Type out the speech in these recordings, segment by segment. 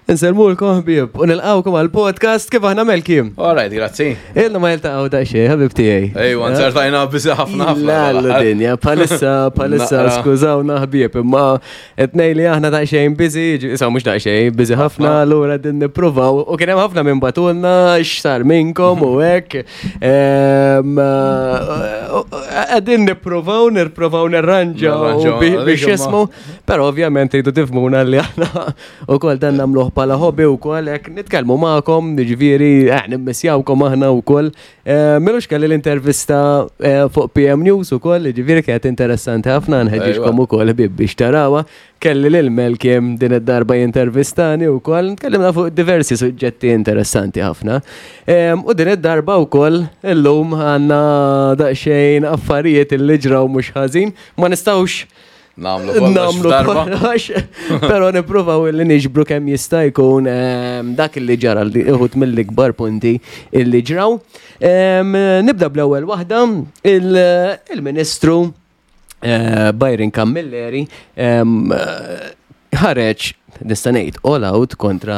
Insellmulkom ħbieb u nilqgħukom għal podcast kif aħna Melki. All right, grazzi. Ilna ma jiltaqgħu daqsxejn, ħabib tiegħi. Ejwa, nzertajna biżi ħafna ħafna. La dinja, palissa, palissa, skużawna ħbieb, imma qed li aħna daqsxejn biżi, issa mhux daqsxejn, biżi ħafna, allura din nippruvaw u kien hemm ħafna minn batulna x'sar minnkom u hekk. Qegħdin nippruvaw, nirprovaw nirranġaw biex jismu, però ovvjament tridu tifhmuna li aħna U kol dan namluħ pala hobby u kol, ek nitkelmu ma'kom, ġviri, eh, nimmissjawkom aħna u kol. Eh, Milux kelli l-intervista eh, fuq PM News u kol, ġviri kienet interessanti ħafna, nħedġiġkom u kol bib biex tarawa. Kelli l-Melkim din id-darba jintervistani u kol, tkellimna fuq diversi suġġetti interessanti ħafna. U din id-darba u kol, illum għanna daqxejn affarijiet il-li ġraw mux ħażin, ma nistawx Namlu kollox. Namlu kollox. Pero nippruvaw li niġbru kemm jista' jkun ehm, dak li ġara li uħut mill-ikbar punti illi ġraw. Ehm, nibda bl-ewwel waħda il-Ministru eh, Byron Camilleri ehm, ħareġ nista' ngħid all out kontra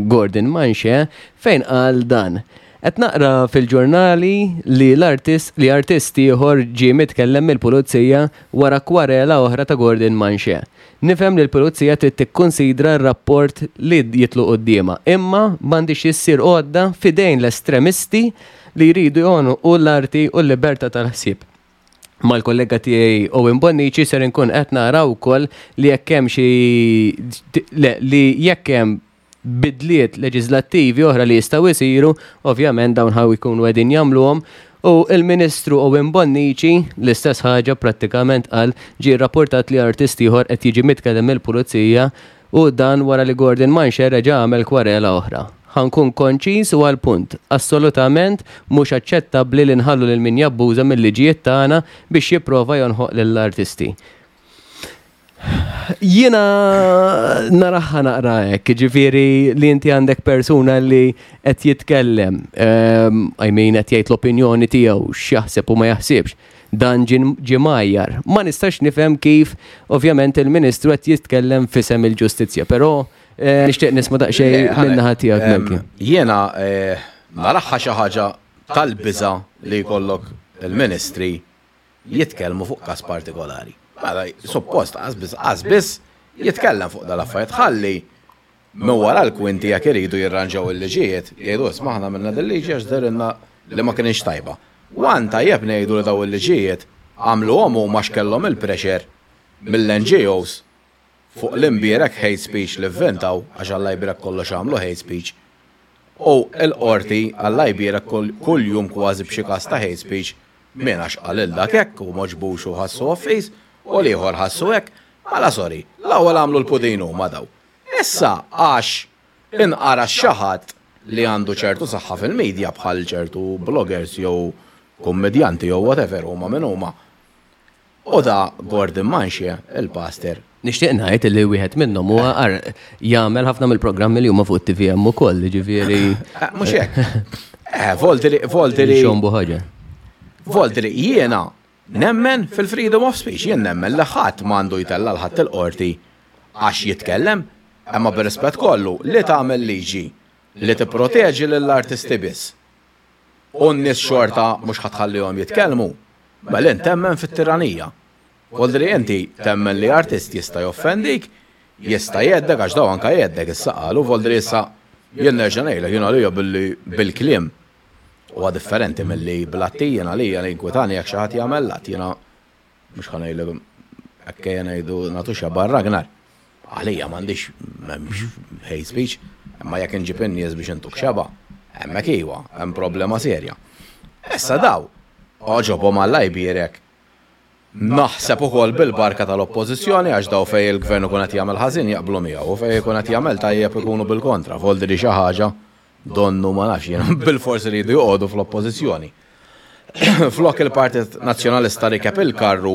Gordon Manche fejn qal dan. Qed naqra fil-ġurnali li l-artist li artist ieħor ġie mitkellem mill-pulizija wara kwarela oħra ta' Gordon Manche. Nifhem li l-pulizija trid tikkunsidra r-rapport li jitlu quddiemha, imma m'għandhiex issir għodda f'idejn l-estremisti li jridu joħonqu l-arti u l-libertà tal-ħsieb. Mal-kollega tiegħi Owen Bonnici ser inkun qed nara wkoll li jekk hemm xi le li jekk hemm bidliet leġiżlattivi oħra li jistgħu jsiru, ovvjament dawn ħa jkunu qegħdin jagħmluhom u l-Ministru Owen Bonnici l-istess ħaġa prattikament qal ġie rrapportat li artist ieħor qed jiġi mitkellem mill-pulizija u dan wara li Gordon Manche reġa' għamel kwarela oħra. Ħa nkun konċiż u għall-punt, assolutament mhux aċċettabbli li nħallu lil min jabbuża mil-liġijiet tagħna biex jipprova jonħoq lill-artisti. Jiena naraha naqra hekk, ġifieri li inti għandek persuna li qed jitkellem, ehm, I mean qed jgħid l-opinjoni tiegħu x'jaħseb u ma jaħsibx. Dan ġie mgħajjar. Ma nistax nifhem kif ovvjament il-Ministru qed jitkellem f'isem il-ġustizzja, però eh, nixtieq nisma' daqsxejn min-naħa tiegħek Melki. Jiena eh, naraha xi ħaġa tal-biża' li jkollok il-Ministri jitkellmu fuq każ partikolari. Mela, suppost qas biss qas biss jitkellem fuq dal-affarijiet ħalli minn wara l-kwinti jekk iridu jirranġaw il-liġijiet, jgħidu isma' aħna għamilna dil-liġi għax dehrilna li ma kinitx tajba. One tajjeb ngħidu li dawn il-liġijiet għamluhom huma għax kellhom il-pressure mill-NGOs fuq l-imbierek hate speech li vventaw, għax Alla jbierek kollox għamlu hate speech, u l-Qorti Alla jbierek kuljum kważi b'xi każ ta' hate speech, min għax qal 'il dak hekk u m'għoġbux u ħassu offiż, u l-ieħor ħassu hekk, mela sorry, l-ewwel għamlu l-pudin huma daw. Issa għax inqara xi ħadd li għandu ċertu saħħa fil-media bħal ċertu bloggers jew kummedjanti jew whatever huma min huma, U da Gordon Manche, il-pastor. Nixtieq ngħid li wieħed minnhom huwa jagħmel ħafna mill-programmi li huma fuq it-TVM ukoll, jiġifieri. Eh, mhux hekk. Eh, volti li volti li. Xombu ħaġa. Volti li jiena nemmen fil-freedom of speech, jien nemmen li ħadd m'għandu jtella' l-ħadd il-qorti għax jitkellem, imma bir-rispett kollu li tagħmel liġi li tipproteġi lill-artisti biss. U n-nies xorta mhux ħa tħallihom jitkellmu? Mela int temmen fit-tiranija. Voldri inti temmen li artist jista' joffendik, jista' jgħeddek għax daw anka jgħeddek issa qalu, voldri issa jien nerġa' ngħidlek jien għalija billi bil-kliem huwa differenti milli bl-atti jien għalija li jinkwitani jekk xi ħadd jagħmel l-att jiena Mhux ħa ngħidlek hekk ejja ngħidu nagħtu xebgħa Ragnar. Għalija m'għandix m'hemmx hate speech, imma jekk inġib in-nies biex intuk xebgħa, hemmhekk iwa, hemm problema serja. Issa daw, għoġobhom Alla jbierek, naħseb ukoll bil-barka tal-Oppożizzjoni għax daw fejn il-Gvern ikun qed jagħmel ħażin jaqblu miegħu u fejn ikun qed jagħmel tajjeb ikunu bil-kontra, voldiri xi ħaġa Donnu ma nafx jiena bilfors iridu joqogħdu fl-oppożizzjoni. Flok il-Partit Nazzjonalista rikeb il-karru,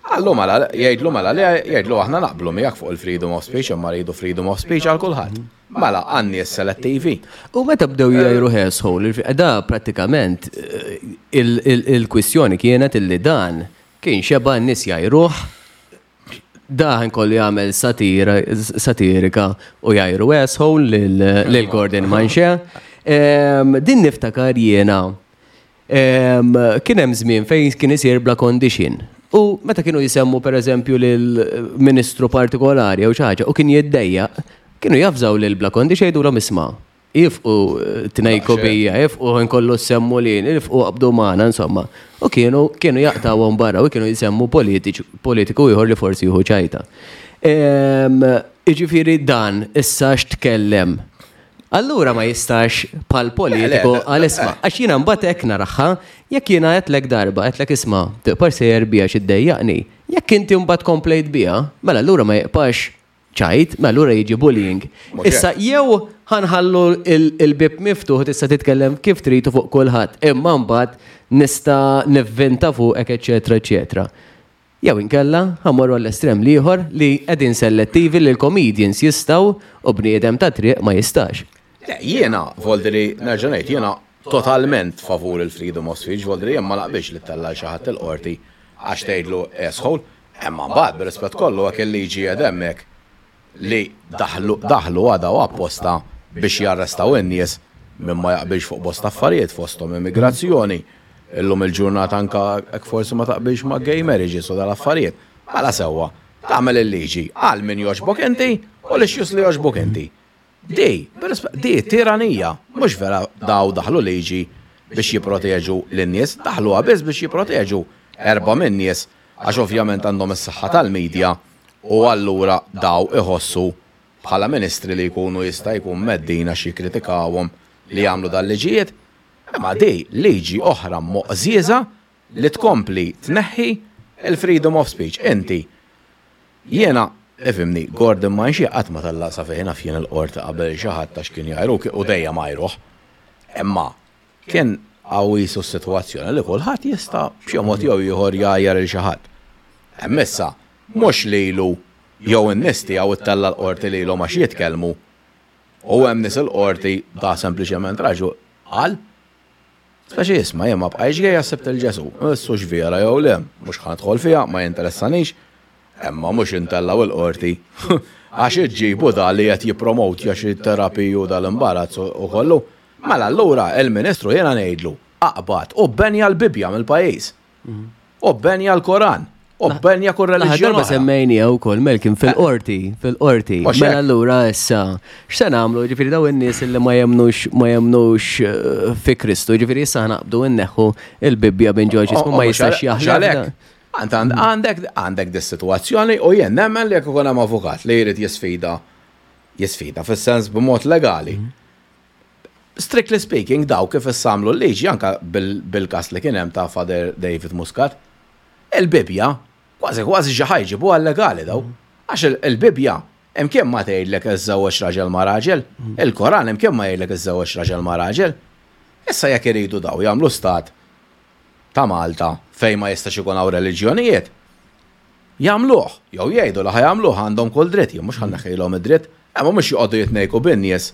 qallu mela, jgħidlu mela li jgħidlu aħna naqblu miegħek fuq il-freedom of speech imma rridu freedom of speech għal kulħadd. Mela għan-nies selettivi. U meta bdew jgħajru asshole, da prattikament eh, il-kwistjoni kienet illi dan kien xeba' n-nies jgħajruh. Daħen kollu jagħmel satira satirika u jgħajru asshole lil Gordon Manche. Din niftakar jiena kien hemm żmien fejn kien isir bla condition. U meta kienu jisemmu pereżempju lil ministru partikolari jew xi ħaġa u kien jiddejjaq, kienu javżaw lil bla condition jgħidulhom isma' ifqu tnejku bija, ifqu nkollu semmu li, ifqu qabdu magħna, insomma. U kienu kienu jaqtawhom barra u kienu jisemmu politiku ieħor li forsi jieħu ċajta. Jiġifieri dan issa x'tkellem. Allura ma jistax pal politiku għal isma. Għax jiena mbagħad hekk naraha, jekk jiena għedtlek darba, għedtlek isma' tiqpax sejjer bija xi ddejjaqni. Jekk inti mbagħad komplejt biha, mela allura ma jiqpax ċajt, mela allura jiġi bullying. Issa jew ħanħallu il-bib miftuħ tista' titkellem kif trid fuq kulħadd, imma mbagħad nista' nivvinta fuqek eċetera eċetera. Jew inkella ħa mmorru għall-estrem l-ieħor li qegħdin sellettivi li l-comedians jistgħu u bniedem tat-triq ma jistax. Le, jiena, voldiri, nerġa' ngħid, jiena totalment favur il-freedom of speech, voldiri jien ma naqbilx li ttella' 'l xi ħadd il-qorti għax tgħidlu asshole, imma mbagħad bir-rispett kollu hekk il-liġi qiegħda hemmhekk li daħlu daħlu għadha u apposta biex jarrestaw in-nies min ma jaqbilx fuq bosta affarijiet fosthom immigrazzjoni, illum il-ġurnata anke hekk forsi ma taqbilx ma' gay marriages u dal-affarijiet. Mela sewwa, tagħmel il-liġi għal min jogħġbok inti u l-issues li jogħġbuk inti. Di, di tiranija, mhux vera daw daħlu liġi biex jipproteġu lin-nies, daħluha biss biex jipproteġu erbgħa min-nies għax ovvjament għandhom is-saħħa tal-media u allura daw iħossu bħala ministri li jkunu jista' jkun mheddin għax jikkritikawhom li jagħmlu dal-liġijiet. Imma di liġi oħra moqżieża li tkompli tneħħi l-freedom of speech. Inti, jiena, ifhimni, Gordon Manché qatt ma tellaq sa fejn naf jien il-qorti qabel xi ħadd għax kien jgħajru u dejjem għajruh. Imma Kien hawn qisu s-sitwazzjoni li kulħadd jista' b'xi mod jew ieħor jgħajjar 'il xi ħadd. Hemm issa, mhux lilu jew in-nies tiegħu ttella' l-qorti lilhom għax jitkellmu u hemm nies il-qorti da sempliċement raġu qal speċi isma' jien ma bqajtx gay għax sibt 'il Ġesù. Issa hux vera jew le, mhux ħa nidħol fiha, ma jinteressanix. Imma mhux intellgħu il-qorti għax iġġibu da li qed jippromotja xi terapiji u dal-imbarazz u kollu. Mela allura il-Ministru jiena ngħidlu, aqbad u bbenja l-Bibbja mill-pajjiż. U bbenja l-Koran. U bbenja kull reliġjon. Darba semmejnija wkoll Melkin fil-qorti, fil-qorti. Mela allura issa x'se nagħmlu? Ġifieri daw in-nies li ma jemmnux ma jemmnux eh, fi Kristu, ġifieri issa naqbdu nneħħu il-Bibbja minn ġo ma jistax jaħlek. Għandek għandek dis-sitwazzjoni u jien nemmen li jekk ikun hemm avukat li jrid jisfida jisfida fis-sens b'mod legali. Mhm. Strictly speaking, daw kif issa għamlu l-liġi anka bil-każ li kien hemm ta' Father David Muscat, il-Bibbja kważi kważi xi ħa jġibuha legali daw. Għax il-Bibbja imkien ma tgħidlek iżżewweġ raġel ma' raġel, il-Koran imkien ma jgħidlek iżżewweġ raġel ma' raġel. Issa jekk iridu daw jagħmlu stat ta' Malta fejn ma jistax ikun hawn reliġjonijiet, jagħmluh, jew jgħidu li ħa jagħmluh għandhom kull dritt, jien mhux ħa nneħħilhom id-dritt, imma mhux joqogħdu jitnejku bin-nies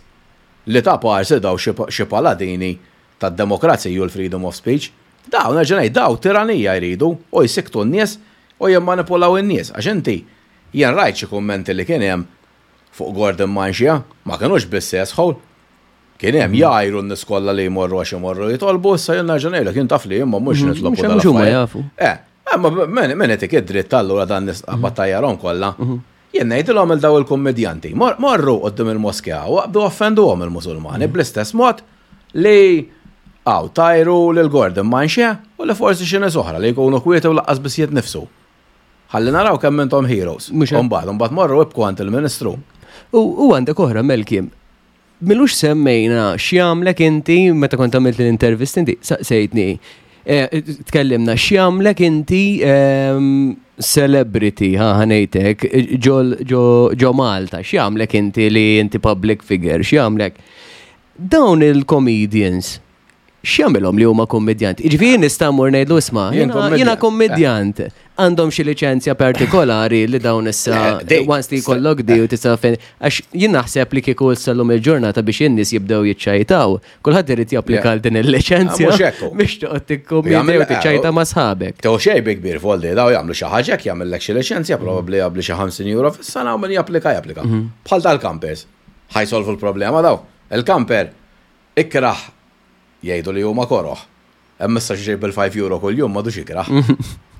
li ta' parsi daw xi paladini tad-demokrazija u l-freedom of speech. Dawn, nerġa' ngħid, daw tiranija jridu u jsikktu n-nies u jimmanipulaw in-nies għax inti jien rajt xi kummenti li kien hemm fuq Gordon Manchia, ma kinux biss asshole, Kien hemm jgħajru n-nies kollha li jmorru għax imorru jitolbu, issa jien nerġa' ngħidlek jien taf li jien ma mmurx nitlob u Mhux huma jafu. Eh, imma min itik id-dritt allura dan nies qabad tajjarhom kollha. Jien ngħidilhom il daw il-kummedjanti, morru quddiem il-moskea u aqbdu offenduhom il-Musulmani bl-istess mod li għaw tajru lil Gordon Manche u li forsi xi nies oħra li jkunu kwieti u laqqas biss jitnifsu. Ħalli naraw kemm intom heroes. Imbagħad, imbagħad morru ibku għand il-Ministru. U għandek oħra Melkim, Milux semmejna x'jagħmlek inti meta kont għamilt l-intervist inti saqsejtni. Eh, tkellimna x'jagħmlek inti ehm, celebrity ha ħanejtek ġo Malta, x'jagħmlek inti li inti public figure, x'jagħmlek. Dawn il-comedians x'jagħmilhom li huma kommedjanti? Jiġifieri nista' mmur ngħidlu isma' jiena kommedjant. Għandhom xi liċenzja partikolari li dawn issa once li jkollok di u tista' fejn għax jien naħseb li kieku issa llum il-ġurnata biex in-nies jibdew jiċċajtaw, kulħadd irid japplika għal din il-liċenzja biex toqgħod tikkumedi u tiċċajta ma' sħabek. Tew xejn bi kbir voldi daw jagħmlu xi ħaġa jekk jagħmellek xi liċenzja probabbli jagħmlu xi 50 euro fis-sena u min japplika japplika. Bħal tal-campers. Ħa jsolvu l-problema daw. Il-camper ikrah jgħidu li huma koroh. Hemm issa xi bil-5 euro kuljum m'għadux ikrah.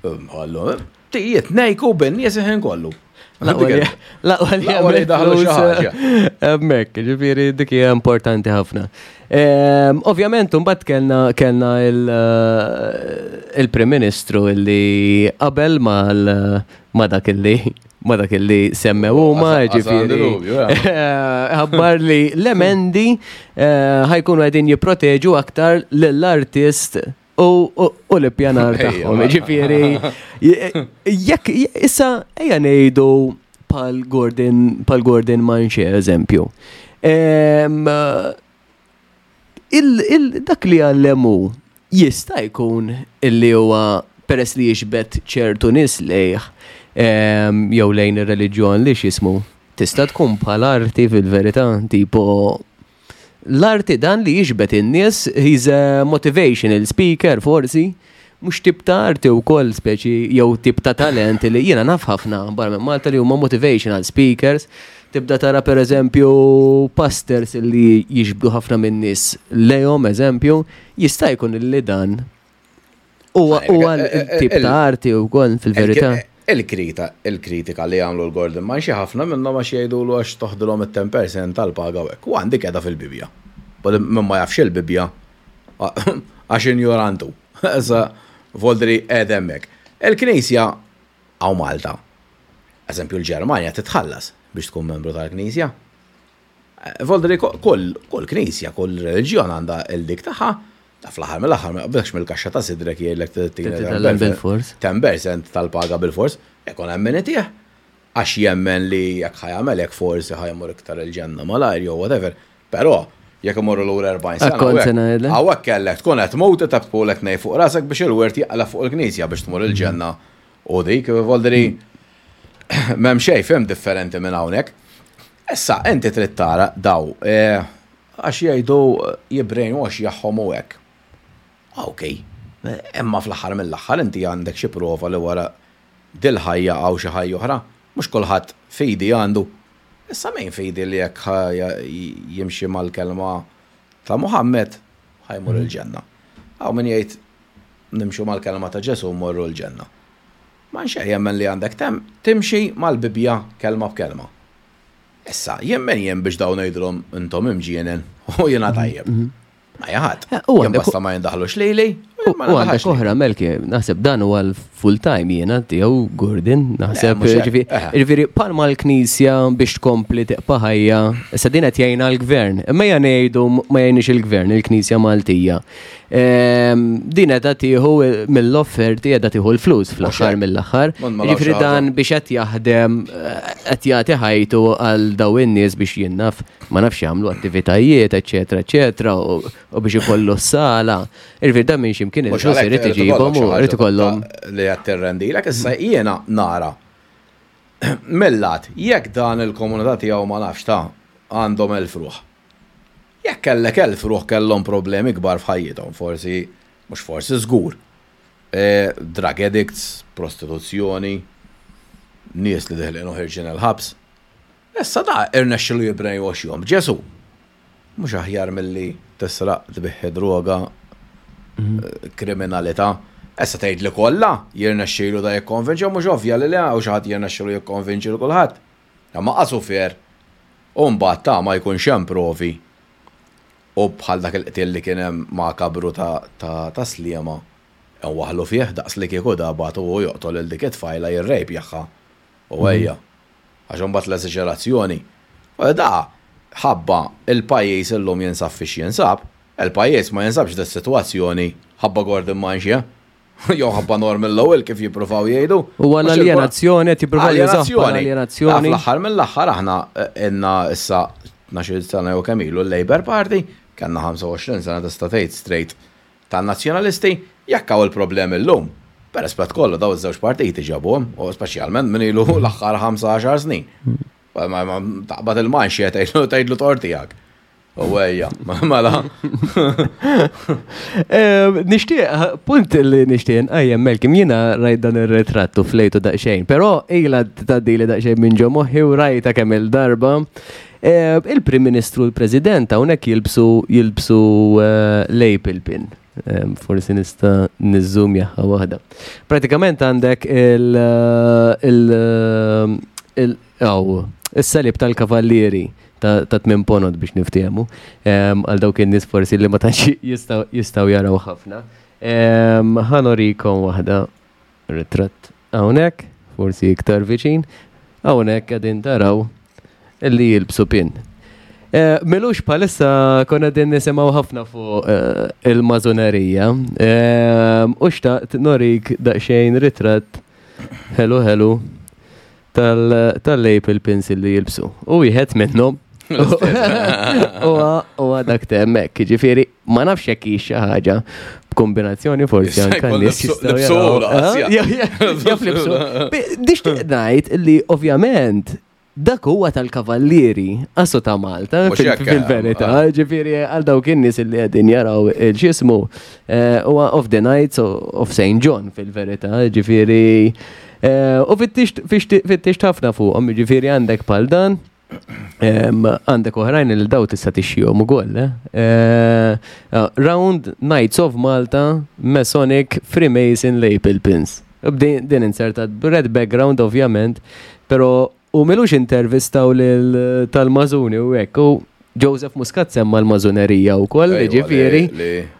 Ħallu, tijiet nejku bin-nies il-ħin kollu. Laqwa li Laqwa li daħlu xi ħaġa. Hemmhekk, ġifieri dik hija importanti ħafna. Ovvjament, mbagħad kellna kellna il-Prim Ministru illi qabel ma dak illi ma dak illi semmew huma, ġifieri. Ħabbar li l-emendi ħajkunu qegħdin jipproteġu aktar lill-artist u l-ippjanar tagħhom. Ġifieri, jekk issa ejja ngħidu pal Gordon pal Gordon Manche eżempju. Dak li għallemu jista' jkun illi huwa peress li jiġbed ċertu nies lejh jew lejn ir-reliġjon li x'jismu. Tista' tkun bħal arti fil-verità, tipo l-arti dan li jiġbed in-nies, he's a motivational speaker forsi, mhux tip ta' arti wkoll speċi jew tip ta' talent li jiena naf ħafna barra minn Malta li huma motivational speakers. Tibda tara per eżempju pastors li jiġbdu ħafna minn nies lejhom eżempju, jista' jkun li dan huwa tip ta' arti wkoll fil-verità. Il-krita, il-kritika li għamlu l-Gordon Manche ħafna minnhom għax jgħidulu għax toħdilhom it-10% tal-paga u hekk. U għandi qiegħda fil-Bibja. Min ma jafx il-Bibja għax injorantu. Issa voldri qiegħed hemmhekk. Il-Knisja hawn Malta. Eżempju l-Ġermanja titħallas biex tkun membru tal-Knisja. Voldri kull kull knisja, kull reliġjon għandha il-dik tagħha, ta' fl-aħħar mill-aħħar ma jaqbdekx mill-kaxxa ta' sidrek jgħidlek Titgħallem bil-fors. 10% tal-paga bil-fors, ikun hemm min itih. Għax jemmen li jekk ħa jagħmel hekk forsi ħa jmur iktar il-ġenna malajr jew whatever. Però jekk imorru lura 40 sena. Kont se ngħidlek. Hawnhekk kellek tkun qed tmut tebtpulek nej fuq rasek biex il-wirt jaqla' fuq il-knisja biex tmur il-ġenna u dik, voldri m'hemm xejn fim differenti minn hawnhekk. Issa inti trid tara daw għax jgħidu jibbrainwash jagħhom u hekk. Ok, imma fl-aħħar mill-aħħar inti għandek xi prova li wara dil-ħajja hawn xi ħajja oħra. Mhux kulħadd fidi għandu. Issa min fidi li jekk jimxi mal-kelma ta' Muhammed ħa jmur il-ġenna. Hawn min jgħid nimxu mal-kelma ta' Ġesu mmorru l-ġenna. Ma xejn jemmen li għandek tem timxi mal-Bibja kelma b'kelma. Issa, jemmen jien biex dawn ngħidulhom intom imġienen u jiena tajjeb. Ma jaħat. U Jien għandek- basta ma jindaħlux lili, u jien ma U għandek nindaħalx oħra, Melki, naħseb dan huwa l-full time jiena tiegħu Gordon, naħseb mhux hekk. ġifieri palma l-Knisja biex tkompli tiqpa' ħajja, issa din qed jgħinha l-gvern. Imma ejja ngħidu ma jgħinix il-gvern, il-Knisja Maltija. Din qiegħda tieħu mill-offerti qiegħda tieħu l-flus fl-aħħar hekk. mill-aħħar. Ma nmalaw Ġifieri xi ħaġa. dan biex qed jaħdem qed jagħti ħajtu għal daw in-nies biex jien naf ma nafx jagħmlu attivitajiet, eċetera, eċetera, u biex ikollu s-sala. Ġifieri dan minn x'imkien Mhux il-flus għalhekk irid irid iġibhom ikollok u xi irid ħaġa ikollhom. li qed tirrendilek, issa jiena nara millat jekk dan il-komunità tiegħu ma nafx ta' għandhom 1000 ruħ. Jekk kellek 1000 ruħ kellhom problemi kbar f'ħajjithom, forsi, mhux forsi żgur. Drug addicts, prostituzzjoni, nies li deħlin u ħirġin il-ħabs. Issa da irnexxilu jibbrainwashjom. Ġesu, mhux aħjar milli tisraq tbiħħi droga, kriminalità. Issa tgħid li kollha jirnexxilu da jikkonvinċi, mhux ovvja li le hawn xi ħadd jirnexxilu jikkonvinċi lil kulħadd. Imma qasu fair. U mbagħad ta' ma jkunx hemm provi. U bħal dak il-qtil li kien hemm makabru ta' Sliema, waħlu fih daqs li kieku da bagħtu u joqtol lil dik it-tfajla jirrejpjaħħa. U ejja. Għax imbagħad l-eżaġerazzjoni. U da ħabba il-pajjiż illum jinsab fiex jinsab, il-pajjiż ma jinsabx dis-sitwazzjoni ħabba Gordon Manche. Jew ħabba Norman Lowell kif jippruvaw jgħidu. U għal Mhux aljenazzjoni, qed jippruvaw jużaw bħala Aljenazzjoni. aljenazzjoni. Fl-aħħar mill-aħħar aħna inna issa 12 sena jew kemm ilu l-Labour Party, kellna 25 sena tista' tgħid straight tan-nazzjonalisti, jekk hawn il-problemi llum. B'rispett kollu daw iż-żewġ partiti ġabuhom, u speċjalment min ilu l-aħħar 15 snin. Taqbad il-manxie tgħidlu tgħidlu tort tiegħek. U ejja, mela. Nixtieq, punt li nixtieq nqajjem Melkim, jiena rajt dan ir-ritratt u flejtu daqsxejn, però ilha tgħaddili daqsxejn minn ġo moħħi u rajta kemm il-darba. Il-Prim Ministru u l-President hawnhekk jilbsu jilbsu eh, lapel pin. Forsi nista' niżżum jaħħa waħda. Pratikament għandek il il il is-salib tal-kavallieri ta' tmien ponot biex niftehmu għal dawk in-nies forsi li ma tantx jistgħu jaraw ħafna. Ħanorikom waħda ritratt hawnhekk, forsi iktar viċin, hawnhekk qegħdin taraw illi jilbsu pin. Eh, Milux palissa konna din nisimaw ħafna fuq eh, il-mażunerija. Eh, u xtaqt norik daqsxejn ritratt hello hello tal-label pins li jilbsu. U wieħed minnhom u dak temmek, ġifieri ma nafx jekk hi xi ħaġa b'kombinazzjoni forsi anke nies jistgħu jaraw. Nixtieq ngħid li ovvjament dak huwa tal-kavallieri asu ta' Malta fil-verità, eh. ġifieri għal dawk in-nies li qegħdin jaraw il-xismu eh, huwa of the Knights of St. John fil-verità, ġifieri eh, u fittixt ħafna fuqhom, ġifieri għandek pal dan. Għandek oħrajn li daw tista' tixxihom ukoll. Round Knights of Malta Masonic Freemason Lapel Pins. Din insertat red background ovvjament, pero u milux intervistaw lil tal-Mażuni u hekk u Joseph Muscat semma l-mażunerija u koll, ġifieri.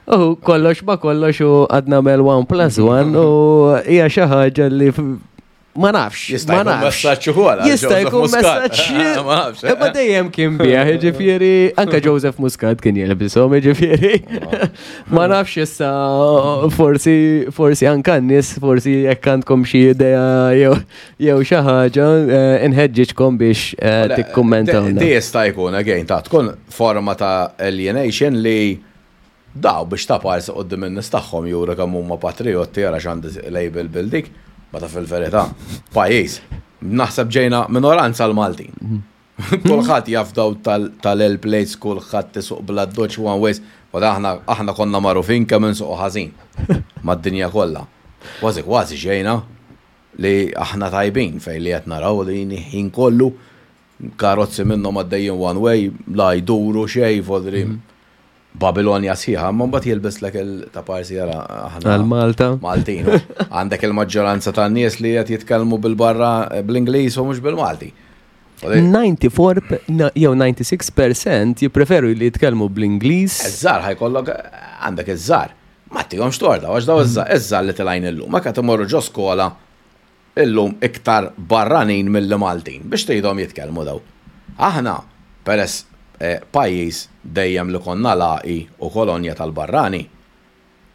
U kollox ma kollox u għadna mel 1 plus 1 u hija xi ħaġa li ma nafx. Jista' jkun messaġġ ukoll. Jista' jkun messaġġ. Ma nafx. Imma dejjem kien bih, ġifieri anke Joseph Muscat kien jilbishom, ġifieri. Ma nafx issa forsi forsi anke n-nies forsi jekk għandkom xi idea jew jew xi ħaġa eh, inħeġġiġkom biex eh, tikkummentaw. Di jista' jkun again ta' tkun forma ta' alienation li Daw biex ta' parsi quddiem in-nies tagħhom juru kemm huma patrijotti ara x'għandi label bil dik, meta fil-verità pajjiż naħseb ġejna minoranza l-Maltin. Kulħadd jaf daw tal-L plates, kulħadd isuq bl-addoċċ one ways, u aħna aħna konna magħrufin kemm insuqu ħażin mad-dinja kollha. Kważi kważi ġejna li aħna tajbin fejn li qed naraw li ħin kollu karozzi minnhom għaddejjin one way, la jduru xejn, vodri. Babilonja sħiħa, imma mbagħad jilbislek il ta' parsi jara aħna. Għal Malta. Maltin. Għandek il-maġġoranza tan-nies li qed jitkellmu bil-barra bl-Ingliż u mhux bil-Malti. 94 jew 96% jippreferu li jitkellmu bl-Ingliż. Iż-żgħar ħajkollok għandek iż-żgħar. Ma tihomx torta, għax daw iż-żgħar li tilgħin illum, ma qed imorru ġo skola illum iktar barranin milli Maltin, biex tgħidhom jitkellmu daw. Aħna, peress pajjiż dejjem li konna lagħqi u kolonja tal-barrani,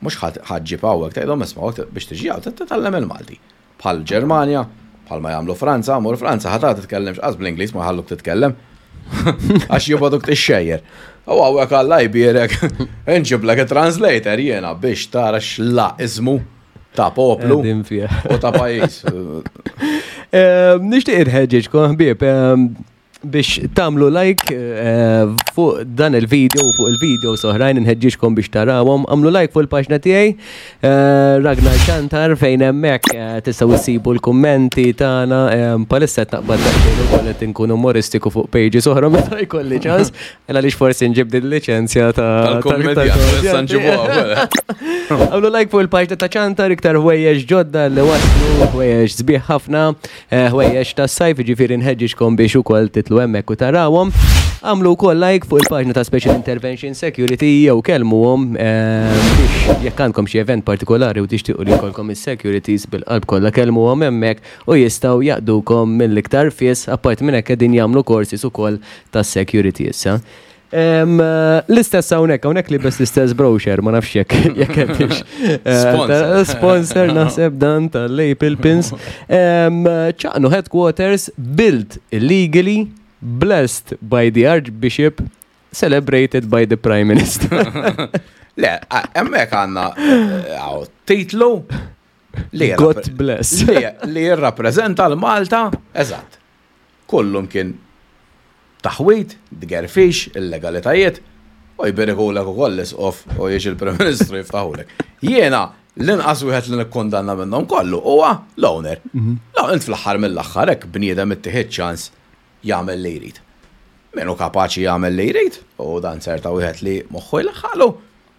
mhux ħa ġġib hawnhekk tgħidhom isma' hawnhekk biex tiġi hawn trid titgħallem il-Malti. Bħal Ġermanja, bħal ma jagħmlu Franza, mur Franza ħa tara titkellimx qas bl-Ingliż ma jħalluk titkellem. Għax jibgħoduk tixxejjer. U hawnhekk Alla jbierek, inġiblek it-translator jiena biex tara x'laqiżmu ta' poplu u ta' pajjiż. Ehm, nixtieq inħeġġeġkom ħbieb ehm, biex tamlu like eh, fuq dan il-video u fuq il-video soħrajn inħeġġiġkom biex tarawhom. Għamlu like fuq il-paġna tiegħi eh, Ragnar Xantar fejn hemmhekk eh, tistgħu issibu l-kummenti tagħna ehm, palissa qed naqbad daqsxejn ukoll qed inkun umoristiku fuq pages oħra meta jkolli ċans. Ela lix forsi nġib din liċenzja ta' tal-kommedja. Għamlu like fuq il-paġna ta' ċantar iktar ħwejjeġ ġodda li waslu, ħwejjeġ sbieħ ħafna, eh, ħwejjeġ ta' sajf, ġifieri nħeġġiġkom biex ukoll titlu hemmhekk u tarawhom. Għamlu wkoll like fuq il-paġna ta' Special Intervention Security jew kellmuhom eh, biex jekk għandkom xi event partikolari u tixtiequ li jkollkom is-securities bil-qalb kollha kellmuhom hemmhekk u jistgħu jaqdukom mill-iktar fis, apparti minn hekk qegħdin jagħmlu courses ukoll tas-security issa. L-istess hawnhekk, hawnhekk li bes l-istess brochure, ma nafx jekk jekk hemmx. Eh, sponsor naħseb dan tal-Lapel Pins. Ċaqnu headquarters built illegally, blessed by the Archbishop, celebrated by the Prime Minister. Le, hemmhekk għandna eh, titlu. Li God bless. Li jirrappreżenta l-Malta, eżatt. Kullum kien taħwid, tgerfix, illegalitajiet, u jberikulek ukoll l-isqof u jiġi l-Prim Ministru jiftaħulek. Jiena l-inqas wieħed li nikkundanna minnhom kollu huwa l-owner. La int fl-aħħar mill-aħħar hekk bniedem ittieħed ċans jagħmel li jrid. Min hu kapaċi jagħmel li jrid, u dan serta wieħed li moħħu jlaħħalu,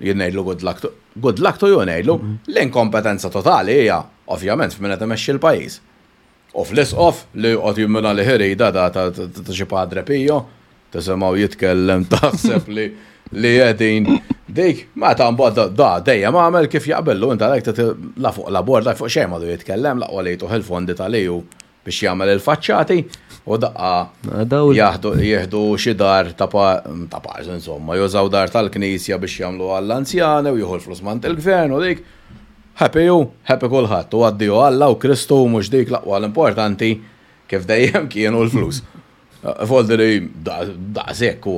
jien ngħidlu good luck to, good luck to you ngħidlu, l-inkompetenza totali hija ovvjament f'min qed imexxi l-pajjiż. U fl-isqof li joqgħod jimmina li ħirida da ta' xi Padre Pio, tisimgħu jitkellem taħseb li li qegħdin dik, meta mbagħad da dejjem għamel kif jaqbillu int għalhekk la fuq la bord la fuq xejn m'għadu jitkellem laqwa li jtuh il-fondi tal-EU biex jagħmel il-faċċati u daqqa jaħdu jieħdu xi dar ta' ta' parsi insomma, jużaw dar tal-knisja biex jagħmlu għall-anzjani u jieħu l-flus m'għand il-gvern u dik. Happy hu, happy kulħadd, u addio Alla u Kristu u mhux dik l-aqwa l-importanti kif dejjem kienu l-flus. Volderi daqshekk u.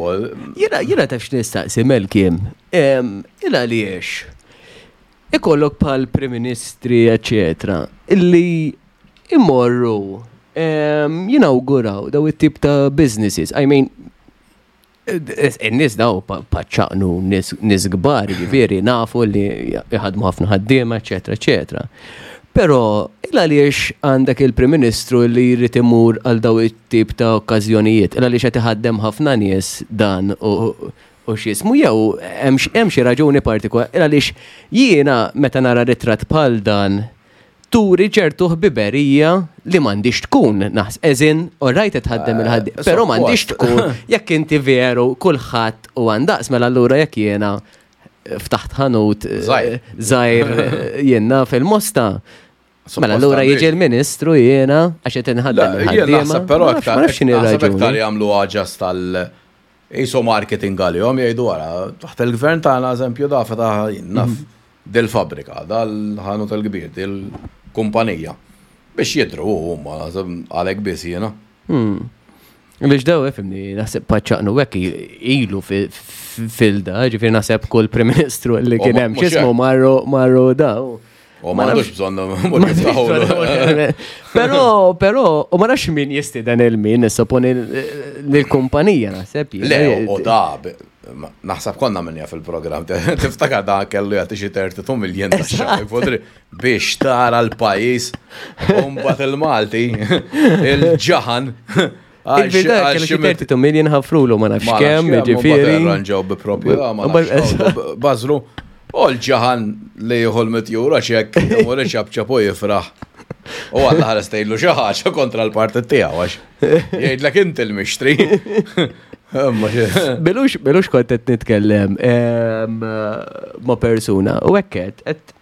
Jiena jiena taf x'nistaqsi Melkim, il għaliex ikollok bħal Prim Ministri eċetera illi imorru jinawguraw daw it-tip ta' businesses. I mean, In-nies daw paċċaqnu nies kbar, ġifieri nafu li jħadmu ħafna ħaddiema, eċetera, eċetera. Però il għaliex għandek il-Prim Ministru li jrid imur għal daw it-tip ta' okkażjonijiet, il għaliex qed iħaddem ħafna nies dan u x'jismu jew hemm xi raġuni partikolari, il għaliex jiena meta nara ritratt bħal dan turi ċertu ħbiberija li m'għandix tkun, naħs, as in, all right qed tħaddem il-ħaddiem, eh, però m'għandix tkun jekk inti veru kulħadd u għandaqs mela allura jekk jiena ftaħt ħanut eh, żgħir eh, jiena fil-mosta. Mela allura jiġi l-ministru jiena għax qed inħaddem il-ħaddiema. Però aktar aktar jagħmlu għaġas tal- Isu marketing għalihom jgħidu wara, taħt il-gvern tagħna eżempju da fetaħ naf mhm. dil-fabrika, dal-ħanut il-kbir, dil-kumpanija. Biex jidru huma għalhekk biss jiena. Hmm. Biex daw, fimni, naħseb paċċaqnu hekk ilu fil-da, ġifieri naħseb kull Prim Ministru li kien hemm x'ismu marru marru daw. U ma għandux bżonn Però, però, u ma nafx min jistieden il-min, supponi l-kumpanija naħseb. Le, u da, naħseb konna minja fil-programm, tiftakar da kellu jagħti xi 32 miljon ta' xahar, biex tara l-pajjiż, u mbagħad il-Malti, il-ġaħan. Il-vida kellu xi 32 million ħafrulu ma nafx kemm, jiġifieri. Arranġaw bi proprjetà ma nafx. Bażlu. U l-ġaħan li jieħu l-mitjura ċek, imur iċapċap u jifraħ. U għalla ħares tgħidlu xi ħaġa kontra l-partit tiegħu għax jgħidlek inti l-mixtri. Bilux, bilux kont qed nitkellem ma' persuna u hekk qed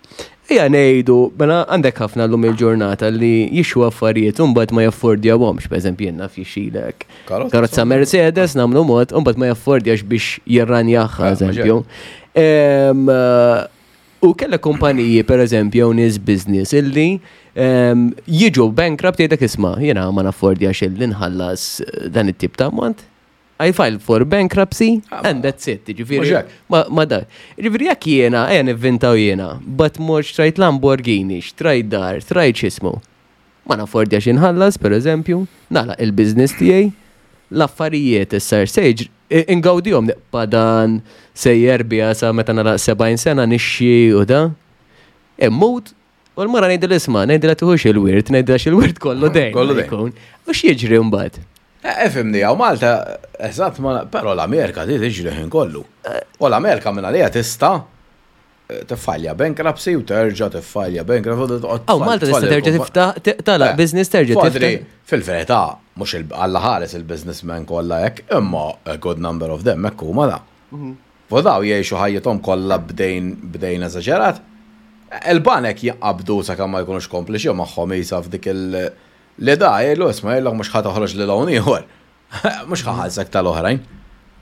Ejja ngħidu, mela għandek ħafna llum il-ġurnata li jixxu affarijiet u mbagħad ma jaffordjawhomx, pereżempju jien naf jixxilek. Karozza Mercedes nagħmlu mod u mbagħad ma jaffordjax biex jirranjaha, eh, eżempju. U kellek kumpaniji, pereżempju, jew nies business illi jiġu bankrupt jgħidlek isma' jiena ma naffordjax illi nħallas dan it-tip ta' ammont. I filed for bankruptcy ah, and that's it. Ġifieri. Ma da. Ġifieri jekk jiena, ejja nivvintaw jiena, but mor xtrajt Lamborghini, xtrajt dar, xtrajt x'ismu. Ma naffordjax inħallas, per eżempju, nagħlaq il-business tiegħi, l-affarijiet issa se jiġri ingawdihom nibqa' dan sejjer biha sa meta nagħlaq 70 sena nixxi u da. Immut U l-mara ngħidilha isma' ngħidilha tieħux il-wirt, ngħidilha x'il-wirt kollu dejn. Kollu dejn. U x'jiġri mbagħad? Eh, ifhimni, hawn Malta, eżatt, però l-Amerika di tiġri ħin kollu. Eh. U l-Amerika minn għalija tista' eh, tiffalja bankruptcy u terġa' tiffalja bankruptcy. Aw Malta tista' terġa' tiftaħ tagħlaq business terġa' tiftaħ. Fil-verità, mhux Alla ħares il-businessmen kollha hekk, imma a good number of them hekk huma da. Mhm. U daw jgħixu ħajjithom kollha b'dejn b'dejn eżaġerat. Il-banek jinqabdu sakemm ma jkunux kompliċi magħhom isa f'dik il li da jgħidlu isma' jgħidlok mhux ħa toħroġ li loan ieħor. Mhux ħa ħallsek tal-oħrajn.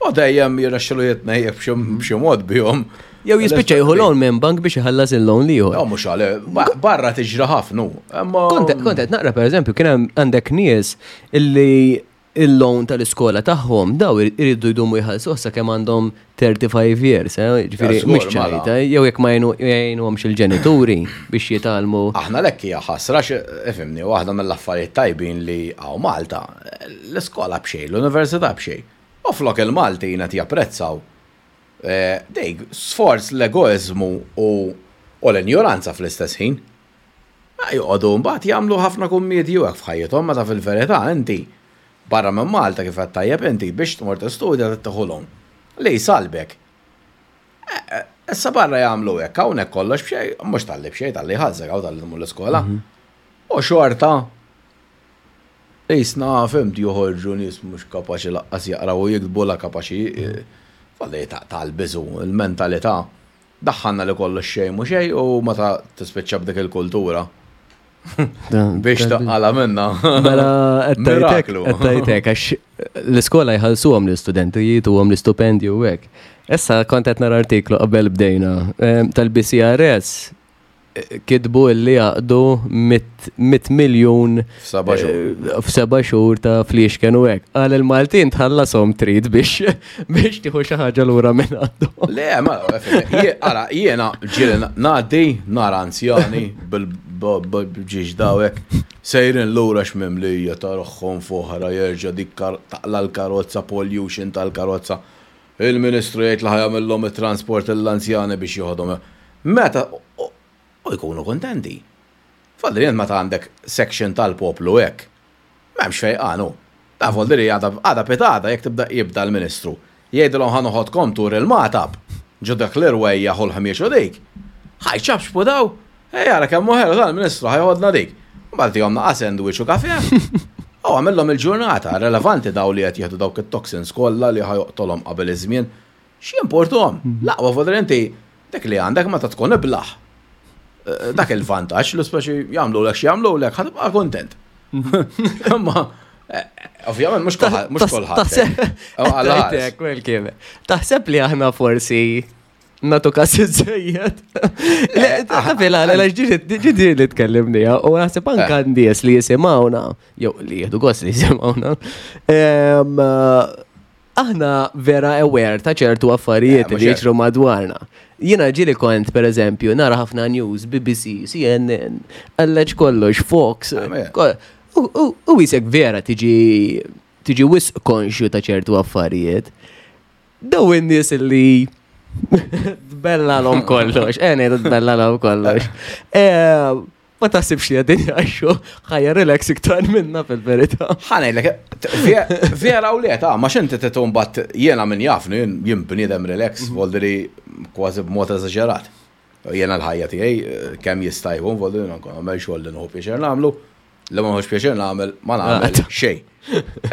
U dejjem jirnexxilu jitnejjek b'xi mod bihom. Jew jispiċċa jieħu loan minn bank biex iħallas il-loan l-ieħor. No, mhux għal, barra tiġri ħafna. Kont qed naqra pereżempju kien hemm għandek nies illi il-loan tal-iskola tagħhom daw iridu jdumu jħallsuh sakemm għandhom 35 years, eh, ġifieri mhux mela. ċajta, jew jekk ma jgħinuhomx il-ġenituri biex jitgħallmu. Aħna lekk hija ħasra ifhimni waħda mill-affarijiet tajbin li hawn Malta, l-iskola b'xejn, l-università b'xejn. U flok il-Maltin qed japprezzaw eh, dejk sforz l-egoiżmu u l-injoranza fl-istess ħin. Ma joqogħdu mbagħad jagħmlu ħafna kummedji u hekk f'ħajjithom meta fil-verità inti barra minn Malta kif għedt tajjeb inti biex tmur tistudja trid tieħu loan li jsallbek. Issa barra jagħmlu hekk hawnhekk kollox b'xejn, mhux talli b'xejn talli jħallsek hawn talli tmur l-iskola. U xorta qisna fhimt joħorġu nies mhux kapaċi laqqas jaqraw u jiktbu la kapaċi falli tal-biżu, il-mentalità. Daħħalna li kollox xejn mhu xejn u meta tispiċċa b'dik il-kultura. Biex taqala minna. Mela, Miraklu. Qed għax l-iskola jħallsuhom l-istudenti, jituhom l-istupendju u hekk. Issa kont qed nara artiklu qabel bdejna eh, tal-BCRS kitbu illi għaqdu 100 miljun f'seba' xhur ta' fliexken u hekk. Qal il-Maltin tħallasom trid biex biex tieħu xi ħaġa lura minn għandhom. Le, ma ara jiena ġieli ngħaddi nara anzjani bil-ġiex dawek sejrin lura x'mimlija ta' ruħhom f'oħra jerġa' dik taqla' l-karozza pollution tal-karozza. Il-Ministru jgħid li ħa jagħmillhom it-transport lill-anzjani biex joħodhom. Meta u jkunu kuntenti. Fadli int meta għandek section tal-poplu hekk, m'hemmx fejqan hu. Ta' Voldiri għada għada pitgħada jekk tibda jibda l-Ministru jgħidilhom ħa noħodkom tur il-Magħtab ġo dak l-irwejjaħ u l-ħmieġ u dik. Ħa jċapċpu daw, ej ara kemm hu ħelu dal-Ministru ħa joħodna dik. Mbagħad tihom naqa' sandwich u kafè. U għamillhom il-ġurnata, relevanti daw li qed jieħdu dawk it-toxins kollha li ħa joqtolhom qabel iż-żmien. X'jimportuhom? L-aqwa Voldiri inti dik li għandek meta tkun iblah. Eh, dak il-vantaġġ li speċi jagħmlulek x'jagħmlulek ħa tibqa' kuntent. Imma eh, ovvjament mhux kulħadd mhux kulħadd. Eh, Taħseb li aħna forsi natu kas iżejjed. Tafila, għal ġidi li tkellimni, u naħseb anka nies li jisimgħuna, jew li jieħdu gost li jisimgħuna. Aħna vera aware ta' ċertu affarijiet li jiġru madwarna. Jiena ġieli kont, per eżempju, nara ħafna news, BBC, CNN, għalleġ kollox, Fox. U jisek vera tiġi tiġi wisq konxju ta' ċertu affarijiet. Daw in-nies li tbellalhom kollox, eh ngħidu tbellalhom kollox. Eh, ma taħsibx li għadin jgħixu ħajja relax iktar minna fil-verità. Ħanejlek, vera u le, ta' ma xinti titum bat jena minn jafni, jien bniedem relax, mhm. voldiri kważi b'mod eżaġerat. Jena l-ħajja tiegħi eh, kemm jista' jkun, voldiri nkun għamel xogħol li nħu pjaċir nagħmlu, li ma nħux pjaċir nagħmel ma nagħmel ah, xejn.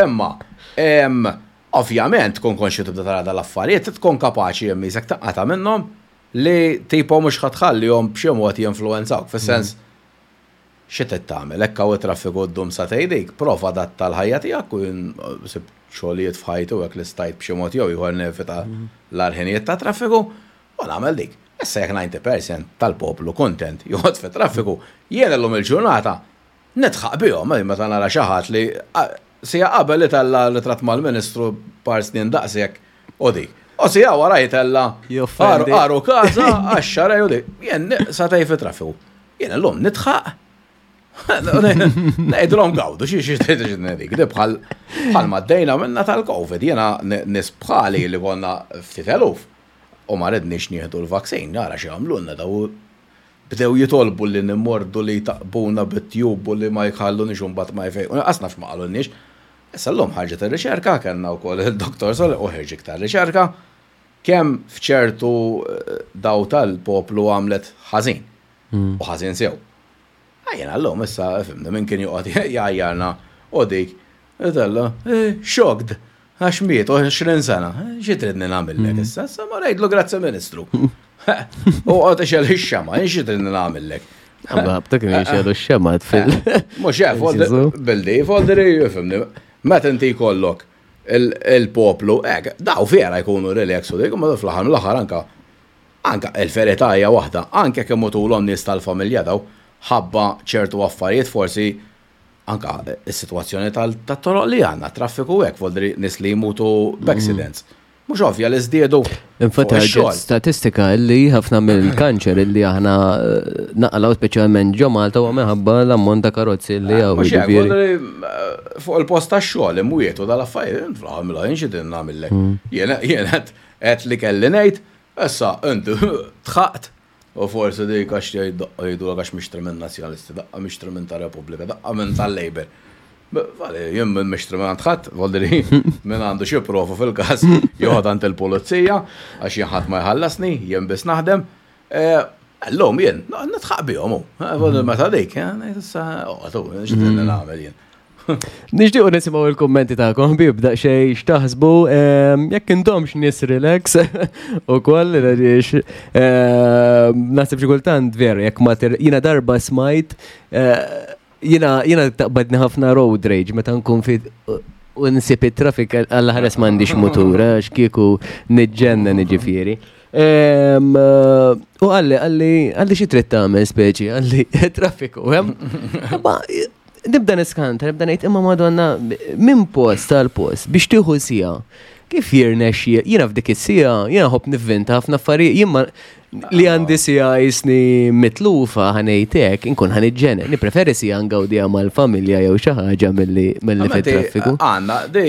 Imma, Ovvjament tkun konxju tibda tara dal-affarijiet, tkun kapaċi jemmisek taqata' minnhom li tipo mhux ħa tħallihom b'xi mod jinfluwenzawk, fis-sens xi trid tagħmel, hekk hawn it-traffiku ddum sagħtejn dik, prova adatta l-ħajja tiegħek u jien sibt xogħlijiet f'ħajti u hekk li stajt b'xi mod jew ieħor nevita l-agħar ħinijiet tat-traffiku u nagħmel dik. Issa jekk 90% tal-poplu kuntent joqgħod fit-traffiku, jien illum il-ġurnata Nidħaq bihom, meta nara xi ħadd li siegħa qabel itella' ritratt mal-Ministru par snin daqshekk u dik. U siegħa wara jitella' għaru kaza għax-xarej u dik. Jien sagħtejn fit-traffiku. Jien illum nidħaq. Ngħidilhom gawdu xi xi dik. Di bħal bħal ma għaddejna minna tal-Covid. Jiena nies bħali li konna ftit eluf u ma ridniex nieħdu l-vaccine, nara x'għamlulna daw Bdew jitolbu li nimmordu li jtaqqbuna bit-tube u li ma jħalluniex u mbagħad ma jfejqu. Lanqas naf x'ma qalulniex. Issa llum ħarġet ir-riċerka, kellna wkoll il-Dottor Sole u ħerġ iktar riċerka, kemm f'ċertu daw tal-poplu għamlet ħażin. U ħażin sew. Jiena llum issa fimni min kien joqgħod jgħajjarna u dik Itella, eh, shocked, għax miet 20 sena. Xi tridni nagħmillek issa? Issa ma ngħidlu grazzi Ministru. U qgħod ixel ix-xema, xi tridni nagħmillek? Għabta kien jixelu x-xema fil. Mhux hekk, bildi, folderi, fimni. Meta inti jkollok il-poplu, hekk, daw vera jkunu relax u dik, ma fl-aħħar mill-aħħar anka anka il-verità hija waħda, anke kemm mutulhom nies tal-familja daw ħabba ċertu affarijiet forsi. Anka is-sitwazzjoni tat-toroq li għandna, traffiku hekk, voldri nies li jmutu b'accidents. Mhux ovvja li żdiedu. Infatti ħarġet statistika li ħafna mill-kanċer illi aħna eh, naqalaw speċjalment ġo Malta huwa minħabba l-ammont ta' karozzi li hawn. Mhux hekk, voldri, eh, fuq il-post tax-xogħol imwietu dal-affarijiet, għamilha jien xi din nagħmillek. Jien jien qed qed li kelli ngħid, issa inti tħaqt u forsi dik għax jgħid daqqa jgħidulek għax mixtri minn Nazzjonalisti, daqqa mixtri minn ta' Repubblika, daqqa minn tal-Labour. Vale, jien minn mixtri minn għand ħadd, voldri minn għandu xi prova fil-każ joħod għand il-pulizija għax jien ħadd ma jħallasni, jien biss naħdem. Eh, Illum jien nitħaq bihom hu. Eh, voldri meta dik, eh, ngħid issa oqgħod hu, x'din nagħmel jien. Nixtiequ nisimgħu il-kummenti tagħkom ħbieb daqsxejn x'taħsbu ehm, jekk intomx nies relax ukoll għaliex ehm, naħseb xi kultant veru jekk ma jiena darba smajt eh, Jina, jina taqbadni ħafna road rage meta nkun fi u nsib it-traffic għalla ħares m'għandix mutur, eh, għax kieku niġġenna niġifieri. Eh, u għalli, għalli, għalli xi trid tagħmel speċi, għalli traffiku, hemm. Ma nibda niskanta, nibda ngħid imma Madonna minn post għal post biex tieħu sija. Kif jirnexxi, jiena f'dik is-sija, jiena ħobb nivvinta ħafna affarijiet, jien li għandi sija jisni mitlufa ħanejtek, inkun ħaniġġene. Nipreferi sija ngawdija mal-familja jew xi ħaġa milli milli fit-traffiku. Għanna, di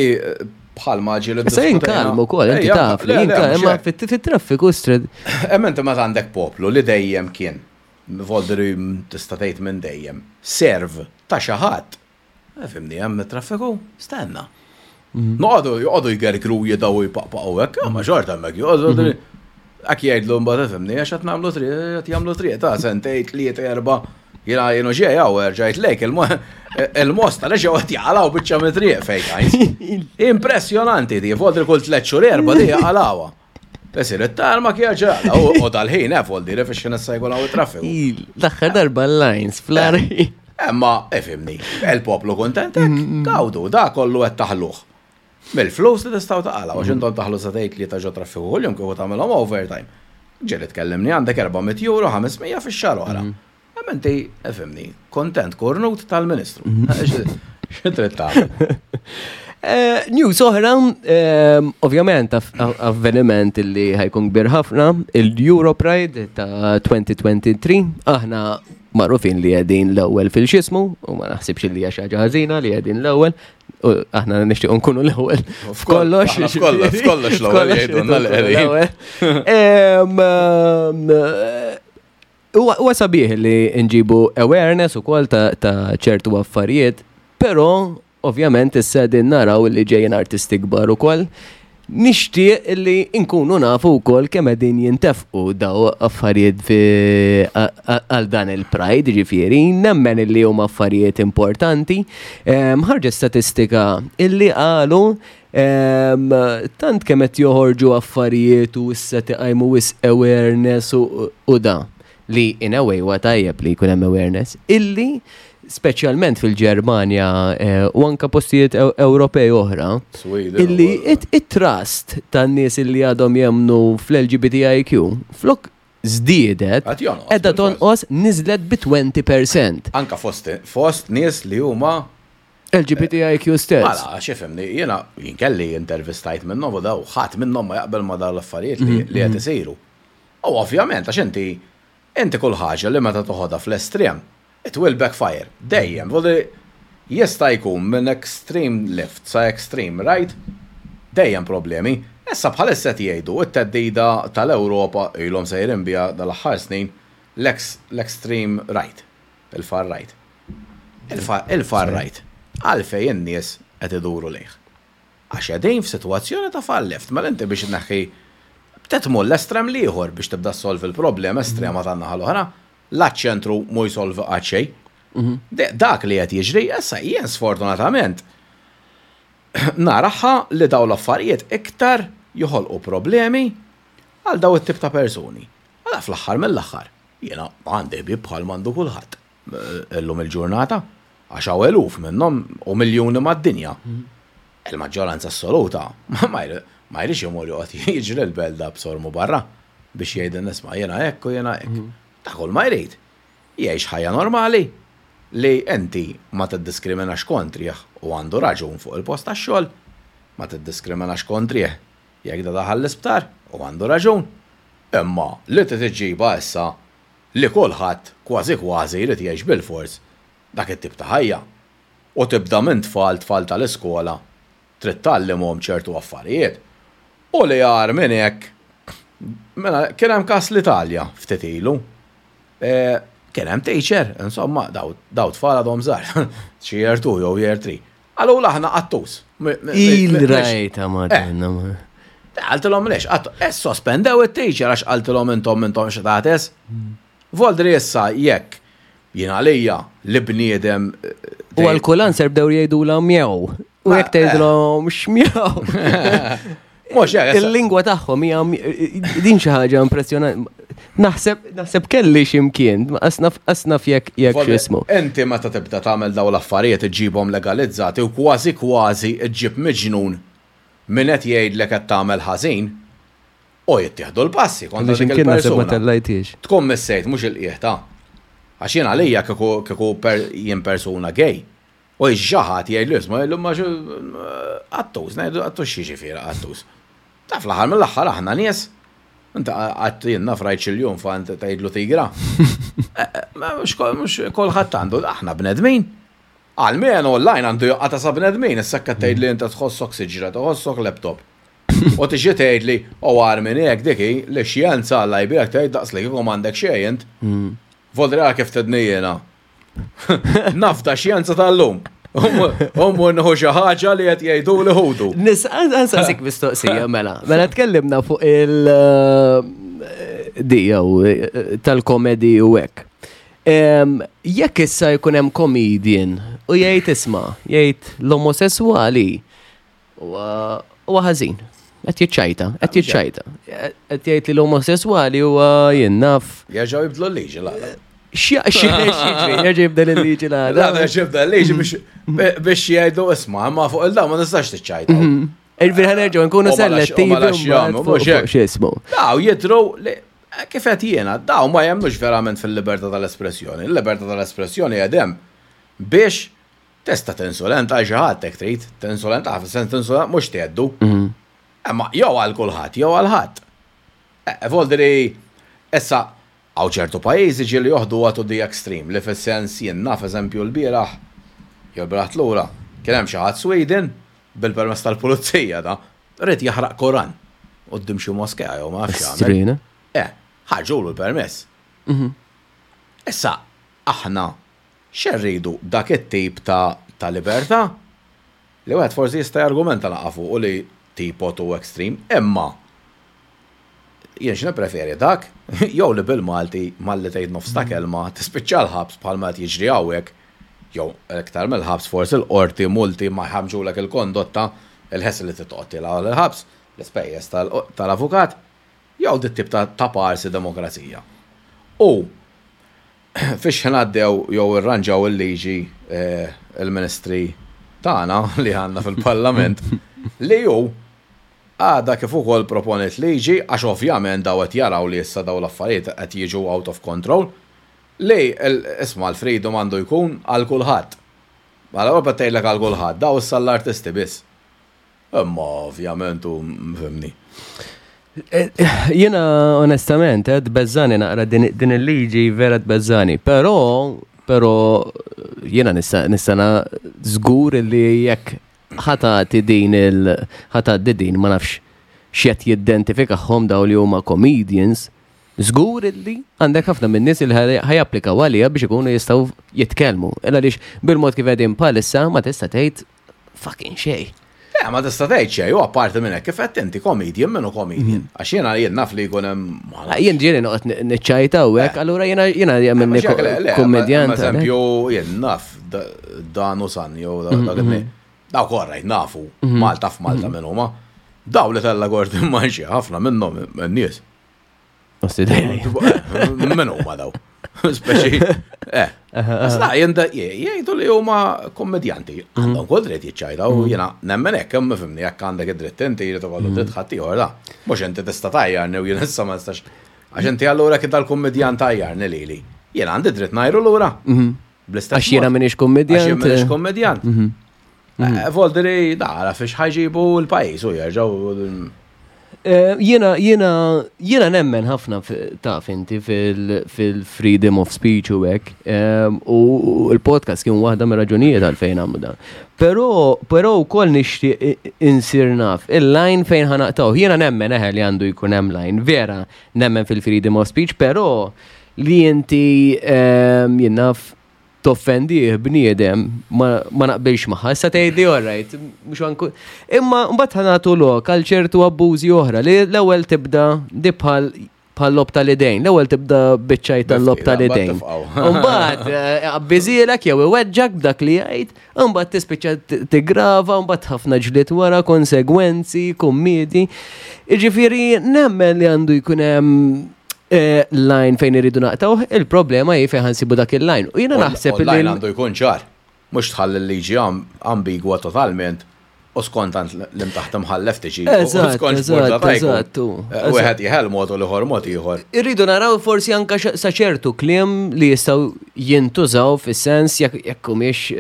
bħal ġieli. Issa jien kalm ukoll, inti taf li jien kalm, imma fit-traffiku stred. Hemm inti meta għandek poplu li dejjem kien, voldri tista' tgħid minn dejjem, serv ta' xi ħadd Eh, fimni, hemm traffiku, stenna. Mhm. Noqogħdu joqogħdu jgergru jidaw jpaqpaqu hekk, ma xorta hemmhekk joqogħdu. Mhm. Hekk jgħidlu mbagħad fimni għax qed nagħmlu triq, qed jagħmlu triq ta' sentejn, tliet, erba' Jena jenu ġej għaw, rġajt lejk, il-mosta li ġew qed jaqalaw biċċa mit-triq fejn għajs. Impressjonanti di, voldi kull tliet xhur erba' di jaqalawha. Isir it-tarma kien ġrala, u dal-ħin, eh, voldi, fix xi nissa jkun hawn it-traffiku. L-aħħar darba l-lines fl-ari. Imma, ifhimni, il-poplu kuntent hekk, gawdu, da kollu qed taħluh. Mill-flus li tistgħu taqalgħu, għax intom taħlu sagħtejn tlieta ġo traffiku kuljum kieku tagħmilhom overtime. Ġieli tkellimni għandek 400 euro, 500 fix-xahar oħra. Imma inti, ifhimni, kontent kurnut tal-Ministru. Xi trid tagħmel? Eh, news oħra, eh, ovvjament avveniment li ħajkun kbir ħafna, il-Europride ta' 2023, aħna magħrufin li qegħdin l-ewwel fil-xismu, u ma naħsibx li hija xi ħaġa ħażina li qegħdin l-ewwel, u aħna nixtiequ nkunu l-ewwel f'kollox. F'kollox, f'kollox l-ewwel jgħidulna l-qegħdin. Huwa sabiħ li nġibu awareness ukoll ta' ċertu affarijiet, però ovvjament issa qegħdin naraw li ġejjin artisti kbar ukoll. Nixtieq li nkunu nafu wkoll kemm qegħdin jintefqu daw affarijiet għal dan il-Pride, ġifieri, nemmen li huma affarijiet importanti. Ħarġet statistika illi qalu Tant kemm qed joħorġu affarijiet u issa tiqajmu wisq awareness u da li in a way huwa tajjeb li jkun hemm awareness illi speċjalment fil-Ġermanja eh, u anka postijiet Ewropej oħra illi it-trust tan-nies illi għadhom jemnu fl-LGBTIQ flok żdiedet qiegħda tonqos niżlet bi 20%. Anka fost fost nies li huma LGBTIQ stess. Mela, għax ifhimni, jiena jien kelli intervistajt minnhom u daw ħadd minnhom ma jaqbel ma dawn l-affarijiet li li qed isiru. U ovvjament għax inti inti kull ħaġa li meta toħodha fl-estrem, it will backfire. Dejjem. Vuol dire jista' jkun minn extreme left sa extreme right, dejjem problemi. Issa bħalissa qed jgħidu t-theddida tal-Ewropa ilhom sejrin biha dal-aħħar snin l-extreme right. Il-far right. Il-far right. Għalfejn in-nies qed iduru lejh? Għax qegħdin f'sitwazzjoni ta' far left. Mela inti biex tneħħi trid tmur l-estrem l-ieħor biex tibda ssolvi l-problema estrema tan-naħa l-oħra. La ċ-ċentru mhu jsolvi qatt xejn. Dak li qed jiġri issa jien sfortunatament naraha li dawn l-affarijiet iktar joħolqu problemi għal dawn it-tip ta' persuni. Mela fl-aħħar mill-aħħar Jiena għandi ħbieb bħal m'għandu kulħadd illum il-ġurnata, għax hawn eluf minnhom u miljuni mad-dinja. Il-maġġoranza assoluta ma jridx imur joqgħod jiġri l-belda b'sormu barra biex jgħidilna isma' jiena hekk u jiena hekk. Ta' kull ma jrid. Jgħix ħajja normali. Li inti ma tiddiskriminax kontrih u għandu raġun fuq il-post tax-xogħol, ma tiddiskriminax kontrih jekk da daħal l-isptar u għandu raġun. Imma li trid iġġibha issa li kulħadd kważi kważi jrid jgħix bilfors dak it-tip ta' ħajja. U tibda minn tfal, tfal tal-iskola, trid tgħallimhom ċertu affarijiet. U li agħar minn hekk, mela kien hemm każ l-Italja ftit ilu. Kien hemm teacher, insomma, daw tfal għadhom żgħar, xi year 2 jew year 3. Qalulu aħna qattus. Il-rajta madonna. Qaltilhom lex, sospendew it-teacher għax qaltilhom intom intom x'tates. Voldri issa jekk jien għalija li bniedem. U għal kull answer bdew jgħidulha mjew. U jekk tgħidilhom x'mjew. Mhux hekk. Il-lingwa tagħhom hija din xi ħaġa impressjonanti. Naħseb naħseb kelli x'imkien, asnaf jekk jekk x'ismu. Inti meta tibda tagħmel dawn l-affarijiet iġġibhom legalizzati u kważi kważi ġġib miġnun min qed jgħidlek qed tagħmel ħażin u jittieħdu l-passi kontra dik X'imkien naħseb ma il-persuna. tellajtix. Tkun missejt mhux il-qiegħ ta' Għax jien għalija kieku kieku jien persuna gay. U xi ħadd jgħidlu isma' jgħidlu ma qattus, ngħidlu qattus x'jiġifieri qattus. Ta' fl-aħħar mill-aħħar aħna nies. Inti qatt jien naf rajt xi ljun fa inti tgħidlu tigra. Mhux kulħadd għandu, aħna bnedmin. Almenu online għandu joqgħod sa bnedmin, issa qed tgħidli inti tħossok siġra, tħossok laptop. U tiġi tgħidli, u agħar minn hekk dik hi li xjenza Alla jbierek tgħid daqs li kieku m'għandek xejn int. Voldri għal kif tedni jiena. Nafda xjenza tal-lum. Ummu nħu xi ħaġa li qed jgħidu li ħudu. Nsaqsik mistoqsija mela. Mela tkellimna fuq il di jew tal-komedi u hekk. Jekk issa jkun hemm comedian u jgħid isma', jgħid l-omosessuali huwa ħażin. Qed jiċċajta, qed jiċċajta. Qed jgħid li l-omosessuali huwa jien naf. Jerġgħu jibdlu l-liġi l-għada. X'jiġri, jerġa' jibdel il-liġi l-għada. L-għada jerġa' jibdel il-liġi biex jgħidu isma' imma fuq il-daw ma tistax tiċċajta. Il-bir ħanerġgħu nkunu selettivi mhux hekk. X'ismu. Daw jidhru li kif qed jiena, daw ma jemmnux verament fil-libertà tal-espressjoni. Il-libertà tal-espressjoni qegħdem biex tista' tinsulenta għal xi ħadd hekk trid, tinsulenta fis-sens tinsulenta mhux tgħeddu. Imma jew għal kulħadd jew għal ħadd. Voldri issa hawn ċertu pajjiżi ġieli joħduha to the extreme li fis-sens jien naf eżempju l-bieraħ jew l-bieraħ lura kien hemm xi ħadd Sweden bil-permess tal-pulizija da ried jaħraq Koran quddiem xi moskea jew ma nafx x'għamel. Ħarġulu l-permess. Issa aħna x'irridu dak it-tip ta' ta' libertà li wieħed forsi jista' jargumenta naqa' fuqu li tipo too extreme, imma jien x'nippreferi dak jew li bil-Malti malli tgħid nofs ta' kelma tispiċċa l-ħabs bħalma qed jiġri hawnhekk jew iktar mill-ħabs forsi l-qorti multi ma jħammġulek il-kondotta, il-ħesel li trid toqgħod tilgħu l-ħabs, l-ispejjeż tal-avukat, jew dit-tip ta' ta' parsi demokrazija. U fiex ħin għaddew jew irranġaw il-liġi il-ministri tagħna li għandna fil-Parlament li hu għadha kif ukoll proponiet liġi għax ovvjament daw qed jaraw li issa daw l-affarijiet qed jiġu out of control li isma' l-freedom għandu jkun għal kulħadd. Mela Ewropa tgħidlek għal kulħadd, daw issa l-artisti biss. Imma ovvjament u fhimni. Jiena onestament, tbeżżani naqra din il-liġi vera tbeżżani, però però jiena nista' nista' żgur li jekk ħatati din il ħatgħaddi din ma nafx x'qed jiddentifikahom daw li huma comedians, żgur illi għandek ħafna minn nies li ħajapplikaw għaliha biex ikunu jistgħu jitkellmu. Illa għaliex bil-mod kif qegħdin bħalissa ma tista' tgħid fucking xejn. Le, ma tista' tgħid xejn, u apparti minn hekk kif qed inti comedian minnu comedian. Għax jiena jien naf li jkun hemm ma nafx. Jien ġieli noqgħod niċċajta u hekk, allura jiena jiena jagħmilni Mhux hekk, le, le, kummedjant. Eżempju, jien naf dan u san jew dak it-tnejn. Dawk orrajt nafu, Malta f'Malta minn huma. Daw li tella Gordon Manxi ħafna minnhom in-nies. Min huma daw? Speċi, eh. Sta jgħidu li huma kommedjanti. Għandhom kull dritt jiċċajta u jiena nemmen hekk, imma fimni jekk għandek id-dritt inti jrid ikollu dritt ħaddieħor da. Mhux inti tista' tajjarni u jien issa ma nistax. Għax inti allura kif dal-kummedjant tajjarni lili. Jien għandi dritt ngħiru lura. Bl-istess Għax jiena mod. m'iniex kummedjant. Għax jien m'iniex kummedjant. Voldiri, dara fiex ħa jġibu l-pajjiż u jerġgħu. Jiena, jiena, jiena nemmen ħafna taf inti fil-freedom of speech u hekk. U l-podcast kien waħda mir-raġunijiet għalfejn għamlu dan. Però, però wkoll nixtieq insir naf il-line fejn ħa naqtgħu. Jiena nemmen eħe li għandu jkun hemm line. Vera, nemmen fil-freedom of speech, però li inti jien naf toffendi bniedem ma naqbilx magħha. Issa tgħidli all right, mhux anku. Imma mbagħad ħa nagħtu lok għal ċertu abbużi oħra li l-ewwel tibda di bħal logħob tal-idejn. L-ewwel tibda biċċaj tal-logħob Biftira, tal-idejn. mbagħad tifqgħu. Mbagħad abbiżilek jew iweġġak b'dak li jgħid, mbagħad tispiċċa tigrava, mbagħad ħafna ġlied wara, konsegwenzi, kummidi. Jiġifieri nemmen li għandu jkun hemm line fejn irridu naqtgħu, il-problema hi fejn ħa nsibu dak il-line. U jiena naħseb li Line għandu jkun ċar, mhux tħalli l-liġi ambigwa totalment u skont għand l-imtaħt imħallef tiġi. U skont x'mod ta' jkun. Wieħed jeħel mod u l-ieħor mod ieħor. Irridu naraw forsi anka sa ċertu kliem li jistgħu jintużaw fis-sens jekk humiex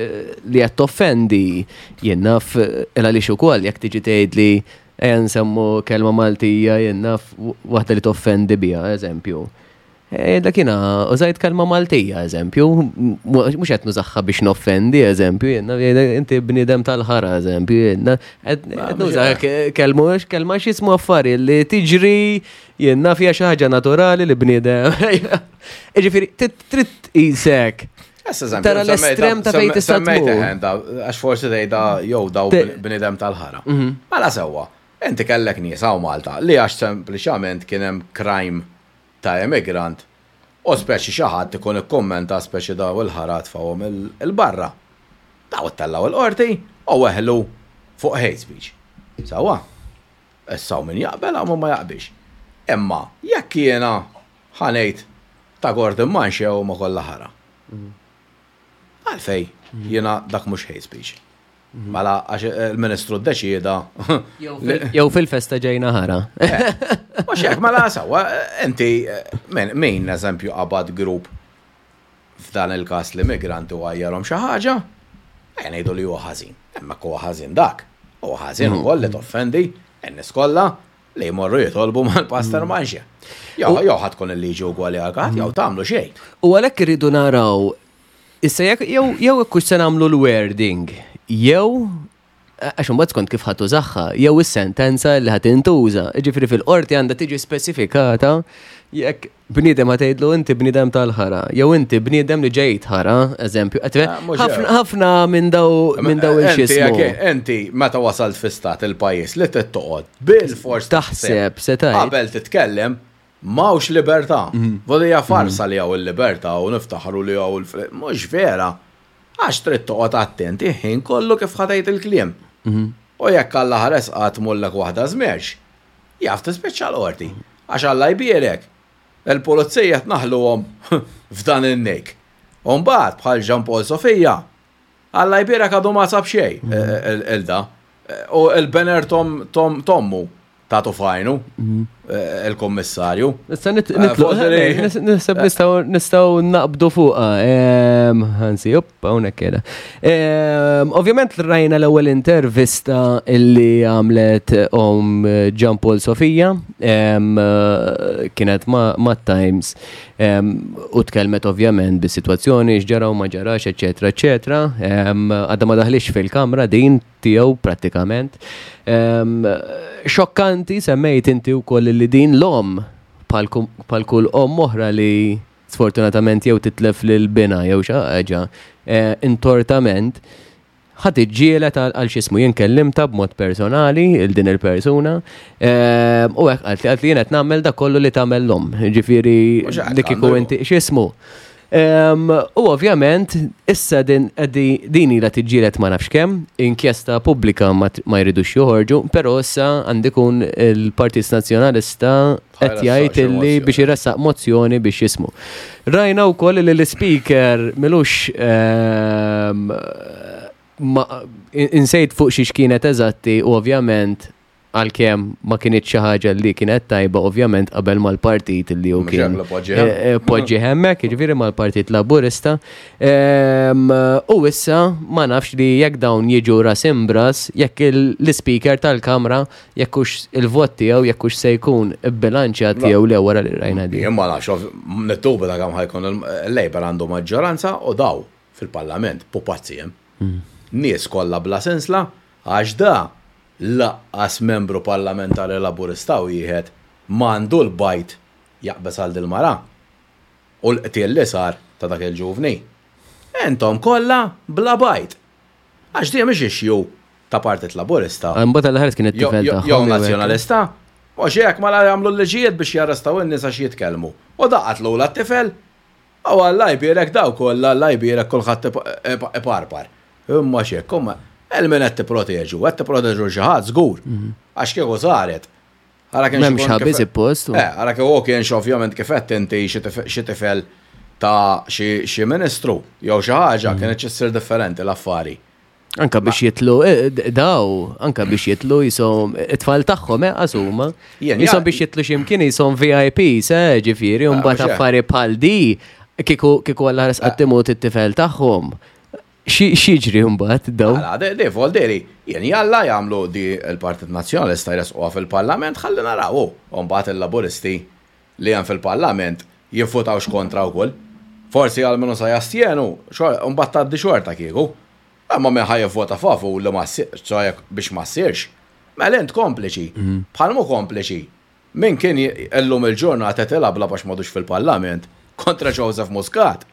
li qed toffendi. Jien naf il għaliex ukoll jekk tiġi tgħid li ejja nsemmu kelma Maltija, jien naf waħda li toffendi biha, eżempju. Dak jiena użajt kelma Maltija, eżempju, mhux qed nużaħħa biex noffendi, eżempju, jien naf, jien inti bniedem tal-ħara, eżempju, jien naf, Ma, qed mhux nuża hekk. kelma, mhux kelma x'ismu affari li tiġri, jien naf hija xi ħaġa naturali li bniedem. Jiġifieri, trid tqisek. Issa eżempju, Tara l-estrem ta' fejn tista' semmejt tmur. eħen da, għax forsi tgħidha jew daw bniedem tal-ħara. Mela sewwa, inti kellek nies hawn Malta li għax sempliċament kien hemm crime ta' immigrant u speċi xi ħadd ikun ikkummenta speċi daw il-ħara tfawhom il-barra. Daw ittellgħu il-qorti u weħlu fuq hate speech. Sewwa, issa hawn min jaqbel hawn min ma jaqbilx. Imma jekk jiena ħa ngħid ta' Gordon Manche u ma kollha ħara. Għalfej, jiena dak mhux hate speech. Mela, għax il-ministru ddeċieda. Jew fil-festa ġejna ħara. Mhux hekk, mela sewwa, inti min eżempju qabad grupp f'dan il-każ l-immigranti u għajjarhom xi ħaġa, ejja ngħidu li huwa ħażin. Imma huwa ħażin dak. Huwa ħażin ukoll li toffendi n-nies kollha li jmorru jitolbu mal-pastor Manche. Jew jew ħadd tkun il-liġi ugwali għal kulħadd, jew tagħmlu xejn. U għalhekk irridu naraw issa jekk jew hekk hux se nagħmlu l-wording, jew għax imbagħad skont kif ħadd użaħħa, jew is-sentenza li ħadd intuża. Jiġifieri fil-qorti għandha tiġi speċifikata jekk bniedem ħa tgħidlu inti bniedem tal-ħara, jew inti bniedem li ġejt ħara, eżempju. Qed Ah, mhux hekk. ħafna minn daw, minn daw Inti il-xismu. jekk inti meta wasalt fi stat il-pajjiż li trid toqgħod bil-fors Taħseb, se tgħid. Qabel titkellem, m'hawnx libertà. Vodija farsa li hawn il-libertà u niftaħru li hawn il-fri-, mhux vera. Għax trid toqgħod attenti ħin kollu kif ħadejt il-kliem. U jekk Alla ħares qatt mullek waħda żmerx, jaf tispiċċa l-qorti. Għax Alla jbierek. Il-pulizija tnaħluhom f'dan in-nejk. U mbagħad bħal Jean Paul Sofia, Alla jbierek għadu ma sab xejn, il-da. U il-banner tommu ta' tufajnu, il-kommissarju. Issa nitlu, Forsi li- naħseb nistgħu naqbdu fuqha. Anzi, up, hawnhekk qiegħda. Ovvjament rajna l-ewwel intervista illi għamlet om Jean Paul Sofia, kienet ma' Times, u tkellmet ovvjament bis-sitwazzjoni x'ġara u ma ġarax, eċetera, eċetera. Għadha ma daħlix fil-kamra din tiegħu prattikament. Xokkanti semmejt inti wkoll li din l-om bħal kull om oħra li sfortunatament jew titlef lil bina jew xi ħaġa intortament ħadd iġġieled għal x'ismu. Jien kellimta b'mod personali il din il-persuna, u hekk qalt li jien qed nagħmel dak kollu li tagħmel l-om. Ġifieri Mhux hekk li kieku għandu inti x'ismu. U ovvjament issa din ilha tiġġieled ma nafx kemm, inkjesta pubblika ma jridux joħorġu, però issa għandi kun il-Partit Nazzjonalista qed Ħajressaq jgħid xi illi mozzjoni. biex iressaq mozzjoni biex jismu. Rajna wkoll li l-speaker milux ma, insejt fuq xiex kienet eżatti u ovvjament Għalkemm ma kinitx xi ħaġa li kienet tajba ovvjament qabel mal-partit li hu kien eh, eh, poġġi hemmhekk, jiġifieri mal-Partit Laburista. Ehm, u issa ma nafx li jekk dawn jiġu ras imbras, jekk l-ispeaker tal-Kamra jekk hux il-vot tiegħu jekk hux se jkun ibbilanċjat jew le wara li rajna din. Jien ma nafx, nittuba ta' kemm ħajkun il-Labour għandu maġġoranza u daw fil-Parlament pupazzi hemm. Hmm. Nies kollha bla sensla għax da Laqqas membru parlamentari Laburista wieħed m'għandu l-bajd jaqbeż għal dil-mara u l-qtil li sar ta' dak il-ġuvni. Intom kollha bla bajd. Għax din mhix issue ta' Partit Laburista. Imbagħad Alla ħares kien it-tifel tagħhom. Jew Nazzjonalista. Mhux hekk mela jagħmlu l-liġijiet biex jarrestaw in-nies għax jitkellmu. U da qatlulha t-tifel. U Alla jbierek dawk kollha, Alla jbierek kulħadd iparpar. Imma x'hekk, imma lil min qed tipproteġu? Qed tipproteġu lil xi ħadd żgur. Mhm. Għax kieku saret. Ara kien M'hemmx ħabi suppost. Eh, ara kieku kienx ovvjament kif qed inti xi tifel ta' xi ministru jew xi ħaġa mhm. kienet issir differenti l-affari. Anka biex jitlu, eh, daw, anka biex jitlu jisom, it-tfal tagħhom, eh, għasuma. Jisom biex jitlu ximkien jisom VIPs, eh, ġifiri, un bat affari bħal di, kiku kiku għalla ħares qattimut it-tifel tagħhom. Xieġri mbagħad daw? Għala, di volderi, jien jalla jagħmlu di l-Partit Nazzjonalista jresquha fil-Parlament ħalli naraw, u mbagħad il-Laburisti li hemm fil-Parlament jivvutawx kontra wkoll. Forsi għalmenu sa jastjenu, mbagħad tgħaddi xorta kieku. Imma min ħa jivvota favur li ma ssirx, biex ma ssirx, mela int kompliċi. Mhm. Bħal mhu kompliċi. Min kien illum il-ġurnata qed ilablab għax m'għadux fil-Parlament kontra Joseph Muscat.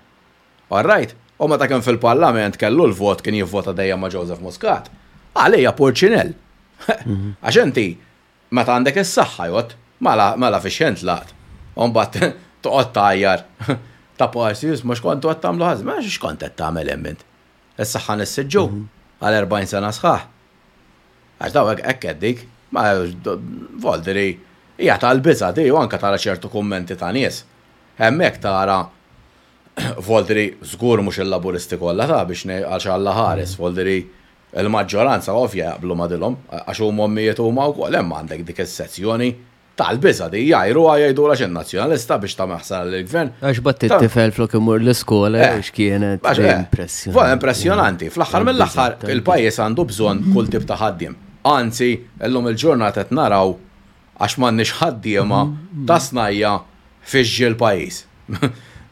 All right? U meta kien fil-Parlament kellu l-vot kien jivvota dejjem ma' Joseph Muscat. Għalija purċinell. Mhm. Għax inti Meta għandek is-saħħa jgħodd, mela mela fiex int tlaqt. U mbagħad toqgħod tgħajjar ta' parsi isma' x'kontu qed tagħmlu ħażin. Mela x'kont qed tagħmel hemm int? Is-saħħa nissiġġu għal 40 sena sħaħ. Għax daw hekk qed dik. Ma voldiri hija tal-biża' di u anke tara ċertu kummenti ta' nies. Hemmhekk tara voldiri żgur mhux il-Laburisti kollha ta' biex għax Alla ħares, voldiri Il-maġġoranza ovvja jaqblu ma' dilhom, għax huma ommijiet huma wkoll, hemm għandek dik is-sezzjoni tal-biża' di, jgħajruha jgħidulha x'int Nazzjonalista biex tagħmel ħsara lill-Gvern. Għax bagħat it-tifel flok imur l-iskola jew x'kienet. Impressjonanti. Impressjonanti. Fl-aħħar mill-aħħar il-pajjiż għandu bżonn kull tip ta' ħaddiem. Anzi, illum il-ġurnata qed naraw għax m'għandniex ħaddiema ta' snajja fiex ġie l-pajjiż.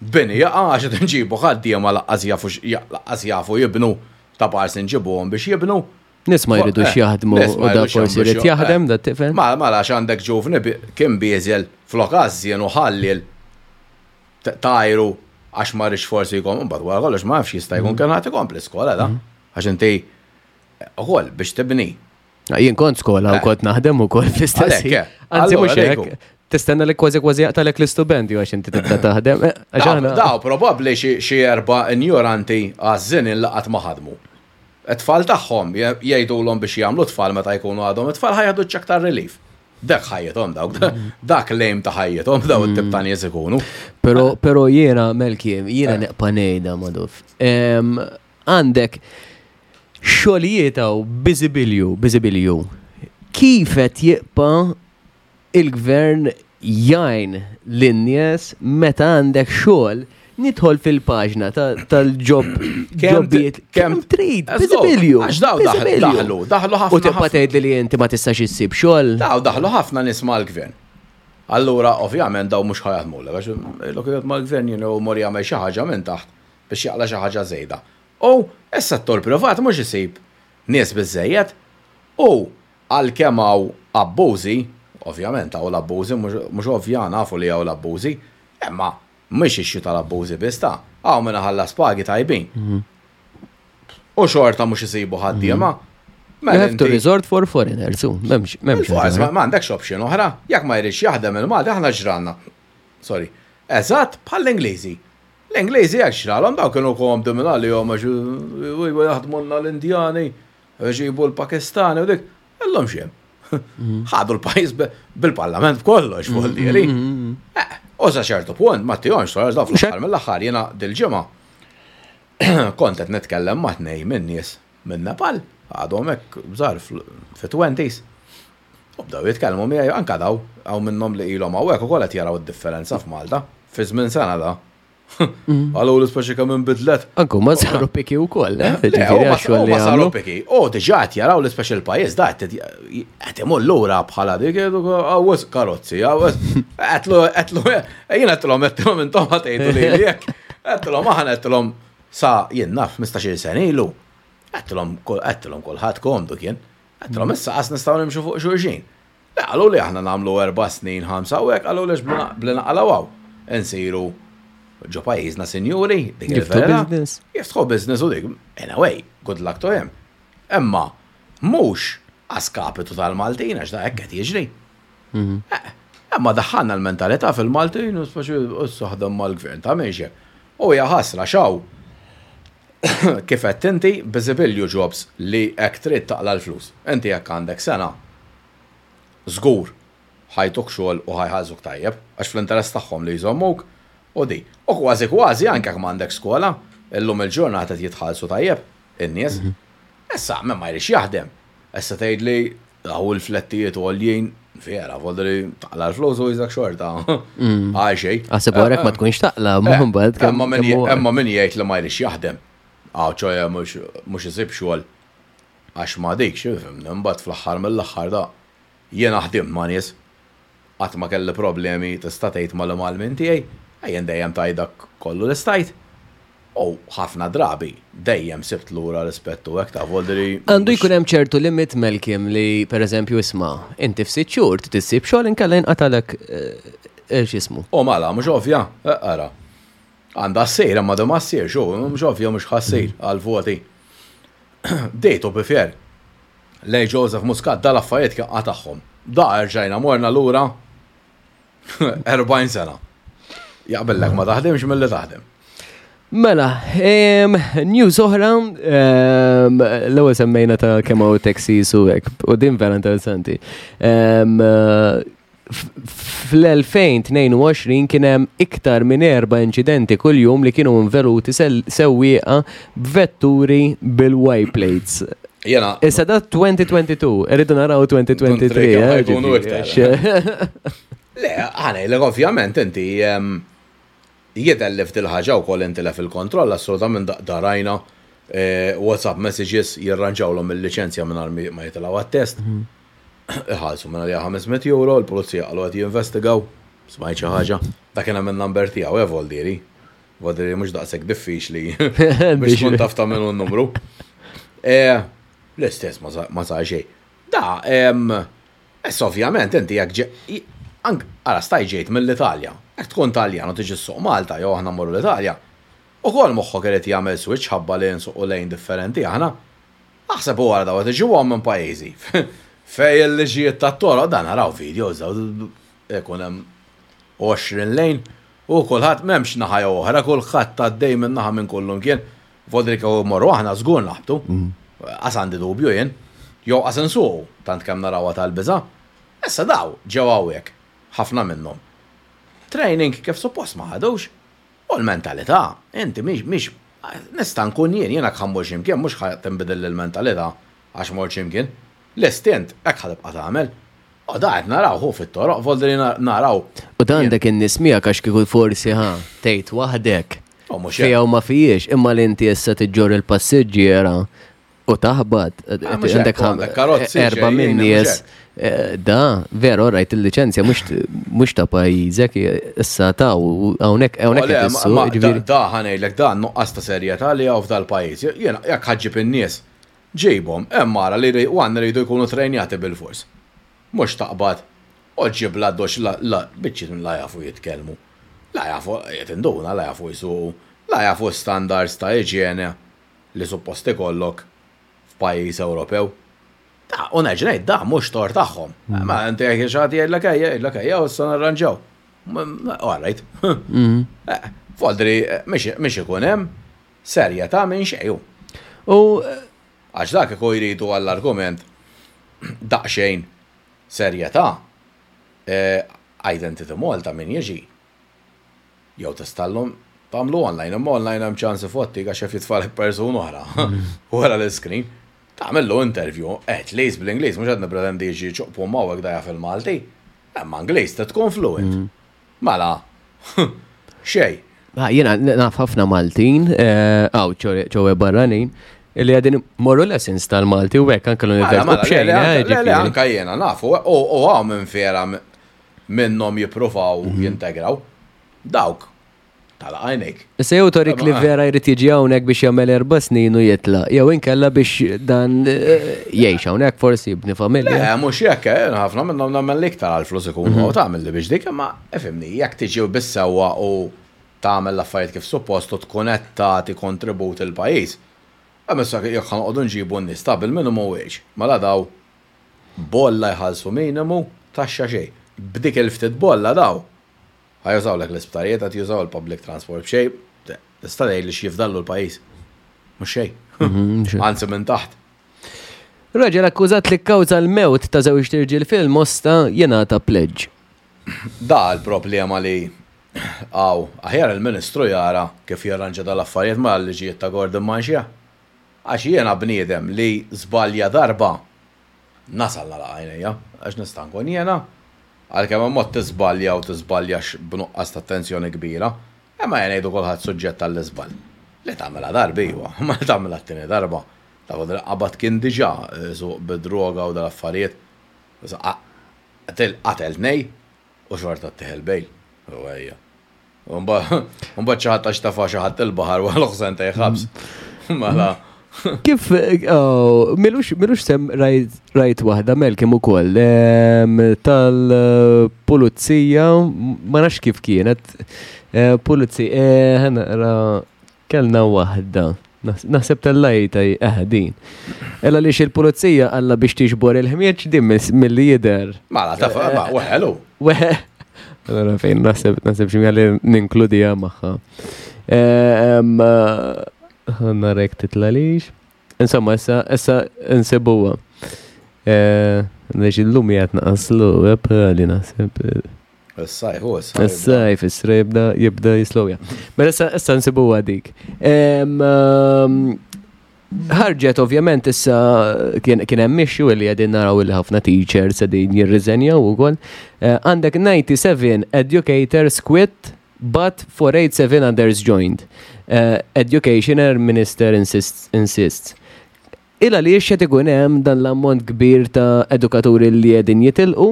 Bini jaqa' għax qed inġibu ħaddiema laqqas jafu laqqas jafu jibnu Ta' parsi nġibuhom biex jibnu. Nies ma jridux eh, jaħdmu u da forsi jrid jaħdem da tifel. Ma mela għax għandek ġuvni kien bieżel flok għażżien u ħallil tajru għax ma rridx forsi jkun mbagħad wara kollox ma nafx jista' jkun mm. kien ħadd ikompli skola da. Mm. Għax inti ukoll biex tibni Jien kont skola u eh. kont naħdem ukoll fl-istess. Eh. Anzi mhux hekk. Tistenna li kważi kważi jaqtalek l-istupendju għax inti tibda taħdem. Eh, daw probabbli xi erba' injoranti għażżin laqat ma ħadmu. It-tfal tagħhom jgħidulhom biex jagħmlu tfal meta jkunu għadhom it-tfal ħa jieħdu ċ-ċekk tar-relief. Dak ħajjithom dawk, dak l-aim ta' ħajjithom daw it-tip ta' nies ikunu. Però però jiena Melki, jiena neqpa' ngħidha Maduf. Għandek xogħlijiet hawn biżibilju, biżibilju. Kif qed jibqa' il-gvern jgħin lin-nies meta għandek xogħol nidħol fil-paġna tal-ġob ġobijiet kemm trid, biżibilju. Għax daw daħlu, daħlu ħafna. U tibqa' tgħidli li inti ma tistax issib xogħol. Daw daħlu ħafna nies mal-gvern. Allura ovvjament daw mhux ħa jaħdmulek għax ilok mal-gvern jien u mor jagħmel xi ħaġa minn taħt biex jaqla' xi ħaġa żejda. U s-settur privat mhux isib nies biżżejjed u għalkemm hawn abbużi, ovvjament hawn l-abbużi mhux ovvja nafu li hawn l-abbużi, imma mhix issue tal-abbużi biss ta', hawn min iħallas pagi tajbin. U xorta mhux isibu ħaddiema. You have to resort for foreigners, m'hemmx. M'hemmx. M'għandekx option oħra, jekk ma jridx jaħdem il-Malti aħna ġralna. Sorry. Eżatt bħall-Ingliżi. L-Ingliżi hekk xralhom, dawn kienu komdi minn għalihom għax jaħdmulna l-Indjani, iġibu l-Pakistani u dik. Illum x'hemm? Mm. Ħadu l-pajjiż bil-parlament b'kollox fuq mm, dieri. Mm, eh, u sa ċertu punt ma tihomx sora daw fl-aħħar mill-aħħar jiena dil-ġimgħa kont qed nitkellem ma' tnej minn nies minn Nepal, għadhom hekk żgħar fit-20s. U bdew jitkellmu miegħi anka daw, hawn minnhom li ilhom hawnhekk ukoll qed jaraw id-differenza f'Malta fi żmien sena da. Għalu li speċi kemm inbidlet. Anku ma saru piki wkoll, eh? Ġifieri ma saru piki. U diġà qed jaraw li speċi l-pajjiż da qed imur lura bħala dik għawes karozzi, għawes. Qedlu qedlu jien qedtilhom qedtilhom intom ħatejtu li jekk. Qedtilhom aħna qedtilhom sa jien naf 15-il sena ilu. Qedtilhom qedtilhom kulħadd komdu kien. Għedtilhom issa qas nistgħu nimxu fuq xulxin. Le qalu li aħna nagħmlu erba' snin, ħamsa u hekk qalu lex bli naqalgħu hawn. Insiru ġo pajjiżna sinjuri, dik il-vera. Jiftħu business u dik. Anyway, good luck to him. Imma mhux għaskapitu tal-Maltin għax da hekk qed jiġri. Mhm. Eh, imma daħħalna l-mentalità fil-Maltin u speċi issa ħdem mal-gvern ta' minn U hija ħasra xaw Kif għedt inti, biżibilju jobs li hekk trid taqla' l-flus. Inti jekk għandek sengħa, żgur ħa jtuk xogħol u ħa jħallsuk tajjeb, għax fl-interess tagħhom li jżommuk u di. U kważi kważi anke jekk m'għandekx skola, illum il-ġurnata qed jitħallsu tajjeb in-nies. Issa min ma jridx jaħdem, issa tgħidli Daw il-flettijiet għoljin, vera, voldri taqla l-flus u jizak xorta. Mm. Għal xej. Għasib għarek ma tkunx taqla, ma eh, mbagħad. Emma min jgħid li ma jrix jaħdem. Għaw ċoja mhux isib xogħol. Għax ma dik, xifim, mbagħad fl-aħħar mill-aħħar da. Jiena ħdimt ma' nies. Qatt ma kelli problemi tista' tgħid mal-imgħallmin tiegħi, jien dejjem tajt dak kollu li stajt. U ħafna drabi dejjem sibt lura rispett u hekk ta' voldri. Għandu jkun hemm ċertu limit Melkim li pereżempju isma' inti f'sitt xhur trid issib xogħol inkella jinqatalek eh, eh, x'ismu. U mela mhux ovvja, eh, ara. Għandha ssir imma ma ssirx, u mhux ovvja mhux ħassir għal-voti. Dejtu bifer. Lej Joseph Muscat dal-affarijiet kien qatagħhom. Da erġajna morna lura 40 sena. Jaqbillek ma taħdimx milli taħdem. Mela, news oħra, l-ewwel semmejna ta' kemm hawn taxis u hekk, u din vera interessanti. Fl-2022 kien hemm iktar minn erba' inċidenti kuljum li kienu involuti sewwieqa b'vetturi bil-Y plates. Jena. Issa da 2022, irridu naraw 2023. Eh, jkunu iktar. Le, għana, le, ovvjament, inti jidher li f'dil ħaġa wkoll inti lef il-kontroll, assolutament darajna eh, WhatsApp messages jirranġawlhom il-liċenzja mingħajr ma jitilgħu għat-test. Mhm. Iħallsu minn għalija 500 euro, il-pulizija qalu qed jinvestigaw, smajt xi ħaġa. Dak kien hemm in-number tiegħu, eh, Voldieri. Vodri mhux daqshekk diffiċli biex tkun taf ta' minnu n-numru. E, l-istess ma sar xejn. Da, issa ovvjament inti jekk ank ara staj ġejt mill-Italja, jekk tkun Taljan u tiġi ssuq Malta jew aħna mmorru l-Italja, ukoll moħħok irid jagħmel switch ħabba li nsuqu lejn differenti aħna. Aħseb u ara daw qed iġibuhom minn pajjiżi fejn il-liġijiet tat-toroq dan naraw videos daw ikun hemm 20 lejn U kulħadd m'hemmx naħa jew oħra, kulħadd għaddej minn naħa minn kullimkien. Vodri kieku mmorru aħna żgur naħbtu. Qas għandi dubju jien. Jew qas insuqu, tant kemm narawha tal-biża'. Issa daw ġew hawnhekk, ħafna minnhom. Training kif suppost ma ħadux. U l-mentalità, inti mhix mhix nista' nkun jien, jien jekk ħa mmur xi mkien mhux ħa tinbidilli l-mentalità għax mort xi mkien. L-istint hekk ħa tibqa' tagħmel. U da qed naraw hu fit-toroq, voldri naraw. U da għandek in-nies miegħek għax kieku forsi ħa tgħid waħdek. Fija u ma fijiex, imma li inti issa tiġġor il-passiġġiera u taħbat. Ah, għandek erba minn nies. Eh, da, veru, rajt il-licenzja mhux ta' pajjiżek, issa ta' u hawnhekk hawnhekk Da ħanejlek da nuqqas ta' serjetà li hawn f'dal-pajjiż. Jiena jekk ħaġġib in-nies Ġibhom, hemm ara li u għandna rridu jkunu trejnjati bilfors. Mhux taqbad u ġġib l-addoċċ la la biċċiet la jafu jitkellmu, la jafu qed induna la jafu jsuqu, la jafu standards ta' iġjene li suppost ikollok f'pajjiż Ewropew. Da, u nerġa' ngħid da mhux tort tagħhom. Ma inti jekk xi ħadd jgħidlek ejja, jgħidlek ejja u issa narranġaw. All right. Eh, Foldri mhix ikun hemm serjetà minn xejn hu. U Għax dak kieku jridu għall-argument daqsxejn serjetà, eh, Identity Malta min jiġi jew tistallhom tagħmlu online, imma online hemm ċans ifottik għax jaf jitfalek persuna oħra wara l-iskrin. Tagħmillu interview, at least bl-Ingliż, mhux qed nippretendi jiġi ċuqpu mawek da jaf il-Malti. Imma Ingliż trid tkun fluent. Mela, xejn. Ah, Jiena naf ħafna Maltin, għaw ċowe barranin, li għadin morru lessons tal-Malti u hekk anke l-università. Mela, B'xejn, le, le, le, ġifieri. anka jiena nafu, u għaw minn vera minnhom jippruvaw jintegraw. Dawk, tal-għajnejk. Issa jew torik li vera jrid jiġi hawnhekk biex jagħmel erba' snin u jitlaq, jew inkella biex dan jgħix hawnhekk forsi jibni familja. Le, mhux hekk, ħafna minnhom nagħmel l-iktar għall-flus ikunu u tagħmel li biex dik, imma ifhimni, jekk tiġi bis-sewwa u tagħmel l-affarijiet kif suppost u tkun qed tagħti kontribut il-pajjiż. Hemm issa jekk ħa noqogħdu nġibu n-nies ta' bil-minimum wage, mela daw bolla jħallsu minimu taxxa xejn. B'dik il-ftit bolla daw Ħa jużawlek l-isptarijiet, qed jużaw il-public transport b'xejn, tista' tgħid li x'jifdallu l-pajjiż. Mhux xejn. Anzi minn taħt. Raġel akkużat li kkawża l-mewt ta' żewġt irġiel fil-Mosta jingħata pleġġ. Da l-problema li hawn. Aħjar il-Ministru jara kif jirranġa dal-affarijiet ma' l-liġijiet ta' Gordon Manchia. Għax jiena bniedem li żbalja darba Nasal nagħlaq għajnejja, għax nista' nkun jiena, għalkemm hemm mod tiżbalja u tiżbaljax b'nuqqas ta' attenzjoni kbira, imma ejja ngħidu kulħadd suġġett għall-iżball. Li tagħmilha darba iva, imma li tagħmilha t-tieni darba, ta' qabad kien diġà isuq bid-droga u dal-affarijiet, qatel tnejn u xorta ttieħ il-bail. U ejja. Mbagħad xi ħadd għax tafa' xi ħadd il-baħar wara sentej ħabs. Mela. Kif, oh, milux, milux sem rajt waħda Melkim ukoll tal-pulizija, ma nafx kif kienet, eh, pulizija, eh, ħanaqra Kellna waħda. Naħseb tellajta eh din. Ella li il-pulizija għalla biex tiġbor il-ħmieġ din mill-li jider. Mela, ta' ma, weħelu. Weħe. Allora fejn naħseb naħseb xi għalli ninkludija magħha. Eh, Narek titlalix. Insomma, issa issa insibuha. Eh, Neġi l-lum jgħat naqaslu, li naħseb. Is-sajf, u is-sajf. Is-sajf, is-sra jibda jibda jislowja. Mela issa issa nsibuha dik. Ħarġet ovvjament issa kien hemm issue li qegħdin naraw li ħafna teachers qegħdin jirriżenjaw ukoll. Eh, għandek 97 educators quit but 487 others joined. Eh, Education Minister insists. insists. Il għaliex qed ikun hemm dan l-ammont kbir ta' edukaturi li qegħdin jitilqu?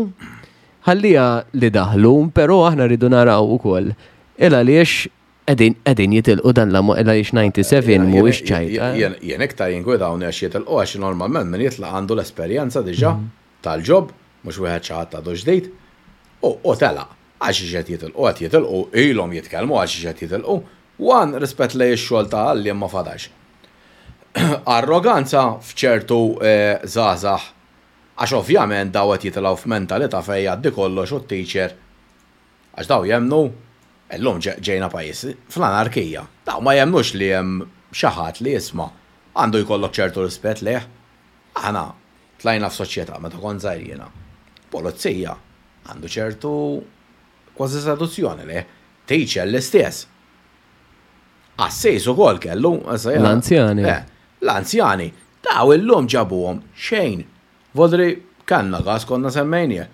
Ħalliha li daħlu, però aħna rridu naraw ukoll il għaliex qegħdin qegħdin jitilqu dan l-ammont, il għaliex 97 mhuwiex ċajta. Jien iktar jinkwitawni għax jitilqu għax normalment min jitlaq għandu l-esperjenza diġà tal-job, mhux wieħed xi ħadd għadu ġdid, u telaq. Għal xiex qed jitilqu? Qed jitilqu, ilhom jitkellmu għal xiex qed jitilqu. One, rispett lejn ix-xogħol ta' għalliem ma fadalx. Arroganza f'ċertu żgħażagħ għax ovvjament daw qed jitilgħu f'mentalità fejn jgħaddi kollox u t-teacher għax daw jemmnu illum ġejna pajjiż fl-anarkija. Daw ma jemmnux li hemm xi ħadd li isma' għandu jkollok ċertu rispett lejh. Aħna tlajna f'soċjetà meta kont żgħir jiena. Pulizija għandu ċertu kważi seduzzjoni lejh. Teacher l-istess. Qassis ukoll kellu. L-anzjani. Eh, l-anzjani. Daw illum ġabuhom xejn. Vodri kellna każ konna semmejnieh.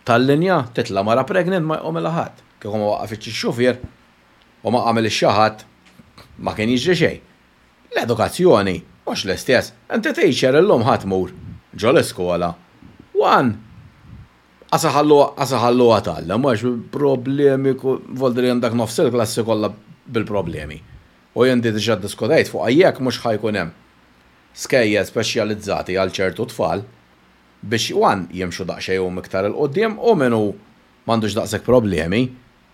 Tal-linja titla' mara pregnant ma jqumilha ħadd. Kieku ma waqafitx ix-xufier u ma qamilx xi ħadd ma kien jiġri xejn. L-edukazzjoni mhux l-istess. Inti teacher illum ħa tmur ġo l-iskola. One Qas iħalluha tgħallem għax problemi voldri għandek nofs il-klassi kollha bil-problemi. U jien di diġà ddiskutejt fuqha jekk mhux ħa jkun hemm skejjel speċjalizzati għal ċertu tfal biex one jimxu daqsxejn huma iktar 'il quddiem u min hu m'għandux daqshekk problemi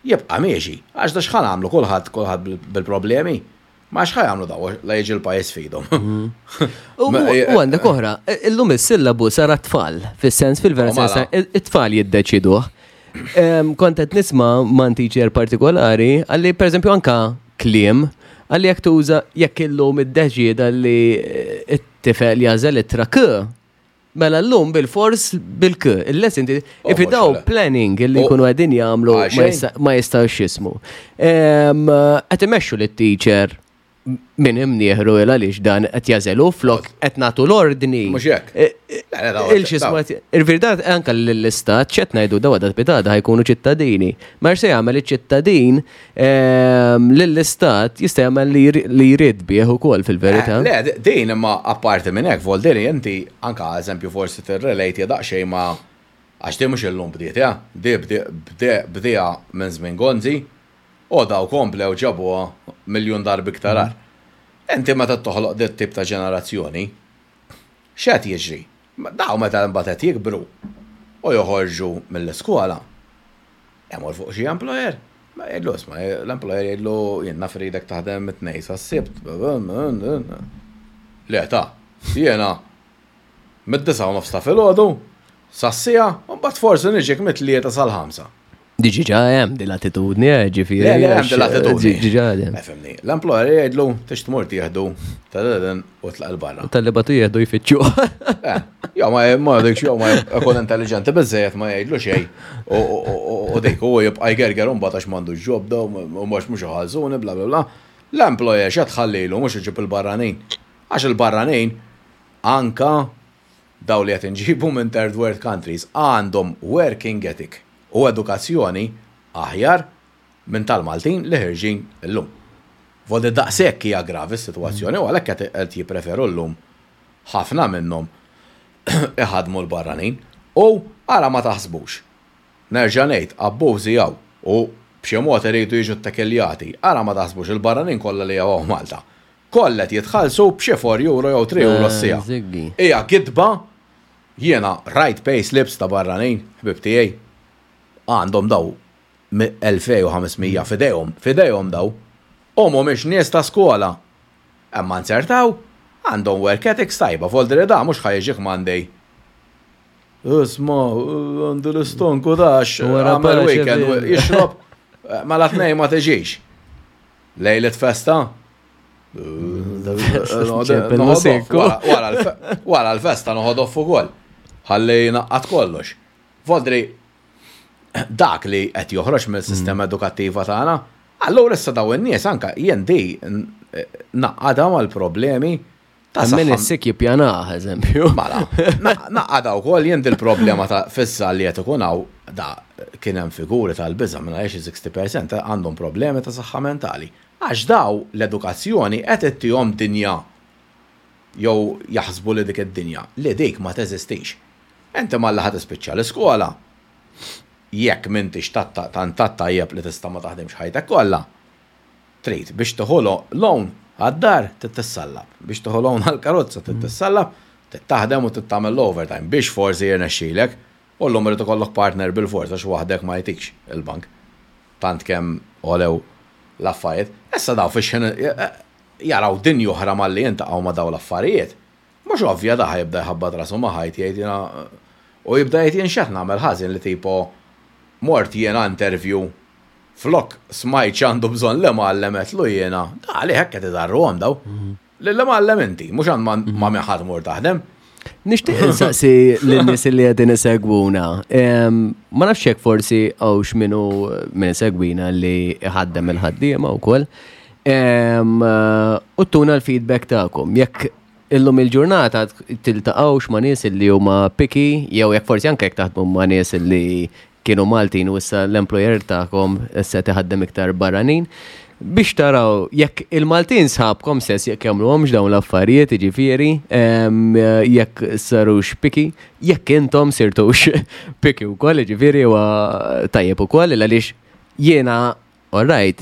jibqa' miexi. Għax da x'ħa nagħmlu kulħadd kulħadd bil-problemi. Ma x'ħa jagħmlu daw la jiġi l-pajjiż f'idhom. U għandek oħra, illum is-sillabu sar tfal, fis-sens fil-vera oh, sens it-tfal jiddeċiduh. Kont qed nisma' man teacher partikolari għalli pereżempju anka kliem għalli jekk tuża jekk illum iddeċieda li eh, it-tifel jażel ittra k Mela llum bil-fors bil-k, il-lesson oh, if daw planning li jkunu qegħdin jagħmlu ma jistgħux jismu. Qed imexxu lit-teacher. Min imnieħru il għaliex dan qed jażelu flok qed nagħtu l-ordni. Mhux hekk. Eh, eh, il-xisma il-verdad anke l-istat x'qed ngħidu dawa dat pitada ħajkunu ċittadini. Ma se jagħmel iċ-ċittadin ehm, lill-istat jista' jagħmel li jrid bih ukoll fil-verità. Eh, le, din imma apparti minn hekk Voldiri inti anke eżempju forsi tirrelate daqsxejn ma' għax di mhux illum bdiet, di bdieha minn żmien Gonzi, U daw komplew ġabuha miljun darba iktar agħar. Inti meta toħloq dit tip ta' ġenerazzjoni, x'qed jiġri? Daw meta mbagħad qed jikbru u joħorġu mill-iskola, imur fuq xi employer, ma jgħidlu isma' l-employer jgħidlu jien naf irridek taħdem mit-Tnejn sas-Sibt. Le ta, jiena mid-disgħa u nofs ta' filgħodu sas-siegħa u mbagħad forsi niġik mit-tlieta sal-ħamsa. Diġà hemm din l-attitudni, eh, ġifieri. Le, le, hemm din l-attitudni. Diġà hemm. Eh, fimni. L-employer jgħidlu tix tmur tieħdu tal-eden u tlaq il-barra. Tal-li batu jieħdu jfittxu. Eh, jew ma ma dik jew ma jkun intelligenti biżejjed ma jgħidlu xejn. U dik u jibqa' jgerger u mbagħad għax m'għandux ġobda u mhux mhux iħallsuni bla bla bla. L-employer x'qed tħallilu mhux iġib il-barranin. Għax il-barranin anka daw li qed inġibu minn third world countries għandhom working ethic u edukazzjoni aħjar minn tal-Maltin li ħirġin illum. Voldi daqshekk hija gravi s-sitwazzjoni u għalhekk qed jippreferu llum ħafna minnhom iħaddmu l-barranin. U ara ma taħsbux. Nerġa' ngħid, abbużi hawn u b'xi mod iridu jiġu ttekiljati. Ara ma taħsbux il-barranin kollha li hawn Malta. Kollha qed jitħallsu b'xi 4 euro jew 3 euro s-siegħa. Hija gidba. Jiena rajt pay slips ta' barranin, ħbieb tiegħi, għandhom daw 2500 f'idejhom, f'idejhom daw. U mhumiex nies ta' skola. Imma nzertaw, għandhom work ethics tajba, voldri da mhux ħa jiġik Monday. Isma', għandi l-istonku da għax għamel weekend, jixrob, mela tnejn ma tiġix. Lejlet festa? Wara l-festa noħod off ukoll. Ħalli naqqat kollox. Voldri, dak li qed joħroġ mill-sistema mm. edukattiva tagħna, allura issa daw in-nies anka jien di naqqadha mal-problemi Ta' min is-sik jippjanah, eżempju. Mela, naqada wkoll jien il-problema ta' fissa li qed ikun hawn da kien hemm figuri tal-biża' minn għaliex 60% għandhom problemi ta' saħħa mentali. Għax daw l-edukazzjoni qed ittihom dinja jew jaħsbu li dik id-dinja li dik ma teżistix. Inti malli ħa tispiċċa l-iskola, jekk m'intix tant tajjeb li tista' ma taħdimx ħajtek kollha, Trid, biex tieħu loan għad-dar trid tissallab, biex tieħu loan għall-karozza trid tissallab, trid taħdem u trid tagħmel l-overtime biex forsi jirnexxilek u llum irid ikollok partner bilfors għax waħdek ma jtikx il-bank. Tant kemm għolew l-affarijiet. Issa dawn fix-xħin jaraw dinja oħra malli jiltaqgħu ma' dawn l-affarijiet. Mhux ovvja da ħa jibda jħabbat rasu ma' ħajt jgħid jiena u jibda jgħid jien x'qed nagħmel ħażin li tipo mort jiena interview Flok smajt x'għandu bżonn l-imgħallem għedtlu jiena, da għalih hekk qed idarruhom daw. Lill-imgħallem inti, mhux għand ma' min ħa tmur taħdem. Nixtieq insaqsi lin-nies li qegħdin isegwuna. Ma nafx jekk forsi hawnx min hu min isegwina li iħaddem il-ħaddiema wkoll. U tuna l-feedback tagħkom. Jekk illum il-ġurnata tiltaqgħux ma' nies li huma picky jew jekk forsi anke jekk taħdmu ma' nies li kienu Maltin u issa l-employer tagħkom issa qed iħaddem iktar barranin biex taraw jekk il-Maltin sħabkom stess jekk jagħmluhomx dawn l-affarijiet, jiġifieri jekk sarux picky, jekk intom sirtux picky wkoll, jiġifieri huwa tajjeb ukoll għaliex jiena All right,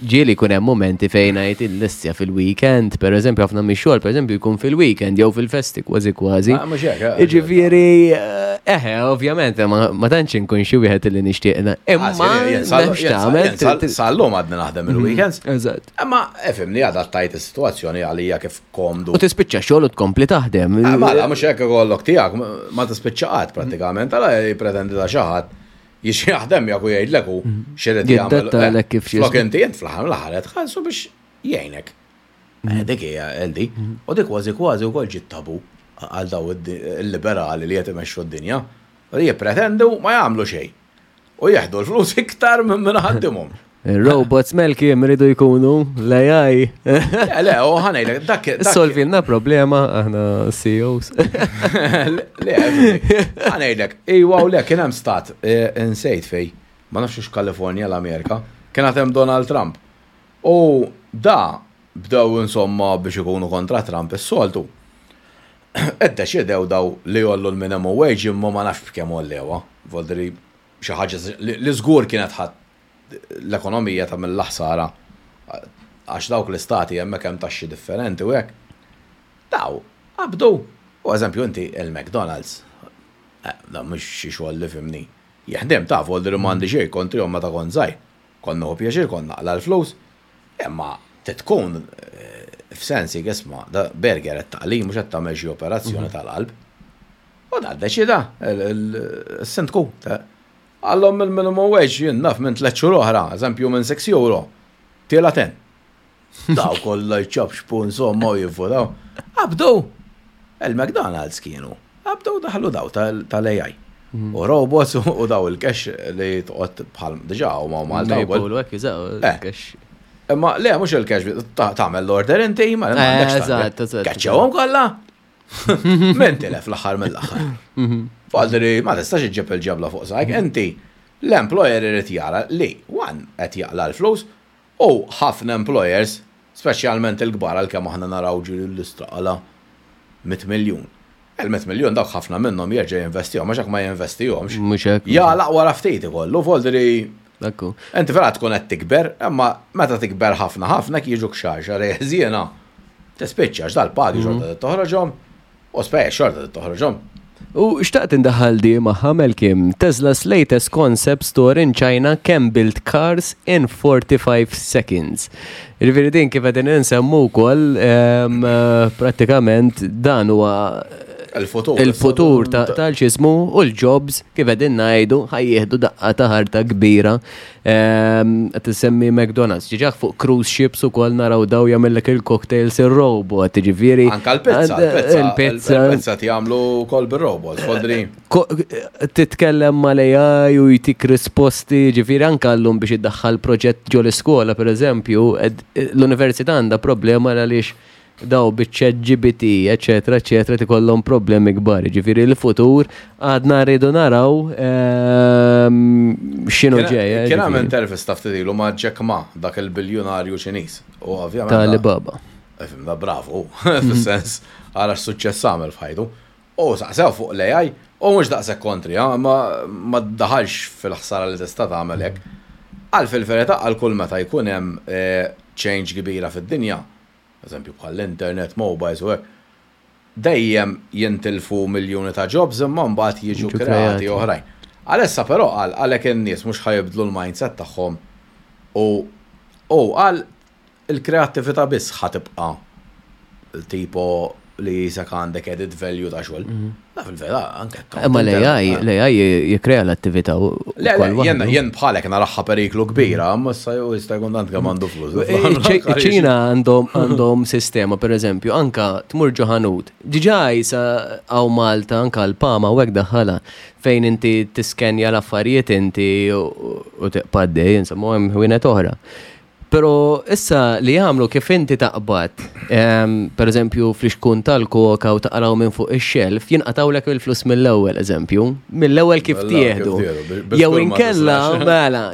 ġieli jkun hemm momenti fejn ngħid il-listja fil-weekend, per eżempju ħafna mix-xogħol per eżempju jkun fil-weekend jew fil-festi kważi kważi. Ah, mhux hekk, eh, Jiġifieri, eh, eħe, ovvjament, ma ma tantx inkun xi wieħed li nixtieq. Ah, Imma m'hemmx tagħmel. Sal-lum għadni naħdem il-weekends. Eżatt. Imma ifhimni adattajt is-sitwazzjoni għalija kif komdu. U tispiċċa xogħol u tkompli taħdem. Ah, Mela, mhux hekk ikollok tiegħek ma tispiċċa qatt prattikament, għala jippretendi ta' xi ħadd Jiġi jaħdem miegħek u jgħidlek hu x'irid jagħmel. Jiddattalek kif xi. Flok inti int fl-aħħar mill-aħħar qed tħallsu biex jgħinek. Eh, dik hija LD. U dik kważi kważi wkoll ġiet tabu għal daw il-liberali li qed imexxu d-dinja. Li jippretendu ma jagħmlu xejn. U jieħdu l-flus iktar minn min ħaddimhom. Robots Malcolm iridu jkunu l-AI. Le, le, u ħa ngħidlek, dak. Solvilna problema aħna CEOs. Le, ħa ngħidlek, iwa u le, kien hemm stat, eh, insejt fej, ma nafx hux Kalifornja l-Amerika, kien hemm Donald Trump. U da bdew insomma biex ikunu kontra Trump is-soltu. Iddeċidew daw li jgħollu l-minimum wage imma ma nafx b'kemm għollewha. Voldiri xi ħaġa li żgur kienet ħadd l-ekonomija ta' mill-ħsara għax dawk l-istati hemmhekk hemm taxxi differenti u hekk. Daw, qabdu. U eżempju inti il-McDonald's, eh, da mhux xi xogħol li fimni. Jaħdem ta' voldiri m'għandi xejn kontrihom meta kont żgħir. Kont nieħu pjaċir kont naqla l-flus, imma tkun eh, f'sensi isma' da burger qed taqli mhux qed tagħmel xi operazzjoni tal-qalb. U da ddeċida il-sindku. Għallhom il-minimum wage jien naf minn 3 xhur oħra, eżempju minn 6 euro. Tiela 10. Daw kollha jċapxpu insomma u jivvotaw. Qabdu! Il-McDonald's kienu. Qabdu daħlu daw tal-AI. U robots u daw il-cash li toqgħod bħal diġà huma Malta wkoll. Hekk jużaw Eh. il-cash. Imma le mhux il-cash tagħmel l-order inti, ma Eh, m'għandekx eżatt, eżatt. Keċċewhom kollha. Min tilef l-aħħar mill-aħħar. Faldri ma tistax iġġib il-ġebla fuq sajk, inti l-employer irid jara li one qed jaqla l-flus u ħafna employers, speċjalment il-kbar għalkemm aħna naraw ġiri l-istra qala 100 miljun. Il-100 miljun dawk ħafna minnhom jerġa' jinvestihom, għax jekk ma jinvestihomx. Mhux hekk. Jagħlaq wara ftit ikollu, voldri Ekku. Inti vera tkun qed tikber, imma meta tikber ħafna ħafna jiġuk xahar xahar ħżiena. Tispiċċa għax dal-pagi xorta toħroġhom u spejjeż xorta toħroġhom. U xtaqt indaħal di magħha Malcolm, Tesla's latest concept store in China can build cars in 45 seconds. Ġifieri din kif qegħdin insemmu wkoll em, eh, prattikament dan huwa Il-futur. il-futur ta' tal-ċismu u l-jobs kif qegħdin ngħidu ħa jieħdu daqqa ta' ħarta kbira. Ehm, Qed tisemmi McDonald's, ġiġak fuq cruise ships ukoll naraw daw jagħmellek il-cocktails ir-robot, ġifieri. Anka l-pizza, l-pizza, Il-pizza. il-pizza jagħmlu kol bir-robot, fodri. Ko- Titkellem mal-AI u jtik risposti, ġifieri anka llum biex iddaħħal proġett ġo l-iskola, per eżempju, l-università għandha problema għaliex daw biċ GPT, eccetera, eccetera, tikollhom problemi kbar. Ġifieri l-futur għadna rridu naraw x'inhu ġej. Kien hemm ġifieri. intervista ftit ilu ma' Jack Ma, dak il-biljunarju Ċiniż. U ovvjament. Ta' da- Alibaba. Ifhem, da bravo, fis-sens, għara x-suċċess għamel f'ħajtu. U saqsew fuq l-AI, u mhux daqshekk kontri, ha, ma ma daħalx fil-ħsara li tista' tagħmel hekk. Għal fil-verità għal kull meta jkun hemm eh, change kbira fid-dinja, eżempju bħal l-internet, mobiles u hekk, dejjem jintilfu miljuni ta' jobs imma mbagħad jiġu Jiġu kreati kreati. oħrajn. Għalissa però għal għalhekk in-nies mhux ħajibdlu l-mindset tagħhom u u għal il-kreattività biss ħatibqa' tipo li jisek għandek edit value ta' xogħol. Da fil-verità anke Imma l-AI, l-AI jikrea l-attività u Le, le, ukoll jen, waħdu. jen bħalek naraħħa periklu kbira, ma issa jew jista' jkun tant kemm għandu flus. Ċina għandhom għandhom sistema, per eżempju, anka tmur ġo ħanut. Diġà jisa għaw Malta, anka l-Pama u hekk daħħala fejn inti tiskenja l-affarijiet inti u u tibqa' għaddej, insomma, hemm ħwienet oħra. Pero issa li jagħmlu kif inti taqbad, per eżempju fl-ixkun tal-koka u taqraw minn fuq ix-xelf, jinqatawlek il-flus mill-ewwel eżempju, mill-ewwel kif Mill-ewwel kif tieħdu. tieħdu, bi- Jew bi żgur ma inkella tislax. mela,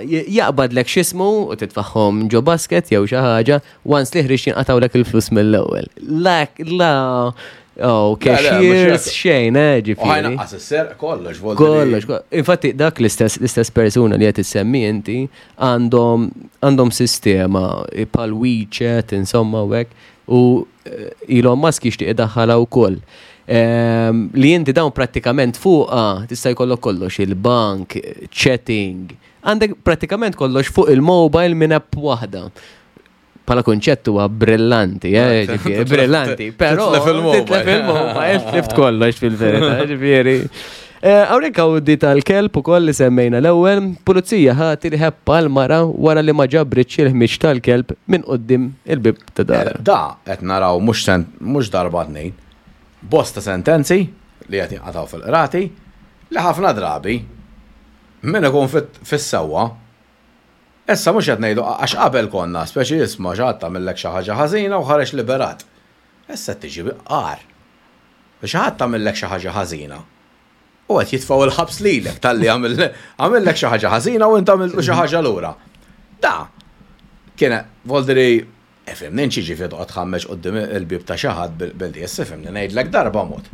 jaqbadlek x'ismu u titfaħħom ġo basket jew xi ħaġa, once li ħriġt jinqatawlek il-flus mill-ewwel. La, la, oh, Le, le, mhux cashiers hekk. xejn, U ġifieri. ħajnaqqas is-ser kollox, volti. Kollox, Infatti dak l-istess l-istess persuna li qed issemmi inti għandhom għandhom sistema bħal WeChat insomma u hekk u Elon Musk jixtieq idaħħalha wkoll. Li inti dawn prattikament fuqha tista' jkollok kollox il-bank, chatting, għandek prattikament kollox fuq il-mobile minn app waħda. Pala konċett huwa brillanti, ġifieri, brillanti, però Titlef il-mobile. titlef il-mobile, tlift kollox fil-verità, ġifieri. Hawnhekk hawn di tal-kelb ukoll li semmejna l-ewwel, pulizija ħati li ħeppa l-mara wara li ma ġabritx il-ħmiġ tal-kelb minn quddiem il-bib ta' dar. Da qed naraw mhux mhux darba tnejn. Bosta sentenzi li qed jinqataw fil-qrati li ħafna drabi min ikun fis-sewwa Issa mhux qed ngħidu għax qabel konna, speċi isma' xi ħadd għamillek xi ħaġa ħażina u ħareġ liberat. Issa qed tiġi agħar. Xi ħadd għamillek xi ħaġa ħażina u qed jitfgħu l-ħabs lilek talli għamillek xi ħaġa ħażina u int għamiltlu xi ħaġa lura. Da kien voldri Ifhimni, int x'jiġifieri toqgħod tħammeġ quddiem il-bieb ta' xi ħadd bil-dies, ifhimni, ngħidlek darba mod,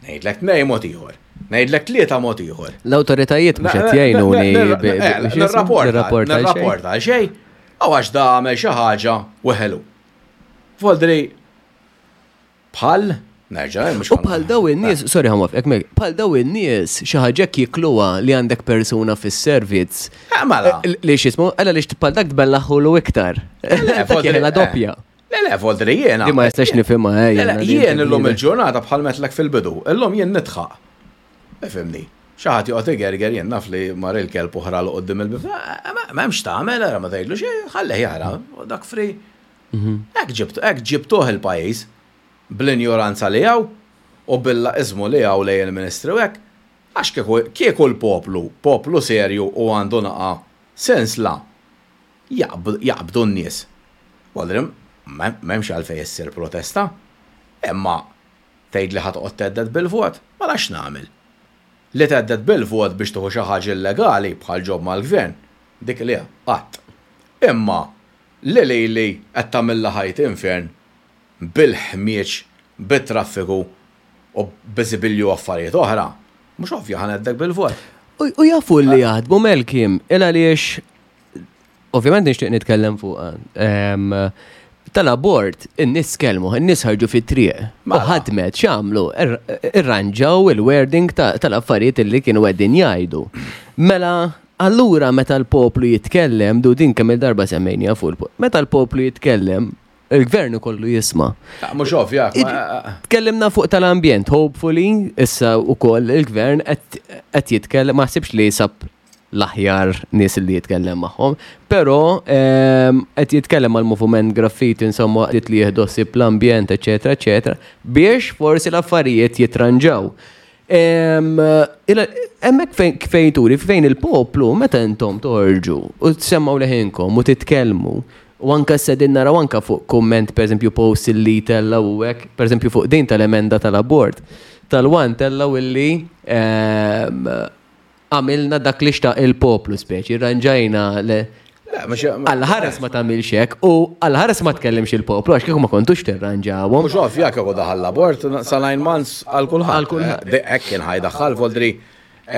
ngħidlek tnejn mod ieħor, ngħidlek tlieta mod ieħor. L-awtoritajiet mhux qed jgħinuni nirrapporta nirrapporta għal xejn, u għax da għamel xi ħaġa u ħelu. Voldri Bħal, nerġa' mhux. U bħal daw in-nies, sorry ħa nwafqek Meg, bħal daw in-nies xi ħaġa hekk jikluha li għandek persuna fis-servizz. Eh, mela. Eh, li x'ismu, għala li bħal dak tbellaħħulu iktar. Dak jeħla doppja. Le, le, voldri jiena. Di ma jistax nifhimha, eh. Le, jien illum il-ġurnata bħal metlek fil-bidu, illum jien nitħaq. Ifhimni. Xi ħadd joqgħod igerger jien naf li mar il-kelb u ħralu quddiem il-bib. Eh, m'hemmx tagħmel, ma tgħidlu xejn, ħallih jara, dak free. Hekk ġibtu, hekk ġibtuh il-pajjiż, bl-injoranza li hawn u bil-laqiżmu li hawn lejn il-Ministri u hekk, għax kieku, kieku l-poplu, poplu serju u għandu naqa' sensla, jaqbdu n-nies. Vuol dire, m'hemmx għalfejn issir protesta, imma tgħidli ħa toqgħod thedded bil-vot, mela x'nagħmel? Li thedded bil-vot biex tieħu xi ħaġa illegali bħal job mal-gvern, dik le, qatt. Imma Li lili qed tagħmilli ħajti infern bil-ħmieġ, bit-traffiku u b'biżibilju affarijiet oħra, mhux ovvja ħa ngħeddek bil-vot. U jafu li jaħdmu Melkim, il għaliex ovvjament nixtieq nitkellem fuqha. Tal-abort, in-nies tkellmu, in-nies ħarġu fit-triq. U mela. ħadmet, x'għamlu? Irranġaw il-wording tal-affarijiet li kienu qegħdin jgħidu. Mela, Allura meta l-poplu jitkellem, du din kemm il-darba semmejniha fuq il meta l-poplu jitkellem, il-gvern ikollu jisma'. Mhux ovvja. Tkellimna fuq tal-ambjent, hopefully, issa wkoll il-gvern qed jitkellem, ma ħsibx li sab l-aħjar nies li jitkellem magħhom, però qed jitkellem mal moviment graffiti insomma qed li jieħdu ħsieb l-ambjent, eċetera, eċetera, biex forsi l-affarijiet jitranġaw. Hemmhekk fejn turi, fejn il-poplu, meta intom toħorġu u tsemmaw leħinkom u titkellmu, u anka s-sedin naraw anka fuq kumment, per eżempju, post li tella u hekk, per eżempju, fuq din tal-emenda tal-abort, tal-wan tella u li Għamilna dak li xtaq il-poplu speċi, rranġajna le. Alla ħares ma tagħmilx hekk u alla ħares ma tkellimx il-poplu għax kieku ma kontux tirranġawhom. Mhux ovvja kieku daħal l-abort sa nine months għal kulħadd. Għal kulħadd. Eh, hekk kien ħajdaħħal voldri.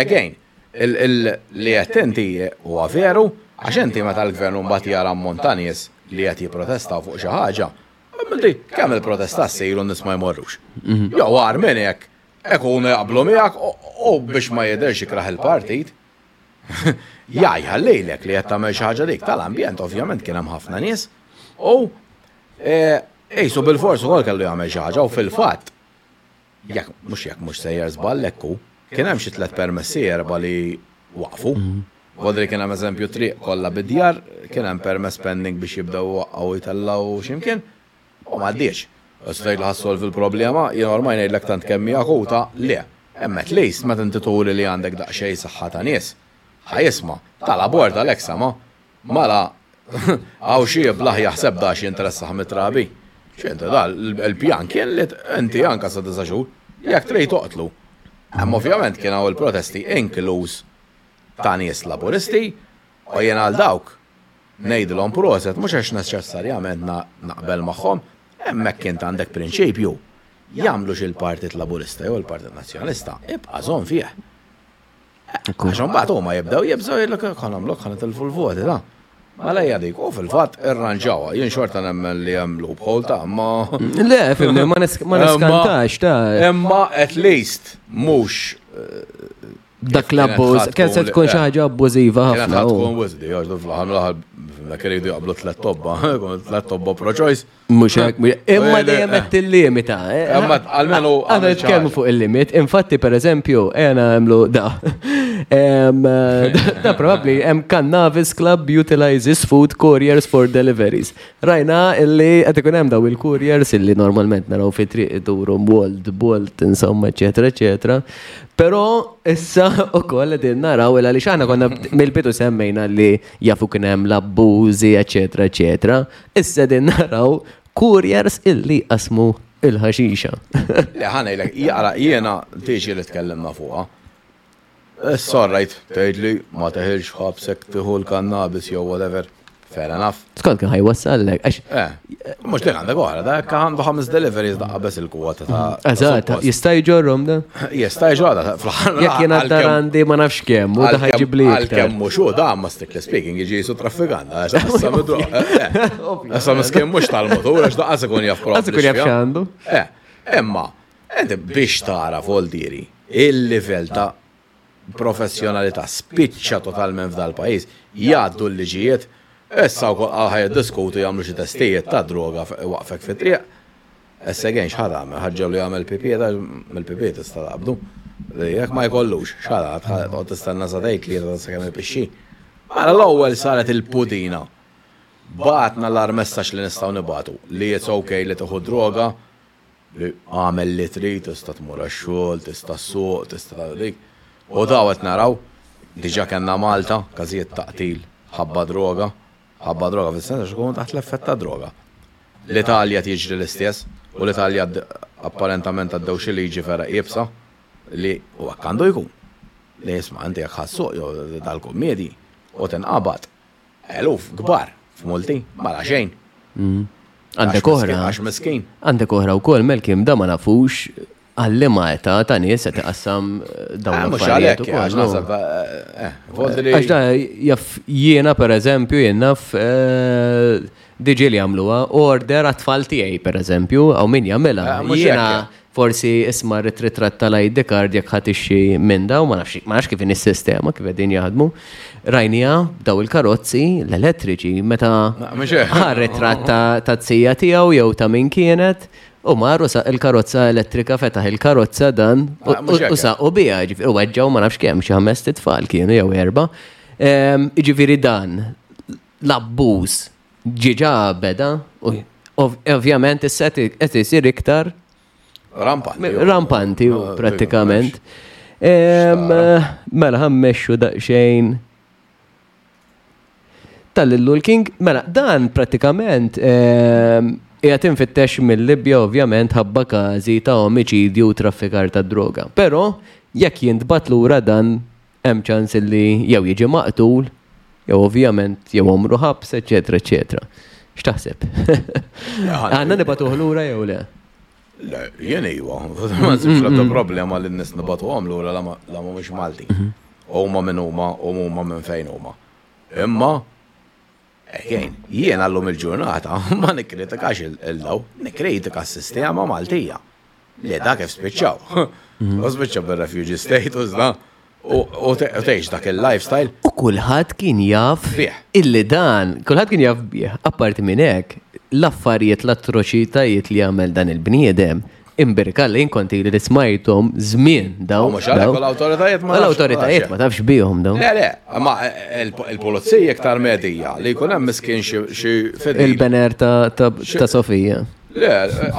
Again, li qed inti huwa veru għax inti meta l-gvern mbagħad jara ammont ta' nies li qed jipprotestaw fuq xi ħaġa, kemm il-protesta ssir u n-nies ma jmorrux. Mhm. Jew agħar minn hekk Ikunu jaqblu miegħek u biex ma jidhirx ikrah il-partit, jgħajħallilek li qed tagħmel xi ħaġa dik tal-ambjent ovvjament kien hemm ħafna nies u qisu bilfors ukoll kellu jagħmel xi ħaġa u fil-fatt jekk mhux jekk mhux sejjer żball hekk hu, kien hemm xi tliet permessi erba' li waqfu. Vodri kien hemm eżempju triq kollha bid-djar, kien hemm permess pending biex jibdew iwaqqgħu u jtellgħu x'imkien. U m'għaddiex. Issa tgħidli ħa ssolvi l-problema, jien ormai ngħidlek tant kemm hi akuta, le. Imma at least meta inti turi li għandek daqsxejn saħħa ta' nies, ħa jisma'. Tal-abort għalhekk sama'. Mela hawn xi iblah jaħseb da x'jinteressah mit-trabi. X'inti da, il-pjan kien li inti anke sa disa' xhur, jekk trid toqtlu. Imma ovvjament kien hawn il-protesti inkluż ta' nies Laburisti u jien għal dawk Ngħidilhom proset mhux għax neċessarjament naqbel magħhom, hemmhekk int għandek prinċipju, jagħmlux il-Partit Laburista jew il-Partit Nazzjonalista, ibqa' żomm fih. Għax imbagħad huma jibdew jibżgħu jgħidlek ħa nagħmluk ħa nitilfu l-voti ta. Mela hija dik, u fil-fatt irranġawha, jien xorta nemmen li hemm loophole ta' imma. Le, fimni, ma niskantax ta' Imma at least mhux Dak l-abbuż, kien se tkun xi ħaġa abbużiva ħafna. Kienet tkun wisdi, għax fl-aħħar mill-aħħar dak iridu jaqblu tliet tobba, tliet tobba pro-choice. Mhux hekk, imma dejjem qed tillimita. Eh. Imma almenu għandna nitkellmu fuq il-limit. Infatti pereżempju, ejja nagħmlu da. Da probabbli hemm Cannabis Club utilizes food couriers for deliveries. Rajna illi qed ikun hemm daw il-couriers illi normalment naraw fi triq iduru Bolt, Bolt, insomma, eċetera, eċetera. Però issa ukoll qegħdin naraw il għaliex aħna konna mill-bidu semmejna li jafu kien hemm l-abbużi, eċetera, eċetera. Issa qegħdin naraw couriers illi qasmu il-ħaxixa. Le ħa ngħidlek, jaqra jiena tiġi li tkellimna fuqha. Issa rajt tgħidli ma teħilx ħabs hekk tieħu l-kannabis jew whatever. Fair enough. Skont kien ħajwassallek. Għax Eh, mhux dik għandek oħra, da hekk għandu ħames deliveries daqqa beż il-kwota ta' Eżatt, jista' jġorrhom da? Jista' jġorra fl-aħħar. Jekk jien għad-dar għandi ma nafx kemm, u da ħajġib li. Għalkemm mhux hu da ma strictly speaking jiġi jisu traffikant. Issa miskin mhux tal-motur għax daqqas ikun jaf proprju. Qas ikun jaf x'għandu. Eh, imma inti biex tara Voldieri il-livell ta' professjonalità spiċċa totalment f'dal-pajjiż, jgħaddu l-liġijiet, issa wkoll qal ħa jiddiskutu jagħmlu xi testijiet ta' droga iwaqqfek fit-triq. Issa again x'ħa tagħmel? Ħa ġġegħlu jagħmel pipì da mill-pipì tista' taqbdu. Jekk ma jkollux, x'ħa toqgħod tistenna sagħtejn tlieta sakemm ipixxi. Mela l-ewwel saret il-pudina. Bagħatna l-agħar messaġġ li nistgħu nibagħtu li it's ok li tieħu droga, li agħmel li trid, tista' tmur għax-xogħol, tista' ssuq, tista' tagħmel dik. U daw qed naraw, diġà kellna Malta każijiet ta' qtil ħabba droga, ħabba droga fis-sens għax ikunu taħt l-effett ta' droga. L-Italja qed jiġri l-istess u l-Italja apparentament għaddew xi liġi vera iebsa li u hekk għandu jkun. Li isma' inti jekk ħa ssuq jew dal-kummiedji u tinqabad Eluf kbar f'multi, mala xejn. Mm. Għandek oħra. Għax miskin. Għandek oħra wkoll Melkim da ma nafux għal-liema età ta' nies qed iqassam eh, dawn eh, l-affarijiet ukoll. Għax naħseb, eh, Għax da jaf jiena pereżempju jien naf diġi li jagħmluha order għat-tfal tiegħi pereżempju, hawn min jagħmilha. Jiena Forsi isma' rrid ritratt tal-ID card jekk ħa tixxi minn dawn, ma nafx ma nafx kif inhi s-sistema kif qegħdin jaħdmu. Rajniha daw il-karozzi l-elettriċi meta ħa ritratt ta' tija tiegħu jew ta' min kienet u mar u saq il-karozza elettrika fetaħ il-karozza dan u saqu biha, ġifieri u weġġgħu ma nafx kemm xi ħames tfal kienu jew erba'. Jiġifieri dan l-abbuż ġiġa beda u ovvjament issa qed isir iktar rampanti. Rampanti ah, prattikament. Mela ħammexxu daqsxejn tal-Lillu l-King, mela dan prattikament qiegħed infittex mill-Libja ovvjament ħabba każi ta' omiċidju u traffikar ta' droga. Però jekk jintbagħat lura dan hemm ċans li jew jiġi maqtul, jew ovvjament jew għomru ħabs, eċetera, eċetera. X'taħseb? Għandna nibatuh lura jew le? Le, jien iva, ma nsibx l-ebda problema li n-nies nibatuhom lura la mhumiex Maltin. Mhm. Huma minn huma u huma minn fejn huma. Imma again, jiena llum il-ġurnata ma nikkritikax il-daw, nikkritika s-sistema Maltija. Le, da kif spiċċaw. Mhm. U spiċċaw bil-refugee status, da. U tgħix dak il-lifestyle. U kulħadd kien jaf illi dan, kulħadd kien jaf bih, apparti minn hekk, l-affarijiet l-atroċitajiet li għamel dan il-bniedem, imbirka li inkonti li smajtom żmien daw. Mhux għalhekk l-awtoritajiet ma l-awtoritajiet ma tafx bihom daw. Le, le, ma il-pulizija iktar medija li jkun hemm miskin xi fidil. Il-bener ta' Sofija. Le,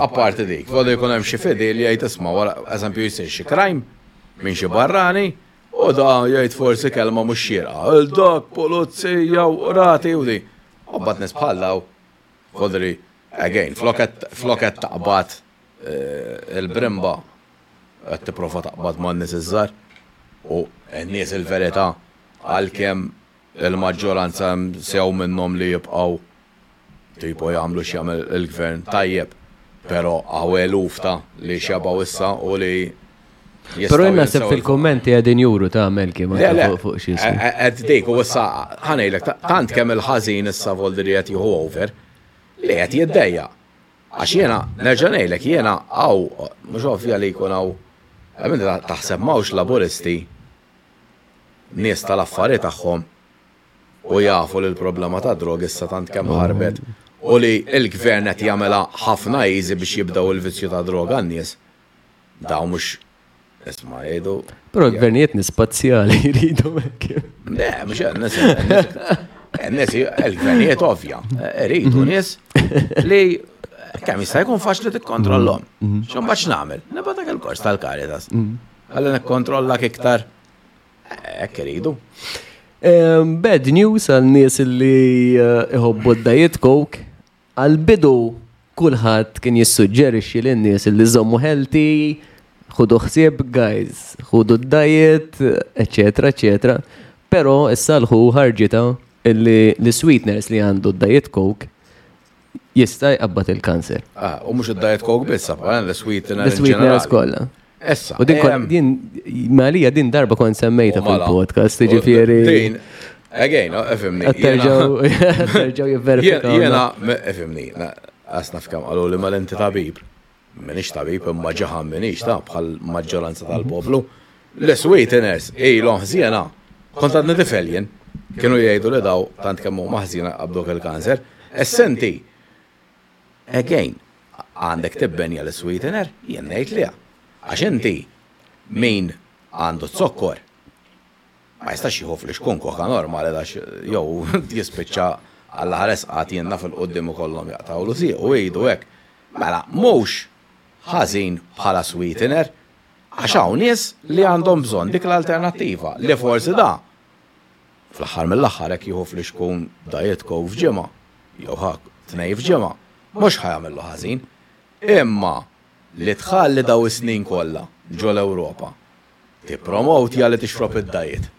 apparti dik, għadu jkun hemm xi fidil li jgħid isma' wara eżempju jsir xi crime minn xi barrani u da jgħid forsi kelma mhux xierqa. Il dak pulizija u qrati u di. U mbagħad nies bħal daw fodri again flok qed taqbad eh, il-brimba qed tipprova taqbad man-nies iż-żgħar u n-nies il-verità għalkemm il-maġġoranza hemm sew minnhom li jibqgħu tipo jagħmlu x'jagħmel il-gvern tajjeb, però hawn eluf ta' li xebgħu issa u li Però jien naħseb fil-kummenti qegħdin juru ta' Melki ma fuq xi Qed dik u issa ħanejlek tant kemm il-ħażin issa voldi li qed jieħu over li qed jiddejjaq. Għax jiena nerġa' ngħidlek jiena hawn mhux ovvja li jkun hawn taħseb m'hawnx Laburisti nies tal-affari tagħhom u jafu li l-problema tad-drogi issa tant kemm ħarbet u li l-gvern qed jagħmilha ħafna easy biex jibdew il-vizzju tad-droga n-nies, dawn mhux Isma' jgħidu. Però l-gvernijiet nies spazjali jridu hekk. Le, mhux nies. Nies il-gvernijiet ovvja, iridu mhm. nies li kemm jista' jkun faċli tikkontrollhom. Mhm. X'imbaġ nagħmel? Nibgħatak il-kors tal-Caritas. Mhm. Ħalli nikkontrollak iktar. Hekk iridu. Bad news għal nies li eh, iħobbu d-diet coke Għall-bidu kulħadd kien jissuġġerixxi lin-nies li żommu healthy, ħudu ħsieb guys, ħudu d-diet, eċetera, eċetera. Però issa l-ħu ħarġitha illi l-sweeteners li għandu d-diet coke jista' jqabbad il-kanser. Ah, u mhux id-diet coke biss, l-sweeteners. L-sweeteners kollha. Issa. U din din malija din darba kont semmejta mela. fil-podcast, jiġifieri. Din, again, oh, efimni. Terġgħu jivverifikaw. Jiena, efimni, għasna f'kemm qalu li mal-inti tabib. Minix tabib imma ġaħan minix ta' bħal maġġoranza tal-poplu. L-sweeteners, ilhom ħżiena. Kont għadni tifel jien. Kienu jgħidu li daw tant kemm huma ħżiena qabduk il-kanser. Essenti, Again, għandek tibbenja l-sweetener? Jien ngħid le. Għax inti min għandu z-zokkor ma jistax jieħu flixkun koka normali għax jew jispiċċa Alla ħares qatt jien naf il-quddiem ikollhom jaqtgħulu siequ u idu hekk. Mela mhux ħażin bħala sweetener għax hawn nies li għandhom bżonn dik l-alternattiva li forsi da Fl-aħħar mill-aħħar hekk jieħu flixkun Diet Coke f'ġimgħa, jew ħa tnejn f'ġimgħa, mhux ħa jagħmillu ħażin. Imma li tħalli daw is-snin kollha ġo l-Ewropa tippromowtja li tixrob id-diet.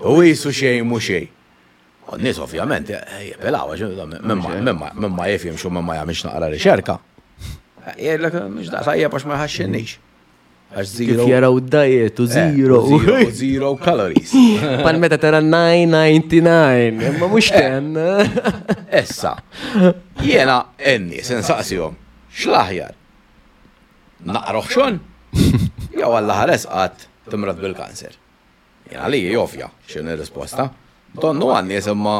U qisu xejn mhu xejn. U n-nies ovvjament jibilgħu għax min ma jifhimx u min ma jagħmilx naqra riċerka, jgħidlek mhux daqs tajjeb għax ma jħaxxinix. Għax zero. Kif jaraw diet u eh, zero. Zero, zero calories. Pal meta tara 999, imma mhux eh. ten. Issa, jiena n-nies insaqsihom, x'l-aħjar? Naqroħ xon? Jew Alla ħares qatt timrad bil-kanser. Jiena li ovvja x'inhi risposta. Donnu għan-nies imma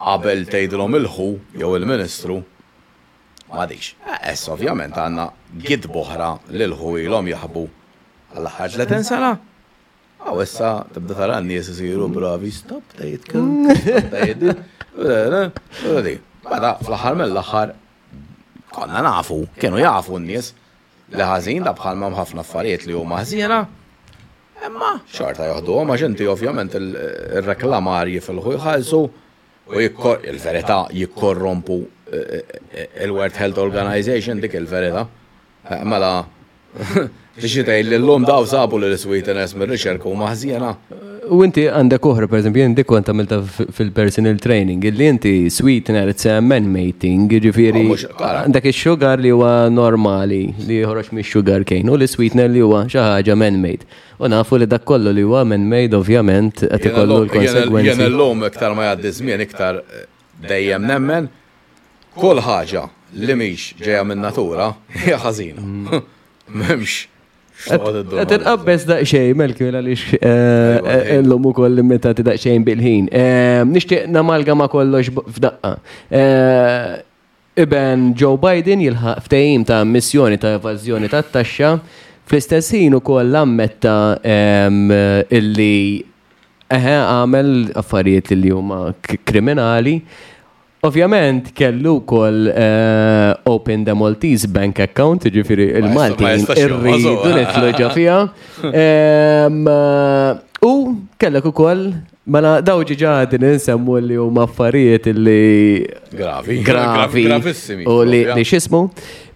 qabel tgħidilhom il-ħu jew il-ministru M'għadix. Issa ovvjament għandna gidba oħra li l-ħu ilhom jaħbu għall-aħħar 30 sena. Aw issa tibda tara n-nies isiru bravi, stop diet coke, stop diet. Meta fl-aħħar mill-aħħar konna nafu, kienu jafu n-nies li ħażin da bħalma hemm ħafna affarijiet li huma ħżiena. Imma xorta joħduhom għax inti ovvjament ir-reklamar jifilħu jħallsu U il-verità jikkorrompu il-World Health Organization dik il-verità. Mela, tixi tgħid li llum daw sabu li l-sweeteners mir-riċerka huma ħżiena. U inti għandek oħra, per eżempju, jien dik kont għamilta fil-personal training, illi inti sweetener it's a man-made thing, jiġifieri oh, għandek ix-sugar li huwa normali li joħroġ mix-sugar cane u l-sweetener li huwa xi ħaġa man-made. U nafu li dak kollu li huwa man-made ovvjament qed ikollu l-konsegwenzi. Jien illum iktar ma jgħaddi żmien iktar eh, dejjem nemmen kull ħaġa li mhix ġejja min-natura hija ħażina. Mm. M'hemmx Qed inqabbeż daqsxejn Melkil għaliex eh, eh, illum ukoll limitati daqsxejn bil-ħin. Nixtieq namalgama kollox f'daqqa. Iben Joe Biden jilħaq ftehim ta' ammissjoni ta' evażjoni tat-taxxa, fl-istess ħin ukoll ammetta illi eħe għamel affarijiet li huma kriminali. Ovvjament kellu wkoll eh, open the Maltese bank account, ġifieri il-Maltin irridu nidħlu ġo fiha. U kellek ukoll Mela daw ġiġa din insemmu li huma affarijiet li gravi, gravi, gravissimi. U li li x'ismu.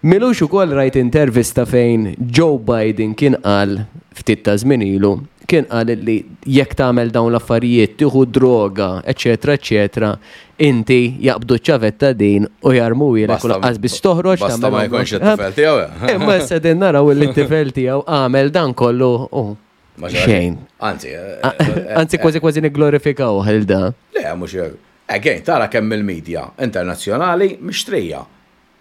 Milux ukoll rajt intervista fejn Joe Biden kien qal ftit ta' żmien ilu, kien qal li jekk tagħmel dawn l-affarijiet, tieħu droga, eċetera, eċetera, inti jaqbdu ċ-ċavetta din u jarmuhielek u lanqas biss toħroġ. Basta ma jkunx it-tifel tiegħu. Imma issa din naraw li t-tifel tiegħu għamel dan kollu u Xejn. Anzi, eh, eh, anzi kważi kważi nigglorifikaw għal da. Le, mhux Again, tara kemm il-medja internazzjonali mixtrija.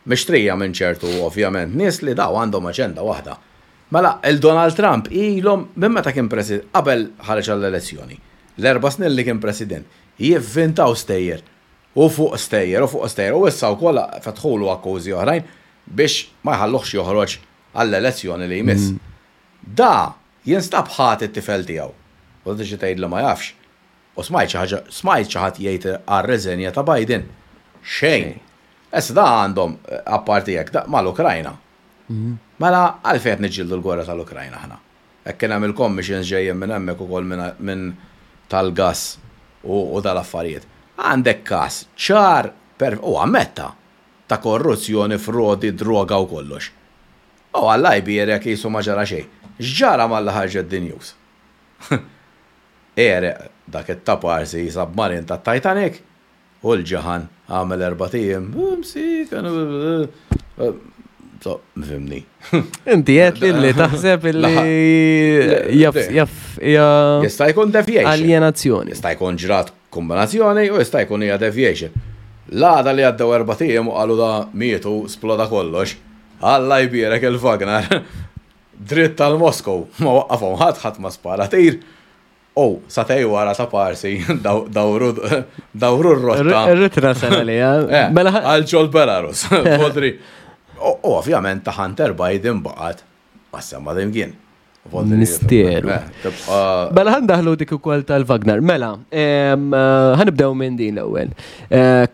Mixtrija minn ċertu ovvjament nies li daw għandhom aġenda waħda. Mela, il-Donald Trump ilhom minn meta kien president, qabel ħareġ għall-elezzjoni, l-erba' snin li kien president, jivvintaw stejjer u fuq stejjer u fuq stejjer u issa wkoll fetħulu akkużi oħrajn biex ma jħalluhx joħroġ għall-elezzjoni li jmiss. Mm. Da jinstab ħati t-tifel tiegħu. U tiġi tgħid li ma jafx. U smajt xi ħaġa, smajt xi ħadd jgħid għar-reżenja ta' Biden. Xejn. Issa da għandhom apparti hekk da mal-Ukrajna. Mela għalfejn qed niġġieldu l-gwerra tal-Ukrajna aħna? Hekk kien hemm il-commissions ġejjin minn hemmhekk ukoll minn tal-gass u dal-affarijiet. Għandek każ ċar u ammetta ta' korruzzjoni, frodi, droga u kollox. U Alla jbierek qisu ma ġara xejn. X'ġara malli ħarġet the news? Għereq dak it-taparsi submarin tat-Titanic u l-ġaħan għamel erbat ijiem msiken So, fimni. Inti qed li li taħseb li jaf jaf hija Jista' jkun deviation. Aljenazzjoni. Jista' jkun ġrat kombinazzjoni u jista' jkun hija deviation. L-għada li għaddew erbat ijiem u qalu da mietu sploda kollox. Alla jbierek il-Wagner. Dritt għal Moskow, ma waqqafhom ħadd, ħadd ma spara tir. U satej wara ta' parsi dawru dawru r-rotta. Ir-ritra sena li eh, mela għal ġol Belarus. Podri. U ovvjament ta' Hunter Biden baqgħet ma semma imkien. Misteru. Eh, mela ħandaħlu dik ukoll tal-Wagner. Mela, eh, ħanibdew minn din l-ewwel.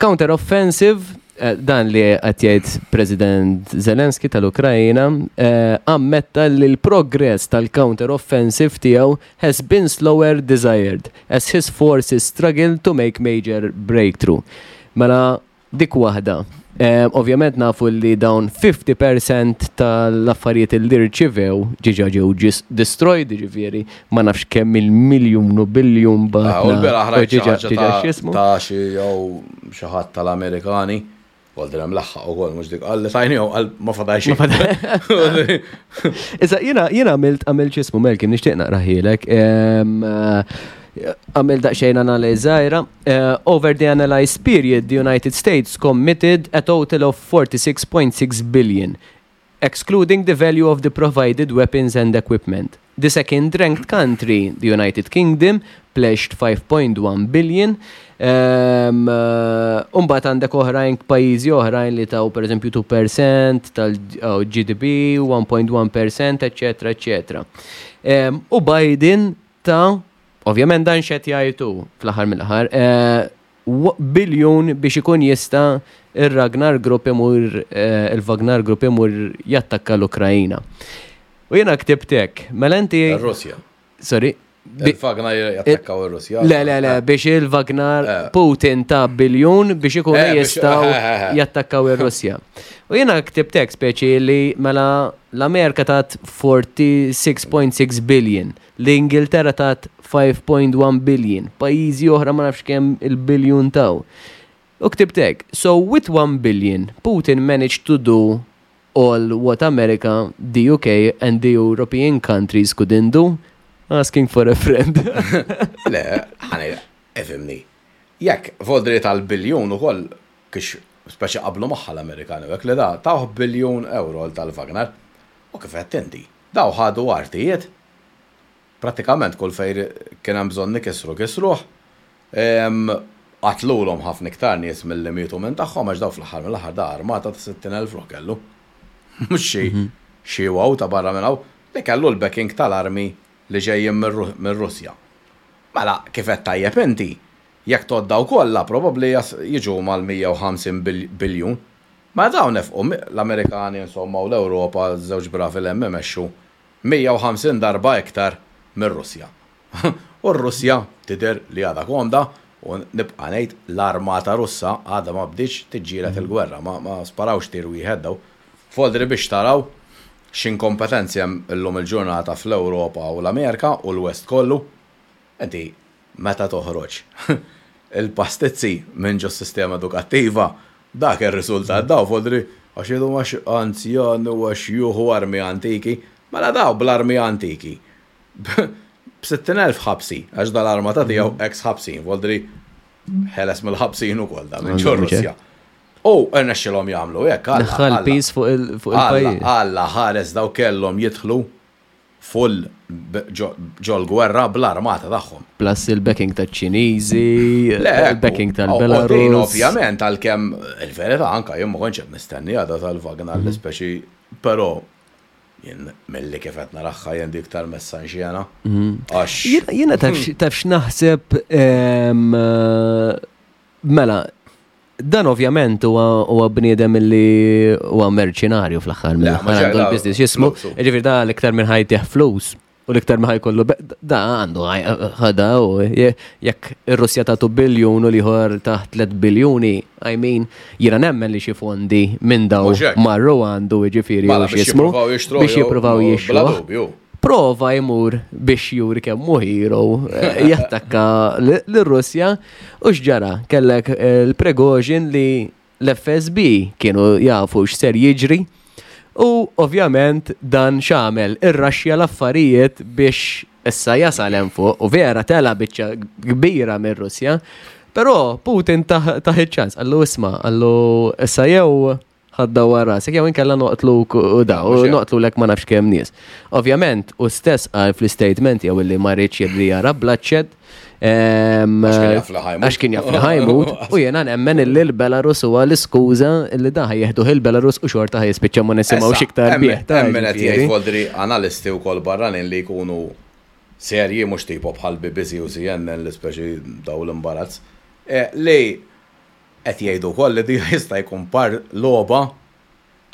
Counter offensive Eh, dan li qed jgħid President Zelensky tal-Ukrajina eh, ammetta li l-progress tal-counter offensive tiegħu has been slower desired as his forces struggle to make major breakthrough. Mela dik waħda. Eh, ovvjament nafu li dawn 50% tal-affarijiet li rċivew ġiġa ġew destroyed, ġifieri ma nafx kemm il-miljun u biljun ba. Ah, u l-beraħ rajt xi ħaġa ta' xi jew xi ħadd tal-Amerikani. Għaldi hemm laħħaq ukoll mhux dik qal li tajni jew qal ma fadal xejn. Issa jiena jiena għamilt għamilt x'ismu Melkim nixtieq naqraħielek. Għamilt daqsxejn analiżi żgħira. Eh, over the analyzed period, the United States committed a total of 46.6 billion excluding the value of the provided weapons and equipment. The second-ranked country, the United Kingdom, pledged 5.1 billion. Um, uh, Umbat għandek oħrajn pajjiżi oħrajn li taw per eżempju 2% tal-GDP, 1.1%, eccetera, eccetera. Um, u Biden ta' ovvjament dan xed jgħidu fl-aħħar mill-aħħar, eh, biljun biex ikun jista' ir-Ragnar Group imur eh, il-Wagner Group imur jattakka l-Ukrajina. U jiena ktibt hekk, mela inti. Ir-Russja. Sorry. Il-Wagner jattakkaw ir-Russja. Le, le, le, biex il-Wagner eh. Putin ta' biljun biex ikunu eh, jistgħu jattakkaw ir-Russja. U jiena ktibt hekk speċi li mela l-Amerika tat 46.6 billion. L-Ingilterra tat 5.1 billion, pajjiżi oħra ma nafx kemm il-biljun taw. U ktibt hekk, so with 1 billion, Putin managed to do all what America, the UK and the European countries couldn't do? Asking for a friend. Le, ħani, efimni. Jekk voldri tal-biljun ukoll kix speċi qablu magħha l-Amerikani u hekk li da tawh biljun euro tal-Wagner. U kif għedt inti, daw ħadu artijiet Prattikament kull fejn kien hemm bżonn ikissru kissruh. Qatlulhom ħafna iktar nies milli mietu minn tagħhom għax dawn fl-aħħar mill-aħħar da armata ta' 60,000 ruħ kellu. Mhux xi xi wow ta' barra minn hawn, li kellu l-backing tal-armi li ġejjin mir-Russja. Mela kif għedt tajjeb inti, jekk tgħodd dawn kollha probabbli jiġu mal-150 biljun. Mela dawn nefqu, l-Amerikani insomma u l-Ewropa, żewġ bravi 'l hemm imexxu, 150 darba iktar mir-Russja. U r-Russja tidher li għadha komda u nibqa' ngħid l-armata Russa għadha ma bdietx tiġġieled il-gwerra, ma sparawx tir wieħed dawn. Foldri biex taraw x'inkompetenzi hemm illum il-ġurnata fl-Ewropa u l-Amerika u l-West kollu. Inti meta toħroġ il-pastizzi minn ġos-sistema edukattiva, dak ir-riżultat daw fodri għax jgħidu għax anzjan u għax juhu armi antiki, mela daw bl-armi antiki. B'60,000 ħabsi, għax dal-armata tiegħu ex ħabsin, voldri ħeles mill-ħabsin ukoll da minn ġo Russja. U rnexxilhom jagħmlu hekk. Daħħal piż fuq il-pajjiż. Alla ħares daw kellhom jidħlu full ġol-gwerra bl-armata tagħhom. Plus il-backing taċ-Ċiniżi, il-backing tal-Belarus. Ovvjament għalkemm il-verità anka jien ma kontx qed nistenni għadha tal-Wagner l-ispeċi, però Jien milli kif qed naraha jien dik tal-messa nxiena. Għax. Jiena taf x'naħseb mela dan ovvjament huwa bniedem li huwa merċinarju fl-aħħar mill-aħħar għandu l-business jismu. Ġifieri da l-iktar minn ħajtih flus u l-iktar ma ħajkollu da għandu ħada u jekk ir-Russja tagħtu biljun u l-ieħor taħt 3 biljuni, I mean, jiena nemmen li xi fondi minn daw marru għandu jiġifieri mela, u x'jismu biex jippruvaw jixtru. Prova jmur biex juri kemm hu hero eh, jattakka l-Russja u x'ġara kellek eh, l-Prigozhin li L-FSB kienu jafu x'ser jiġri u ovvjament dan x'għamel, irraxxja l-affarijiet biex issa jasal hemm fuq u vera tela' biċċa kbira mir-Russja. Però Putin tah iċ-ċans, qallu isma', qallu issa jew ħa ddawwar rasek jew inkella noqtluk u da, u noqtlulek ma nafx kemm nies. Ovvjament, hu stess qal fl-istatement jew illi ma riedx li jara bloodshed, Għax kien jaf li ħajmut. U jena nemmen illi l-Belarus huwa l-iskuża illi da ħajjeħduh il-Belarus u xorta ħajispiċċa ma nisimgħu xiktar bih. Emmen qed jgħid Voldri analisti wkoll barranin li jkunu serji mhux tipo bħal BBC u CNN li speċi daw l-imbarazz. Eh, li qed jgħidu wkoll li di jista' jkun par logħba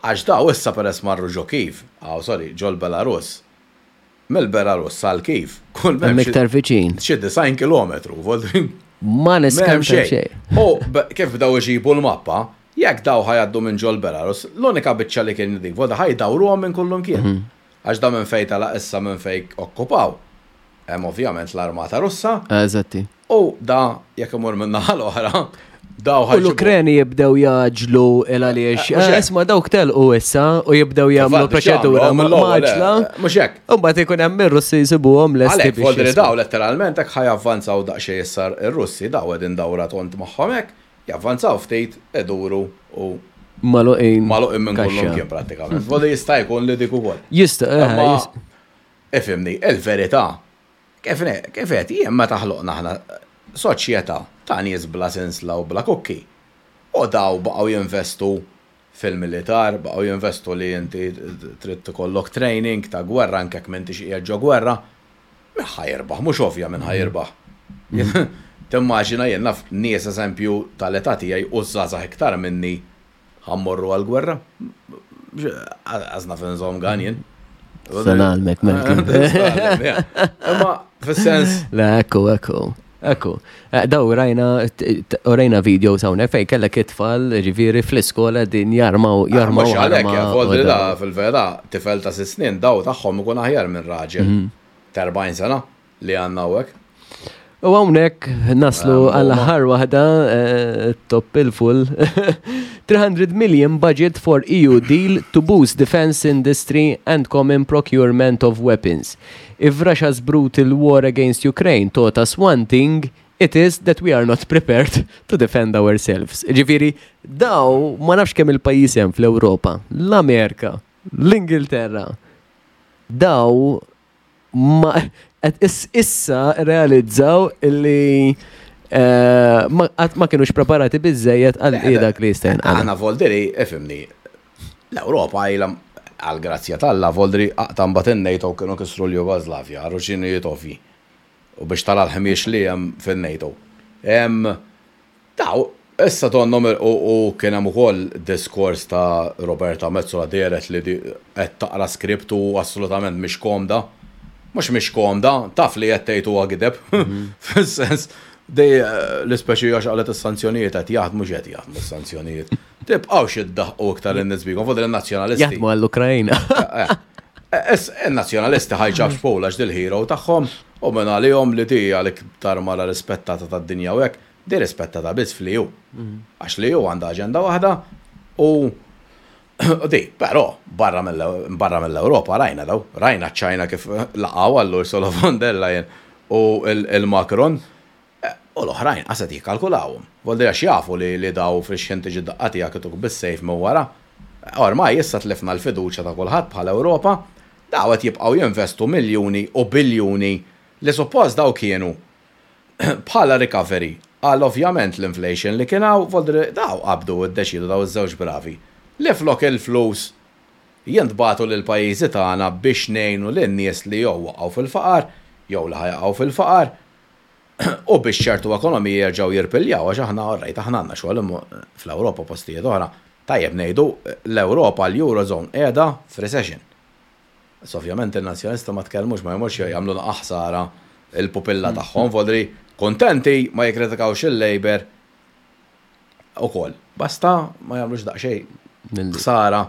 għax daw issa peress marru ġo Kiev, aw sorry, ġol Belarus. Mill-Belarus sal Kiev, kull m'hemm iktar viċin. Xi 90 kilometru, voldri. Ma niskanta xejn. U kif bdew iġibu l-mappa, jekk daw ħa jgħaddu minn ġol Belarus, l-unika biċċa li kien dik, volta ħa jdawruhom minn kullumkien. Mhm. Għax da minn fejn telaq issa minn fejn okkupaw. Hemm ovvjament l-armata Russa. Eżatti. U da jekk imur minn naħa l-oħra, daw U l-Ukreni jibdew jaġlu il għaliex. Eh, eh, isma dawk telqu issa u jibdew jagħmlu proċedura maġla. Mhux hekk. U mbagħad ikun hemm ir-Russi jsibuhom lesti. Għalhekk voldri daw letteralment hekk ħajavvanzaw daqsxejn issa ir-Russi daw qegħdin dawra tont magħhom hekk, javvanzaw ftit, iduru u Maluqin. Maluqin minn kullum kien prattikament. Voldri jista' jkun li dik ukoll. Jista' eh, Ifhimni, il-verità Kif kif għedt jien meta ħloqna aħna soċjetà ta' nies bla sinsla u bla kukki u daw baqgħu jinvestu fil-militar, baqgħu jinvestu li inti trid ikollok training ta' gwerra anke jekk m'intix qiegħed ġo gwerra, min ħa jirbaħ? Mhux ovvja min ħa jirbaħ. Timmaġina jien naf nies eżempju tal-età tiegħi u żgħażagħ iktar minni Ħa mmorru għall-gwerra? Għaż naf inżomm gan jien. Se nagħlmek Malcolm. Imma fis-sens. Le, ekku, ekku. Ekku. Eh, daw rajna rajna video hawnhekk fejn kellek it-tfal ġifieri fl-iskola din jarmaw ah, jarmaw. Mhux għalhekk, eh, da fil-vera tifel ta' sitt snin daw tagħhom ikun aħjar minn raġel mhm. ta' 40 sena. li għandna hawnhekk. U hawnhekk naslu għall aħħar waħda eh, top il-full. 300 million budget for EU deal to boost defense industry and common procurement of weapons. If Russia's brutal war against Ukraine taught us one thing, it is that we are not prepared to defend ourselves. Ġifiri, daw ma nafx kemm il-pajjiż hemm fl-Ewropa, l-Amerika, l-Ingilterra. Daw ma issa realizzaw illi eh, ma kienux preparati biżejjed għal eh, dak li jista' jinqala. Aħna Voldiri, ifhimni, l-Ewropa ilha għal grazzja t'Alla Voldiri aqta' mbagħad in-NATO kienu kisru l-Jugoslavja għal raġunijiet ovvji. U biex tara l-ħmiex li hemm fin-NATO. Daw, issa donnhom u kien hemm ukoll diskors ta' Roberta Metsola dehret li qed taqra script u assolutament mhix komda. Mhux mhix komda, taf li qed tgħid huwa gideb. Fis-sens, di l-ispeċi għax qalet is-sanzjonijiet qed jaħdmu x'qed jaħdmu s-sanzjonijiet. Tibqgħux iddaħqu iktar in-nies bikom, fuq in-nazzjonalisti. Jaħdmu għall-Ukrajna. In-nazzjonalisti ħajġabx pola għax dil-hero tagħhom u minn għalihom li di għal-iktar mara rispettata tad-dinja u hekk. Di rispettata biss fl-EU. Għax l-EU għandha aġenda waħda u di, però barra mill-Ewropa rajna daw, rajna ċ-Ċajna kif laqgħu għal Ursula von der Leyen u l-Macron u l-oħrajn qas qed jikkalkulawhom. Vuol dire għax jafu li daw fix-xħin tiġi d-daqqa tiegħek ituk bis-sejf minn wara. Ormai issa tlifna l-fiduċja ta' kulħadd bħala Ewropa, daw qed jibqgħu jinvestu miljuni u biljuni li suppost daw kienu Bħala recovery għal ovvjament l-inflation li kien hawn, voldri daw qabdu u ddeċiedu daw iż-żewġ bravi li flok il-flus jintbagħtu lill-pajjiżi tagħna biex ngħinu lin-nies li jew waqgħu fil-faqar jew li ħa jaqgħu fil-faqar u biex ċertu ekonomiji jerġgħu jirpiljaw għax aħna alright aħna għandna xogħol imma fl-Ewropa postijiet oħra tajjeb ngħidu l-Ewropa l-Eurozone qiegħda f'recession. Issa ovvjament in-Nazzjonalisti ma tkellmux ma jmorx jagħmlu naqa' ħsara il-pupilla tagħhom vodri kuntenti ma jikkritikawx il-Labour ukoll. Basta ma jagħmlux daqsxejn ħsara